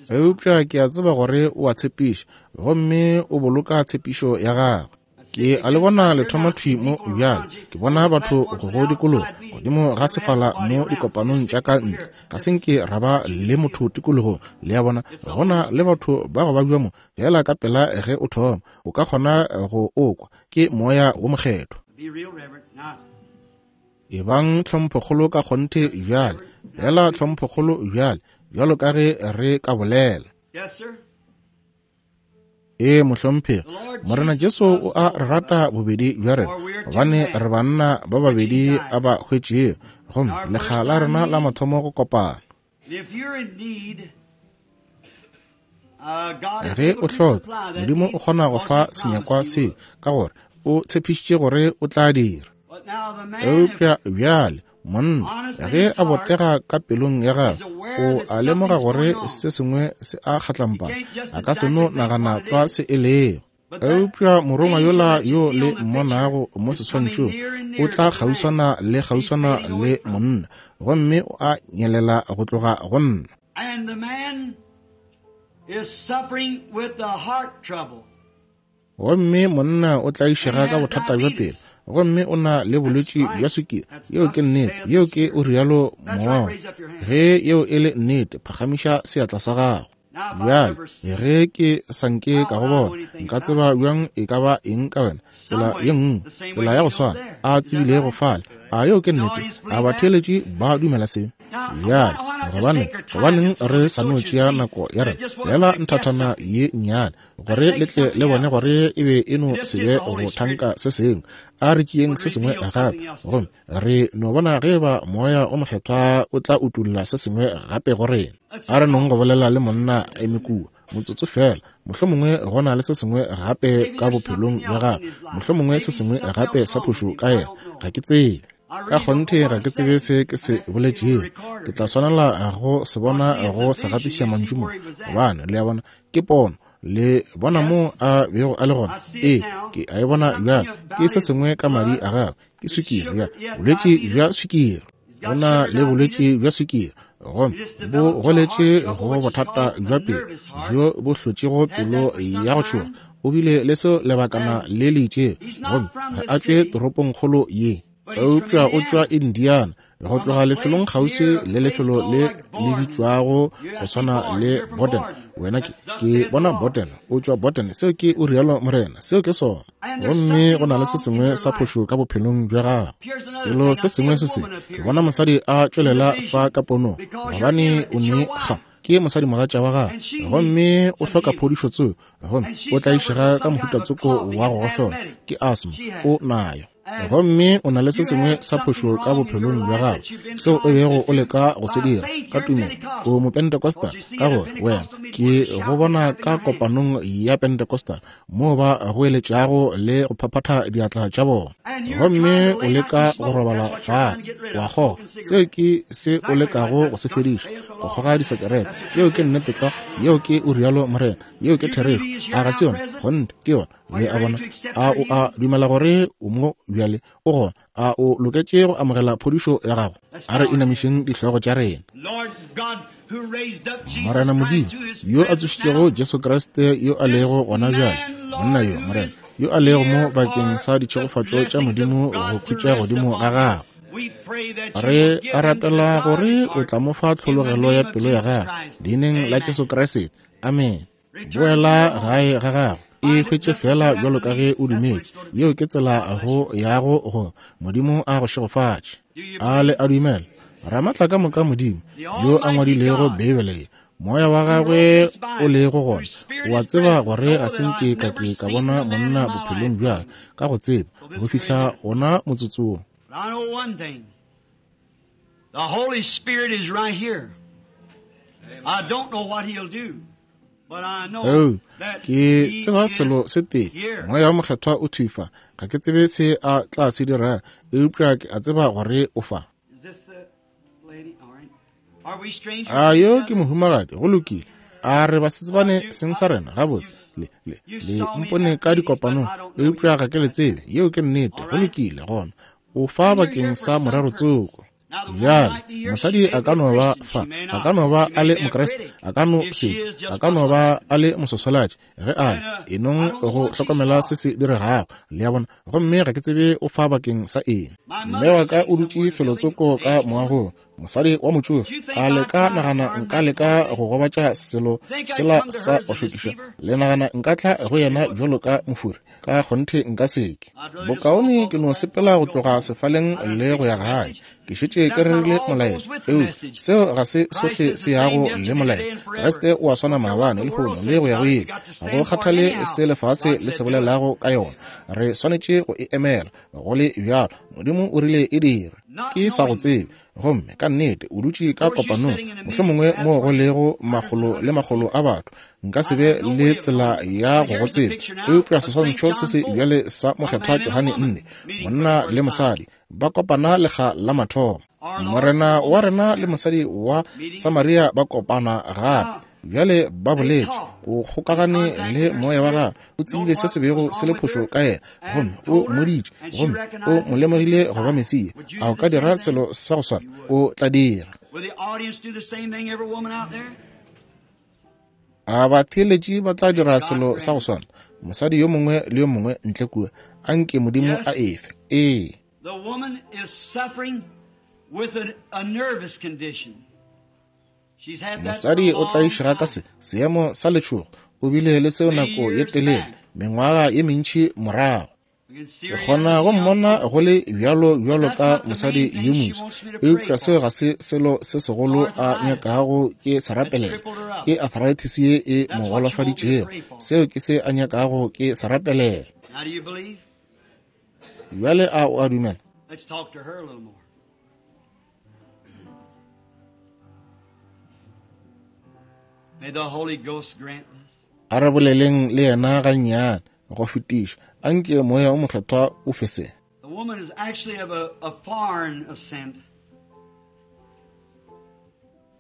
Eupša ke a tseba gore o a tshepiša, gomme o boloka tshepišo ya gagwe. Ke a le bona le thoma thwi mo bjale. Ke bona batho go go dikologa godimo ga sefala mo dikopanong tša ka ntle. Ga se nke ra ba le motho tikologong. Le a bona, gona le batho ba go babja mo fela ka pela ge o thoma, o ka kgona go o kwa ke moya wo mokgethwa. Ebang tlhomphokgolo ka kgonthe bjale, fela tlhomphokgolo bjale, bjalo ka ge re ka bolela. Ee mohlomphegi, Morena Jesu o a re rata bobedi bja rena, gobane re banna ba babedi a ba hwetšego, gomme lekga la rena la mathomo go kopana. Ge o hloka, Modimo o kgona go fa senyakwa seo, ka gore o tshepišitše gore o tla dira. Eupša bjale monna ge a botega ka pelong ya gagwe, o a lemoga gore se sengwe se a kgatlampana, a ka se no nagana tlwa se e lego. Eupša morongwa yola yo le mmonago mo seswantšhong o tla kgauswana le kgauswana le monna, gomme o a nyelela go tloga go nna. Gomme monna o tlaišega ka bothata bja pelo, gomme o na le bolwetši bja swikiri. Yeo ke nnete, yeo ke o rialo mowa. Ge yeo e le nnete, phagamiša seatla sa gago. Bjale ge ke sa nke ka go bona, nka tseba bjang e ka ba eng ka wena? Tsela ye nngwe, tsela ya go swana a tsebilego fale. A yeo ke nnete? A batheeletši ba dumela seo? Bjale gobane gobaneng re sa no tšea nako ya rena fela nthathana ye nnyane, gore le tle le bone gore e be e no se be go thanka se sengwe. A re tšeeng se sengwe gape, gomme re no bona ge ba moya o mokgethwa o tla utulla se sengwe gape go rena. A re nong go bolela le monna a eme kua motsotso fela, mohlomongwe go na le se sengwe gape ka bophelong bja gagwe, mohlomongwe se sengwe gape sa phošo ka yena, ga ke tsebe. Ka kgonthe ga ke tsebe se ke se boletšego. Ke tla swanela go se bona go se gatiša mantšu mo, gobane le a bona ke pono. Le bona mo a bego a le gona? Ee, ke a e bona bjale. Ke se sengwe ka madi a gagwe, ke swikiri bja bolwetši bja swikiri. Go na le bolwetši bja swikiri, gomme bo goletše go bothata bja pelo bjo bo hlotšego pelo ya go tšhoga. O bile le seo lebakana le le itšego, gomme ga a tšwe toropongkgolo ye, eupša o tšwa Indiana, go tloga lefelong kgauswi le lefelo le le bitšwago go swana le Borden. Wena ke ke bona Borden, o tšwa Borden. Seo ke o rialo Morena, seo ke sona. Gomme go na le se sengwe sa phošo ka bophelong bja gagwe. Selo se sengwe se se, ke bona mosadi a tšwelela fa ka ponong, gobane o ne ga ke mosadi mogatša wa gagwe, gomme o hloka phodišo tseo, gomme o tlaišega ka mohuta tsoko wa go gohlola, ke asthma o nayo. Gomme o na le se sengwe sa phošo ka bophelong bja gago seo o bego o leka go se dira ka tumelo. O Mopentecostal ka gore wena ke go bona ka kopanong ya Pentecostal moo ba goeletšago le go phaphatha diatla tša bona, gomme o leka go robala fase wa kgoga. Seo ke se o lekago go se fediša, go kgoga disekerete. Yeo ke nnete tlwa, yeo ke o rialo Morena, yeo ke therešo. A ga se yona? Kgonthe ke yona. Le a bona? A o a dumela gore o mo bjale o gona? A o loketše go amogela phodišo ya gago? A re inamišeng dihlogo tša rena. Morena Modimo, yo a tsošitšego Jesu Kriste yo a lego gona bjale, monna yo, Morena, yo a lego mo bakeng sa ditšhegofatšo tša Modimo go khutša godimo ga gagwe, re a rapela gore o tla mo fa tlhologelo ya pelo ya gagwe leineng la Jesu Kriste. Amen. Boela gae ga gago, e hwetše fela bjalo ka ge o dumetše. Yeo ke tsela go yago go Modimo a go šegofatše. A le a dumela? Ramatla ka moka Modimo yo a ngwadilego Beibele ye, moya wa gagwe o lego gona, o a tseba gore ga se nke ka ke ka bona monna bophelong bja ka go tseba go fihla gona motsotsong. I know one thing. The Holy Spirit is right here. I don't know what he'll do, but I know Oh, that ke he tseba is selo se tee, here. moya wa mokgethwa o thwi fa. Ga ke tsebe se a tla se dira, eupša ke a tseba gore o fa. Is this the lady? All right. Are we strangers A to each yo ke other? mohumagadi, go lokile. A re ba se tsebane seng sa rena gabotse. Le le le mpone ka dikopanong, eupša ga ke le tsebe. Yeo ke nnete, go lokile gona. O fa bakeng sa morero tsoko. Bjale mosadi a ka no ba fa, a ka no ba a le Mokriste, a ka no se, a ka no ba a le mososolatši ge a le enong go hlokomela se se diregago, le a bona. Gomme ga ke tsebe o fa bakeng sa eng. Mme wa ka o dutše felotsoko ka moagong, mosadi wa motšofe. A le ka nagana nka leka go gobatša selo sela sa go šokiša? Le nagana nka tla go yena bjalo ka mofuri? Ka kgonthe nka seke. Bokaone ke no sepela go tloga sefaleng le go ya gae. Ke šetše ke rerile molaetša, eupša seo ga se sohle se yago le molaetša. Kriste o a swana maabane, lehono le go ya go ile. Ga go kgathale se lefase le se bolelago ka yona, re swanetše go e emela go le bjalo. Modimo o rile e dire. Ke sa go tsebe, gomme ka nnete o dutše ka kopanong, mohlomongwe moo go lego makgolo le makgolo a batho. Nka se be le tsela ya go go tseba, eupša seswantšho se se bjale sa mokgethwa Johane nne, monna le mosadi ba kopana lekga la mathomo. Morena wa rena le mosadi wa Samaria ba kopana gape. Bjale ba boletše, o kgokagane le moya wa gagwe, o tsebile se se bego se le phošo ka yena, gomme o mmoditše, gomme o mo lemogile go ba Mesia. A o ka dira selo sa go swana? O tla dira. Will the audience do the same thing, every woman out there? A batheeletši ba tla dira selo sa go swana, mosadi yo mongwe le yo mongwe ntle kua? Anke Modimo a efe. Ee. The woman is suffering with a, a nervous condition. She's had that for a Mosadi o long tlaišega ka time. se seemo sa letšhogo, o bile le seo nako ye telele, mengwaga ye mentši morago. We can see Ke her kgona go mmona go le bjalo bjalo ka mosadi yo moso, eupša seo ga se selo se segolo a nyakago ke se rapelela. Ke arthritis ye e mo golofaditšego, seo ke se a nyakago ke se rapelela. Now do you believe? Bjale a o a dumela? Let's talk to her a little more. May the Holy Ghost grant this. A re boleleng le yena gannyane go fetiša. Anke moya o mokgethwa o fe se. The woman is actually of a, a foreign ascent.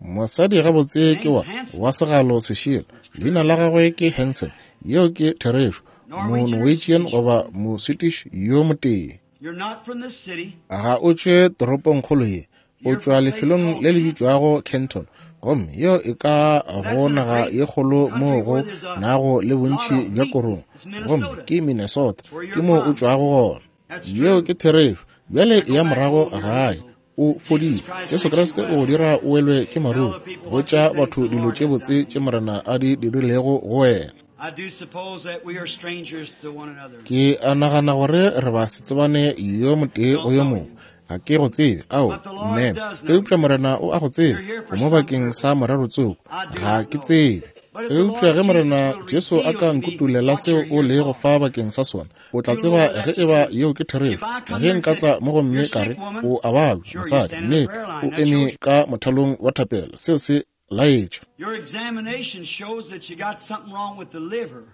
Mosadi gabotse ke wa wa segalo sešela. Leina la gagwe ke Hansen. Yeo ke therešo. Mo-Norwegian goba mo-Swedish yo motee. You're not from this city. Ga o tšwe toropongkgolo ye, o tšwa lefelong le le bitšwago Canton, gomme yeo e ka go naga ye kgolo moo go nago le bontši bja korong, gomme ke Minnesota, ke moo o tšwago gona. Yeo ke therešo. Bjale ya morago gae, o fodile. Jesu Kriste o go dira o welwe ke maruru. Botša batho dilo tše botse tše Morena a di dirilego go wena. I do suppose that we are strangers to one another. Ke a nagana gore re ba se tsebane yo motee go yo mongwe. Ga ke go tsebe, ao, mme, eupša Morena o a go tseba. O mo bakeng sa morero tsoko. Ga ke tsebe. Eupša ge Morena Jesu a ka nkutulela seo o lego fa bakeng sa sona, o tla tseba ge eba yeo ke therešo. Ge nka tla mo gomme ka re, o a babja, mosadi, nnete, o eme ka mothalong wa thapelo, seo se laetša. Your examination shows that you got something wrong with the liver.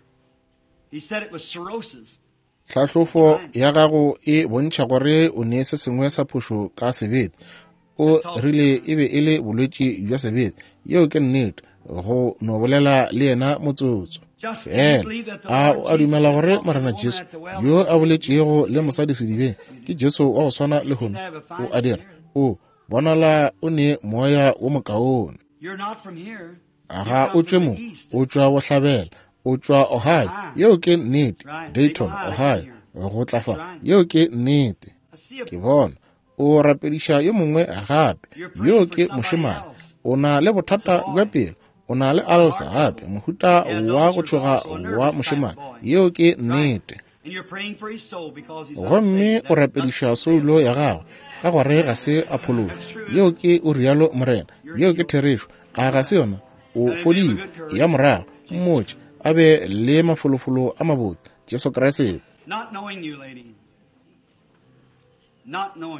He said it was cirrhosis. Tlhahlofo ya gago e bontšha gore o ne se sengwe sa phošo ka sebete. O rile e be e le bolwetši bja sebete. Yeo ke nnete. Go no bolela le yena motsotso fela. A o a dumela gore Morena Jesu yo a boletšego le mosadi sedibeng ke Jesu wa go swana lehono? O a dira. O bonala o ne moya wo mokaone. Ga o tšwe mo, o tšwa bohlabela, o tšwa Ohio. Yeo ke nnete. Dayton, Ohio, go tla fa. Yeo ke nnete. Ke bona o rapediša yo mongwe gape. Yo ke mošemane. O na le bothata bja pelo. O na le alsa gape, mohuta wa go tšhoga wa mošemane. Yeo ke nnete. Gomme o rapediša soulo ya gagwe ka gore ga se a phološwa. Yeo ke o rialo Morena. Yeo ke therešo. A ga se yona? O fodile. Ya morago, mmotše a be le mafolofolo a mabotse. Jesu Kriste.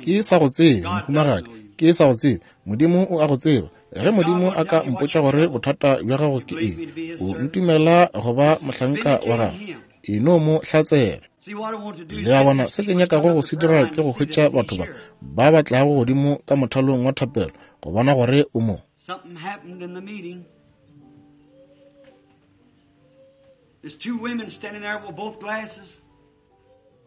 Ke sa go tsebe, mohumagadi. Ke sa go tsebe. Modimo o a go tseba. Ge Modimo a ka mpotša gore bothata bja gago ke eng, o ntumela go ba mohlanka wa gago, e no mo hlatsela. Le a bona, se ke nyakago go se dira ke go hwetša batho ba ba ba tlago godimo ka mothalong wa thapelo go bona gore o mo. Something happened in the meeting. There's two women standing there with both glasses.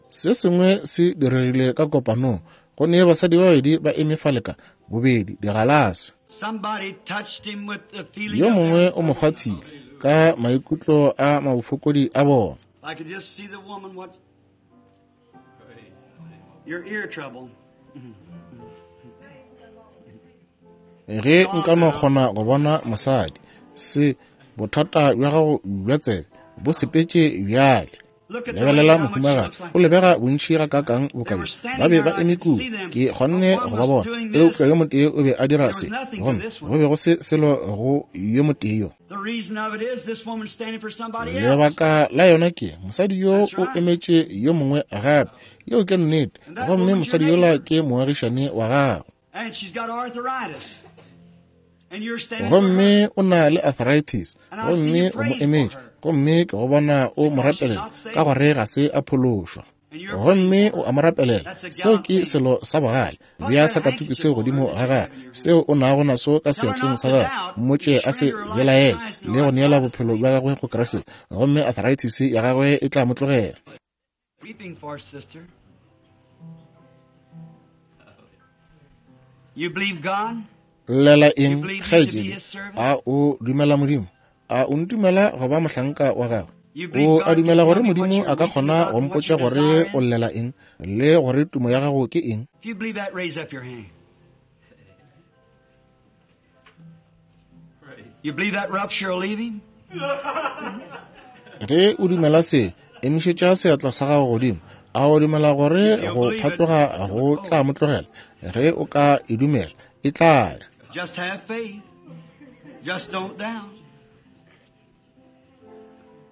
Se sengwe se diregile ka kopanong. Go ne basadi ba babedi ba eme fale ka bobedi digalase. Somebody touched him with the feeling Yo of mongwe o mo kgwathile ka maikutlo a mabofokodi a bona. I could just see the woman what your ear trouble. Ge nka no kgona go bona mosadi, se bothata bja gago bja tsebe bo sepetše bjale. Look at the Lebelela lady, how much she mohumagadi, looks like. o lebega bontši gakaakang boka bjo. Ba be ba eme kua, ke kgonne go ba bona, eupša yo motee o be a dira se, gomme go be go se selo go yo motee yo. The reason of it is this woman's standing for somebody else. Lebaka la yona ke mosadi yo o emetše yo mongwe gape. Yeo ke nnete. Gomme mosadi yola ke moagišane wa gagwe. And she's got arthritis. And you're standing for her. Gomme o na le arthritis. Gomme o mo emetše. Gomme ke go bona o mo rapelela ka gore ga se a phološwa. Gomme o a mo rapelela. Seo ke selo sa bogale. Bea sakatuku seo godimo ga gagwe, seo o nago naso ka seatleng sa gagwe. Mmotše a se belaele le go neela bophelo bja gagwe go Kriste. Gomme arthritis ya gagwe e tla mo tlogela. Weeping for, sister. You believe God? Llela eng, kgaetšedi? A o dumela Modimo? A o ntumela go ba mohlanka wa gagwe? O a dumela gore Modimo a ka kgona go mpotša gore o llela eng le gore tumo ya gago ke eng? If you believe that, raise up your hand. You believe that rupture will leave him? Ge o dumela se, emišetša seatla sa gago godimo. A o dumela gore go phatloga go tla mo tlogela? Ge o ka e dumela, e tla ya. Just have faith. Just don't doubt.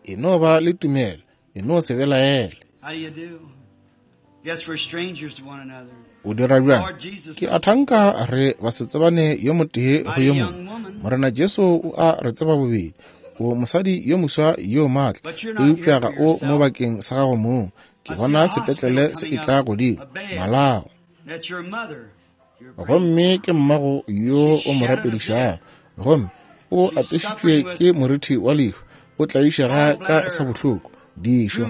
E no ba le tumelo, e no se belaele. How do you do? Guess we're strangers to one another. O dira bjang? Lord Jesus Ke a thanka re basetsebane yo motee go yo mongwe. Morena Jesu o a re tseba bobedi. O mosadi yo moswa yo maatla, eupša ga o mo bakeng sa gago mong. Ke bona sepetlele se etla godimo, malao. That's your mother. Your Gomme ke mmago yo o mo rapedišago. Gomme o apešitšwe ke morithi wa lehu. O tlaišega ka sabohloko, dišo.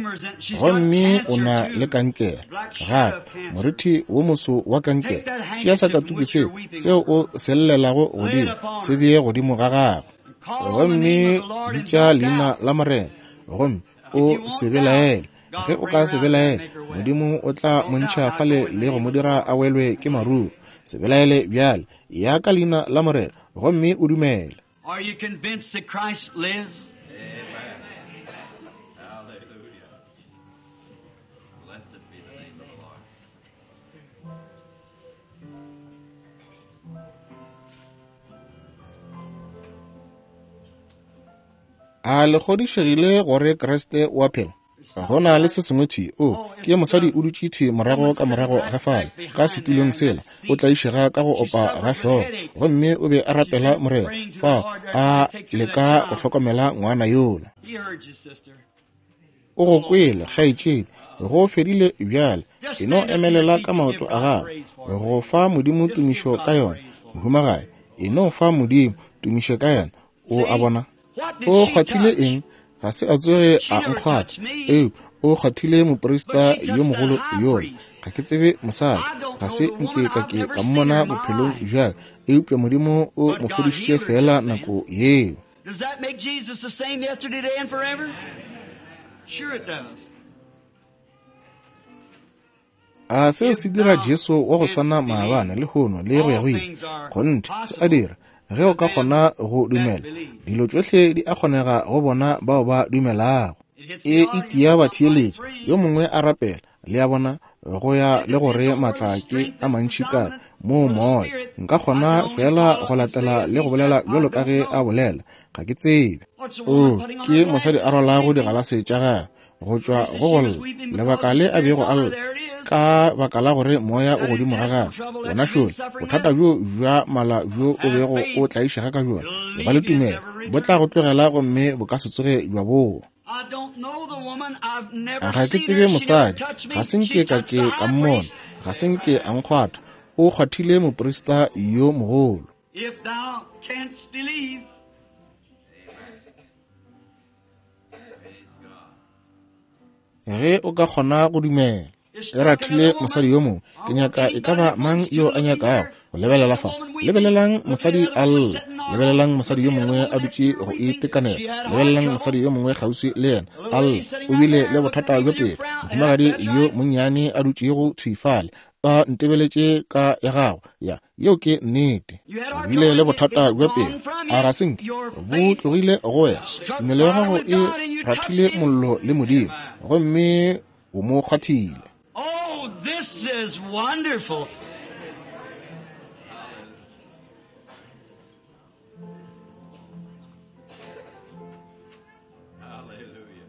Gomme o na le kankere gape, morithi wo moso wa kankere. Tšea sakatuku seo, seo o se llelago godimo, se bee godimo ga gagwe. call on the name Gomme of the Lord and bitša don't leina doubt. la Morena, gomme o se belaele. Ge o ka se belaele, Modimo o tla mo ntšha fale le go mo dira a welwe ke maruo. Se belaele bjale, ya ka leina la Morena, gomme o dumele. Are you convinced that Christ lives? Amen. Hallelujah. Blessed be the name of the Lord. A le kgodišegile gore Kriste o a phela? Go na le se sengwe thwi. O ke mosadi o dutše thwi morago ka morago ga fale ka setulong sela, o tlaišega ka go opa ga hlogo, gomme o be a rapela Morena fao a leka go hlokomela ngwana yola. O go kwele, kgaetšedi, go fedile bjale. E no emelela ka maoto a gago go fa Modimo tumišo ka yona. Mohumagadi, e no fa Modimo tumišo ka yona. O a bona? O kgwathile eng? Ga se a tsoge a nkgwatha, eupša o kgwathile moprista yo mogolo yola. Ga ke tsebe mosadi, ga se nke ka ke ka mmona bophelong bja ka, eupša Modimo o mo fodišitše feela nako yeo. Does that make Jesus the same yesterday, today, and forever? Sure it does. A seo se dira Jesu wa go swana maabane, lehono le go ya go ile? Kgonthe se a dira. Ge o ka kgona go dumela, dilo tšohle di a kgonega go bona bao ba dumelago. E itia batheeletši, yo mongwe a rapela, le a bona, go ya le gore maatla ke a mantši kae moo moya. Nka kgona fela go latela le go bolela bjalo ka ge a bolela, ga ke tsebe. O ke mosadi a rwalago digalase tša gagwe go tšwa go go lla, lebaka le a bego a lla ka baka la gore moya o godimo ga gagwe. Bona šole bothata bjo bja mala bjo o bego o tlaišega ka bjona, e ba le tumelo, bo tla go tlogela gomme bo ka se tsoge bja boa. Ga ke tsebe mosadi, ga se nke ka ke ka mmona, ga se nke a nkgwatha. O kgwathile moprista yo mogolo. If thou canst believe, Ge o ka kgona go dumela. E rathile mosadi yo mongwe. Ke nyaka e ka ba mang yo a nyakago go lebelela fa. Lebelelang mosadi a lla, lebelelang mosadi yo mongwe a dutše go itekanela, lebelelang mosadi yo mongwe kgauswi le yena a lla, o bile le bothata bjo pelo. Mohumagadi yo monnyane a dutšego thwi fale a ntebeletše ka ya gago, ya yeo ke nnete. O bile le bothata bja pelo, a ga se nke bo tlogile go wena. Tumelo ya gago e rathile mollo le Modimo, gomme o mo kgwathile. Oh, this is wonderful. Hallelujah.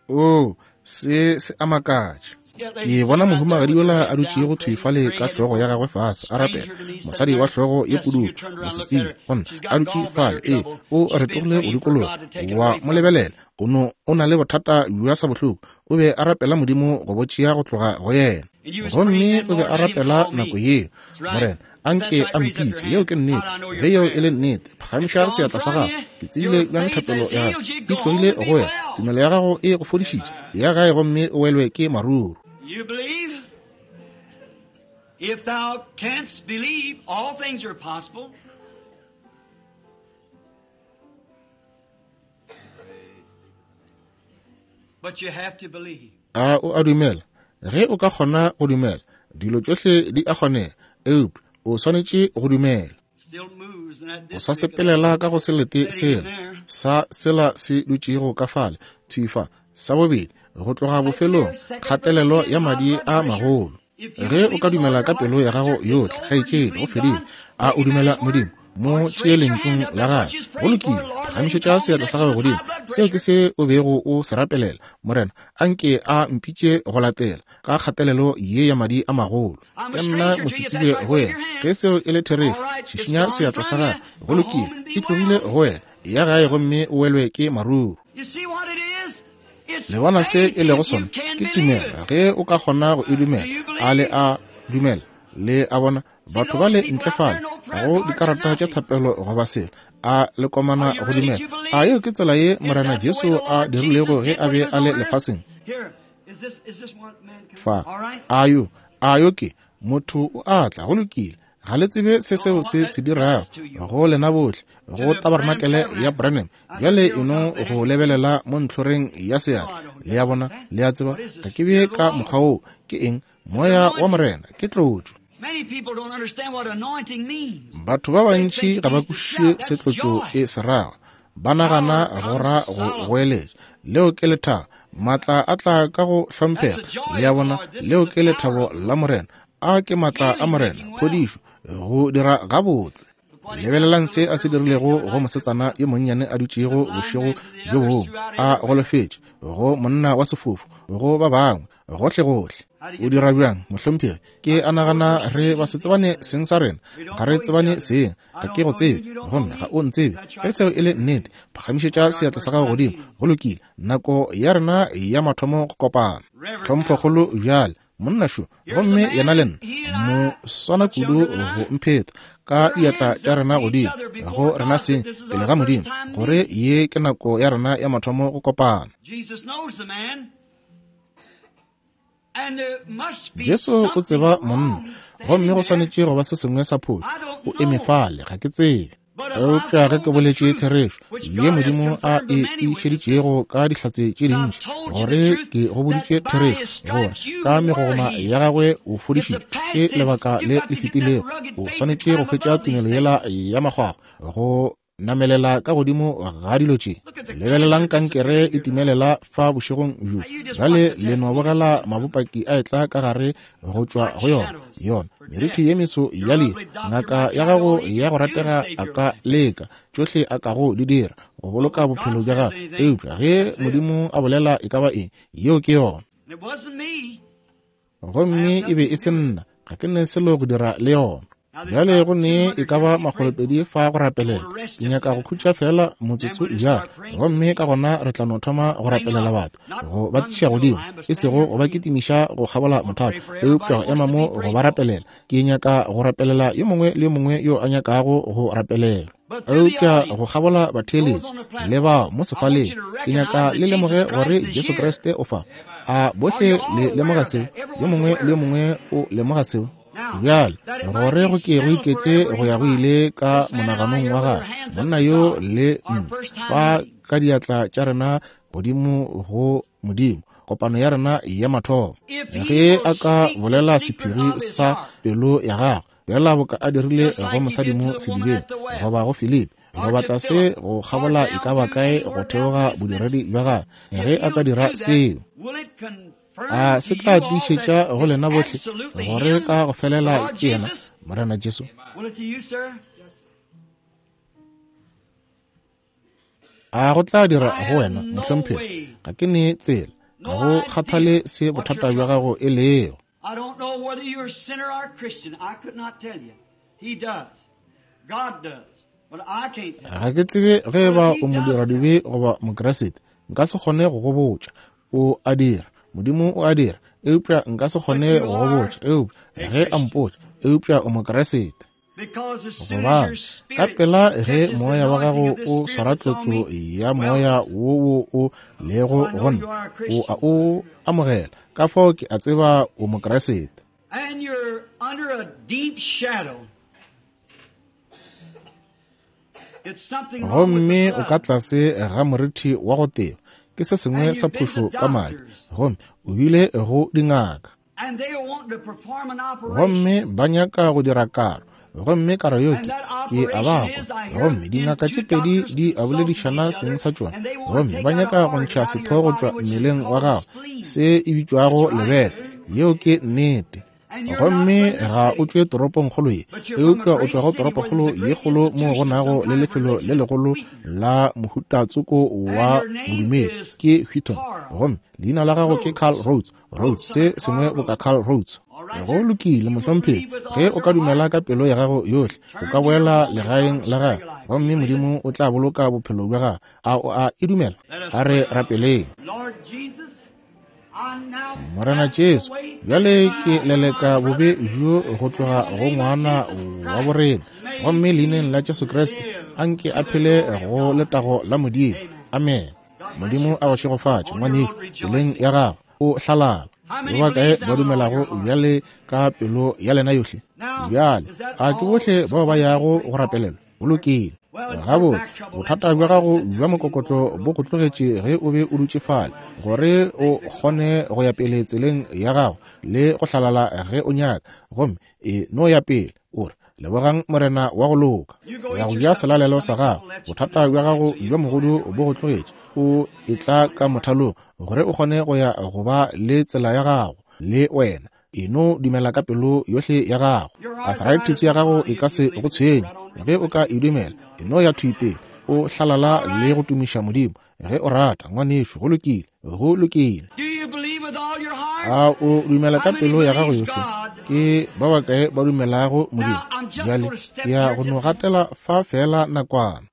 Oh, se se a makatša. Ke bona mohumagadi yola a dutšego thwi fale ka hlogo ya gagwe fase a rapela, mosadi wa hlogo ye pududu, mosetsebje gona a dutše fale. Ee, o retogile go dikologa wa mo lebelela. O no o na le bothata bja sa bohloko. O be a rapela Modimo go bo tšea go tloga go yena, gomme o be a rapela nako yeo, Morena a nke a mpitše. Yeo ke nnete. Ge yeo e le nnete, phagamiša seatla sa gago. Ke tsebile bjang thapelo ya gago e tlogile go wena. Tumelo ya gago e go fodišitše. Ya gae gomme o welwe ke maruru. You believe? If thou canst believe, all things are possible. But you have to believe. A o a dumela? Ge o ka kgona go dumela, dilo tšohle di a kgonega, eupša o swanetše go dumela. Still moves in that O sa district. sepelela ka go selete sela sa sela se dutšego ka fale thwi fa. Sa bobedi, go tloga bofelong, kgatelelo ya madi a magolo. Ge o ka dumela ka pelo ya gago yohle, kgaetšedi, go fedile. A o dumela Modimo? Mo tšee lentšung la gagwe. Go lokile, phagamišetša seatla sa gago godimo. Seo ke se o bego o se rapelela. Morena, a nke a mpitše go latela ka kgatelelo ye ya madi a magolo. Ke nna mosetsebje go wena. Ge seo e le therešo, šišinya seatla sa gago. Go lokile, e tlogile go wena. Ya gae gomme o welwe ke maruru. You see what it is? It's Le bona se faith e lego if you sona? can Ke believe tumelo. it. Ge o ka kgona go e dumela. A le a dumela? Le a bona batho ba le ntle fale ga go dikarata tša thapelo goba selo, a le komana go dumela. A yeo ke tsela ye Morena Jesu a dirilego ge a be a le lefaseng? Here, is this is this one man coming? Fa All right. a yo a yo ke motho o a tla. Go lokile, ga le tsebe se seo se se dirago go lena bohle go tabarenakele ya Branham. Bjale e no go lebelela mo ntlhoreng ya seatla. Le a bona, le a tseba ga ke be ka mokgwa woo. Ke eng? Moya wa Morena ke tlotšo. Many people don't understand what anointing means. Batho ba bantši ga ba kwešiše se tlotšo e se rago. Ba nagana go ra go goeletša. Leo ke lethabo. Maatla a tla ka go hlomphega. Le a bona, leo ke lethabo la Morena. A ke maatla a Morena, phodišo, go dira gabotse. Lebelelang se a se dirilego go mosetsana yo monnyane a dutšego bošego bjo bongwe a golofetše, go monna wa sefofu, go ba bangwe, gohle-gohle. O dira bjang, mohlomphegi? Ke a nagana re ba se tsebane seng sa rena. Ga re tsebane seng. Ga ke go tsebe, gomme ga o ntsebe. Ge seo e le nnete, phagamišetša seatla sa gago godimo. Go lokile. Nako ya rena ya mathomo go kopana. Tlhomphokgolo bjale, monna šo, gomme yena le nna mo swana kudu go mpheta ka diatla tša rena godimo go rena seng pele ga Modimo, gore ye ke nako ya rena ya mathomo go kopana. Jesu o tseba monna, gomme go swanetše go ba se sengwe sa phošo. O eme fale, ga ke tsebe. Eupša ge ke boletše therešo ye Modimo a e tiišeditšego ka dihlatse tše dintši, gore ke go boditše therešo, gore ka megogoma ya gagwe o fodišitšwe, ke lebaka le le fetilego. O swanetše go hwetša tumelo yela ya makgwakgwa go namelela ka godimo ga dilo tše. Lebelelang kankere e timelela fa bošegong bjo. Bjale le no bogela mabopaki a etla ka gare go tšwa go yona. Yona merithi ye meso ya lehu, ngaka ya gago ya go ratega a ka leka tšohle a kago di dira go boloka bophelo bja gago, eupša ge Modimo a bolela e ka ba eng, yeo ke yona. Gomme e be e se nna, ga ke ne selo go dira le yona. Bjale go ne e ka ba makgolopedi fa go rapelela. Ke nyaka go khutša fela motsotso bjale, gomme ka gona re tla no thoma go rapelela batho, go ba tliša godimo, e sego go ba kitimiša go kgabola mothalo, eupša go ema mo go ba rapelela. Ke nyaka go rapelela yo mongwe le yo mongwe yo a nyakago go rapelela. Eupša go kgabola batheeletši le bao mo sefaleng, ke nyaka le lemoge gore Jesu Kriste o fa. A bohle le lemoga seo? Yo mongwe le yo mongwe o lemoga seo? Bjale, gore go ke go iketle go ya go ile ka monaganong wa gagwe, monna yo le nna fa ka diatla tša rena godimo go Modimo, kopano ya rena ya mathomo. Ge a ka bolela sephiri sa pelo ya gagwe, bjala boka a dirile go mosadi mo sedibeng, goba go Filipi, go batla se go kgabola e ka ba kae go theoga bodiredi bja gagwe, ge a ka dira seo, a se tla tiišetša go lena bohle gore ka go felela ke yena Morena Jesu? A go tla dira go wena, mohlomphegi? Ga ke ne tsela, ga go kgathale se bothata bja gago e lego. I don't know whether you're a sinner or a Christian. I could not tell you. He does. God does. But I can't tell you. Ga ke tsebe ge e ba o modiradibe goba Mokriste. Nka se kgone go go botša. O a dira. Modimo o a dira. Eupša nka se kgone go go botša. Eupša ge a mpotša, eupša o Mokriste. Gobane ka pela ge moya wa gago o swara tlotlo ya moya wo wo o lego go nna, o a o amogela. Ka fao ke a tseba o Mokriste. And you're under a deep shadow. It's something wrong with Gomme the o ka blood. tlase ga morithi wa go teba, ke se sengwe sa phošo ka madi, gomme o bile go dingaka. And they are wanting to perform an operation. Gomme ba nyaka go dira karo, gomme karo yeo ke, ke a ba kwa. Gomme dingaka tše pedi di a boledišana seng sa tšona, gomme ba nyaka go ntšha setho go tšwa mmeleng wa gago, se e bitšwago lebele. Yeo ke nnete. Gomme ga o tšwe toropongkgolo ye, eupša o tšwa go toropokgolo ye kgolo moo go nago le lefelo le legolo la mohutatsoko wa bodumedi, ke Wheaton. Gomme leina la gago ke Carl Rhodes, Rhodes, se sengwe boka Carl Rhodes. Go lokile, mohlomphegi, ge o ka dumela ka pelo ya gago yohle, o ka boela legaeng la gago, gomme Modimo o tla boloka bophelo bja gago. A o a e dumela? A re rapeleng. Lord Jesus, I now Morena cast Jesu, away bjale ke my leleka bobe bjo go tloga go ngwana wa borena, gomme leineng la Jesu Kriste anke a phele go letago la Modimo. Amen. Modimo a go šegofatše, ngwanešu, tseleng ya gago o hlalala. Ba bakae ba dumelago bjale ka pelo ya lena yohle? Bjale a ke bohle bao ba yago go rapelelwa? Go lokile. Gabotse, bothata bja gago bja mokokotlo bo go tlogetše ge o be o dutše fale, gore o kgone go ya pele tseleng ya gago le go hlalala ge o nyaka, gomme e no ya pele. O re, Lebogang Morena wa go loka. O ya go ja selalelo sa gago. Bothata bja gago bja mogodu bo go tlogetše. O etla ka mothalong gore o kgone go ya go ba le tsela ya gago le wena. E no dumela ka pelo yohle ya gago. Arthritis ya gago e ka se go tshwenye ge o ka e dumela. E no ya thwi pele, o hlalala le go tumiša Modimo ge o rata, ngwanešu. Go lokile, go lokile. Do you believe with all your heart? A o dumela ka pelo ya gago yohle? Ke ba bakae ba dumelago Modimo? Bjale ke ya go no gatela fa feela nakwana.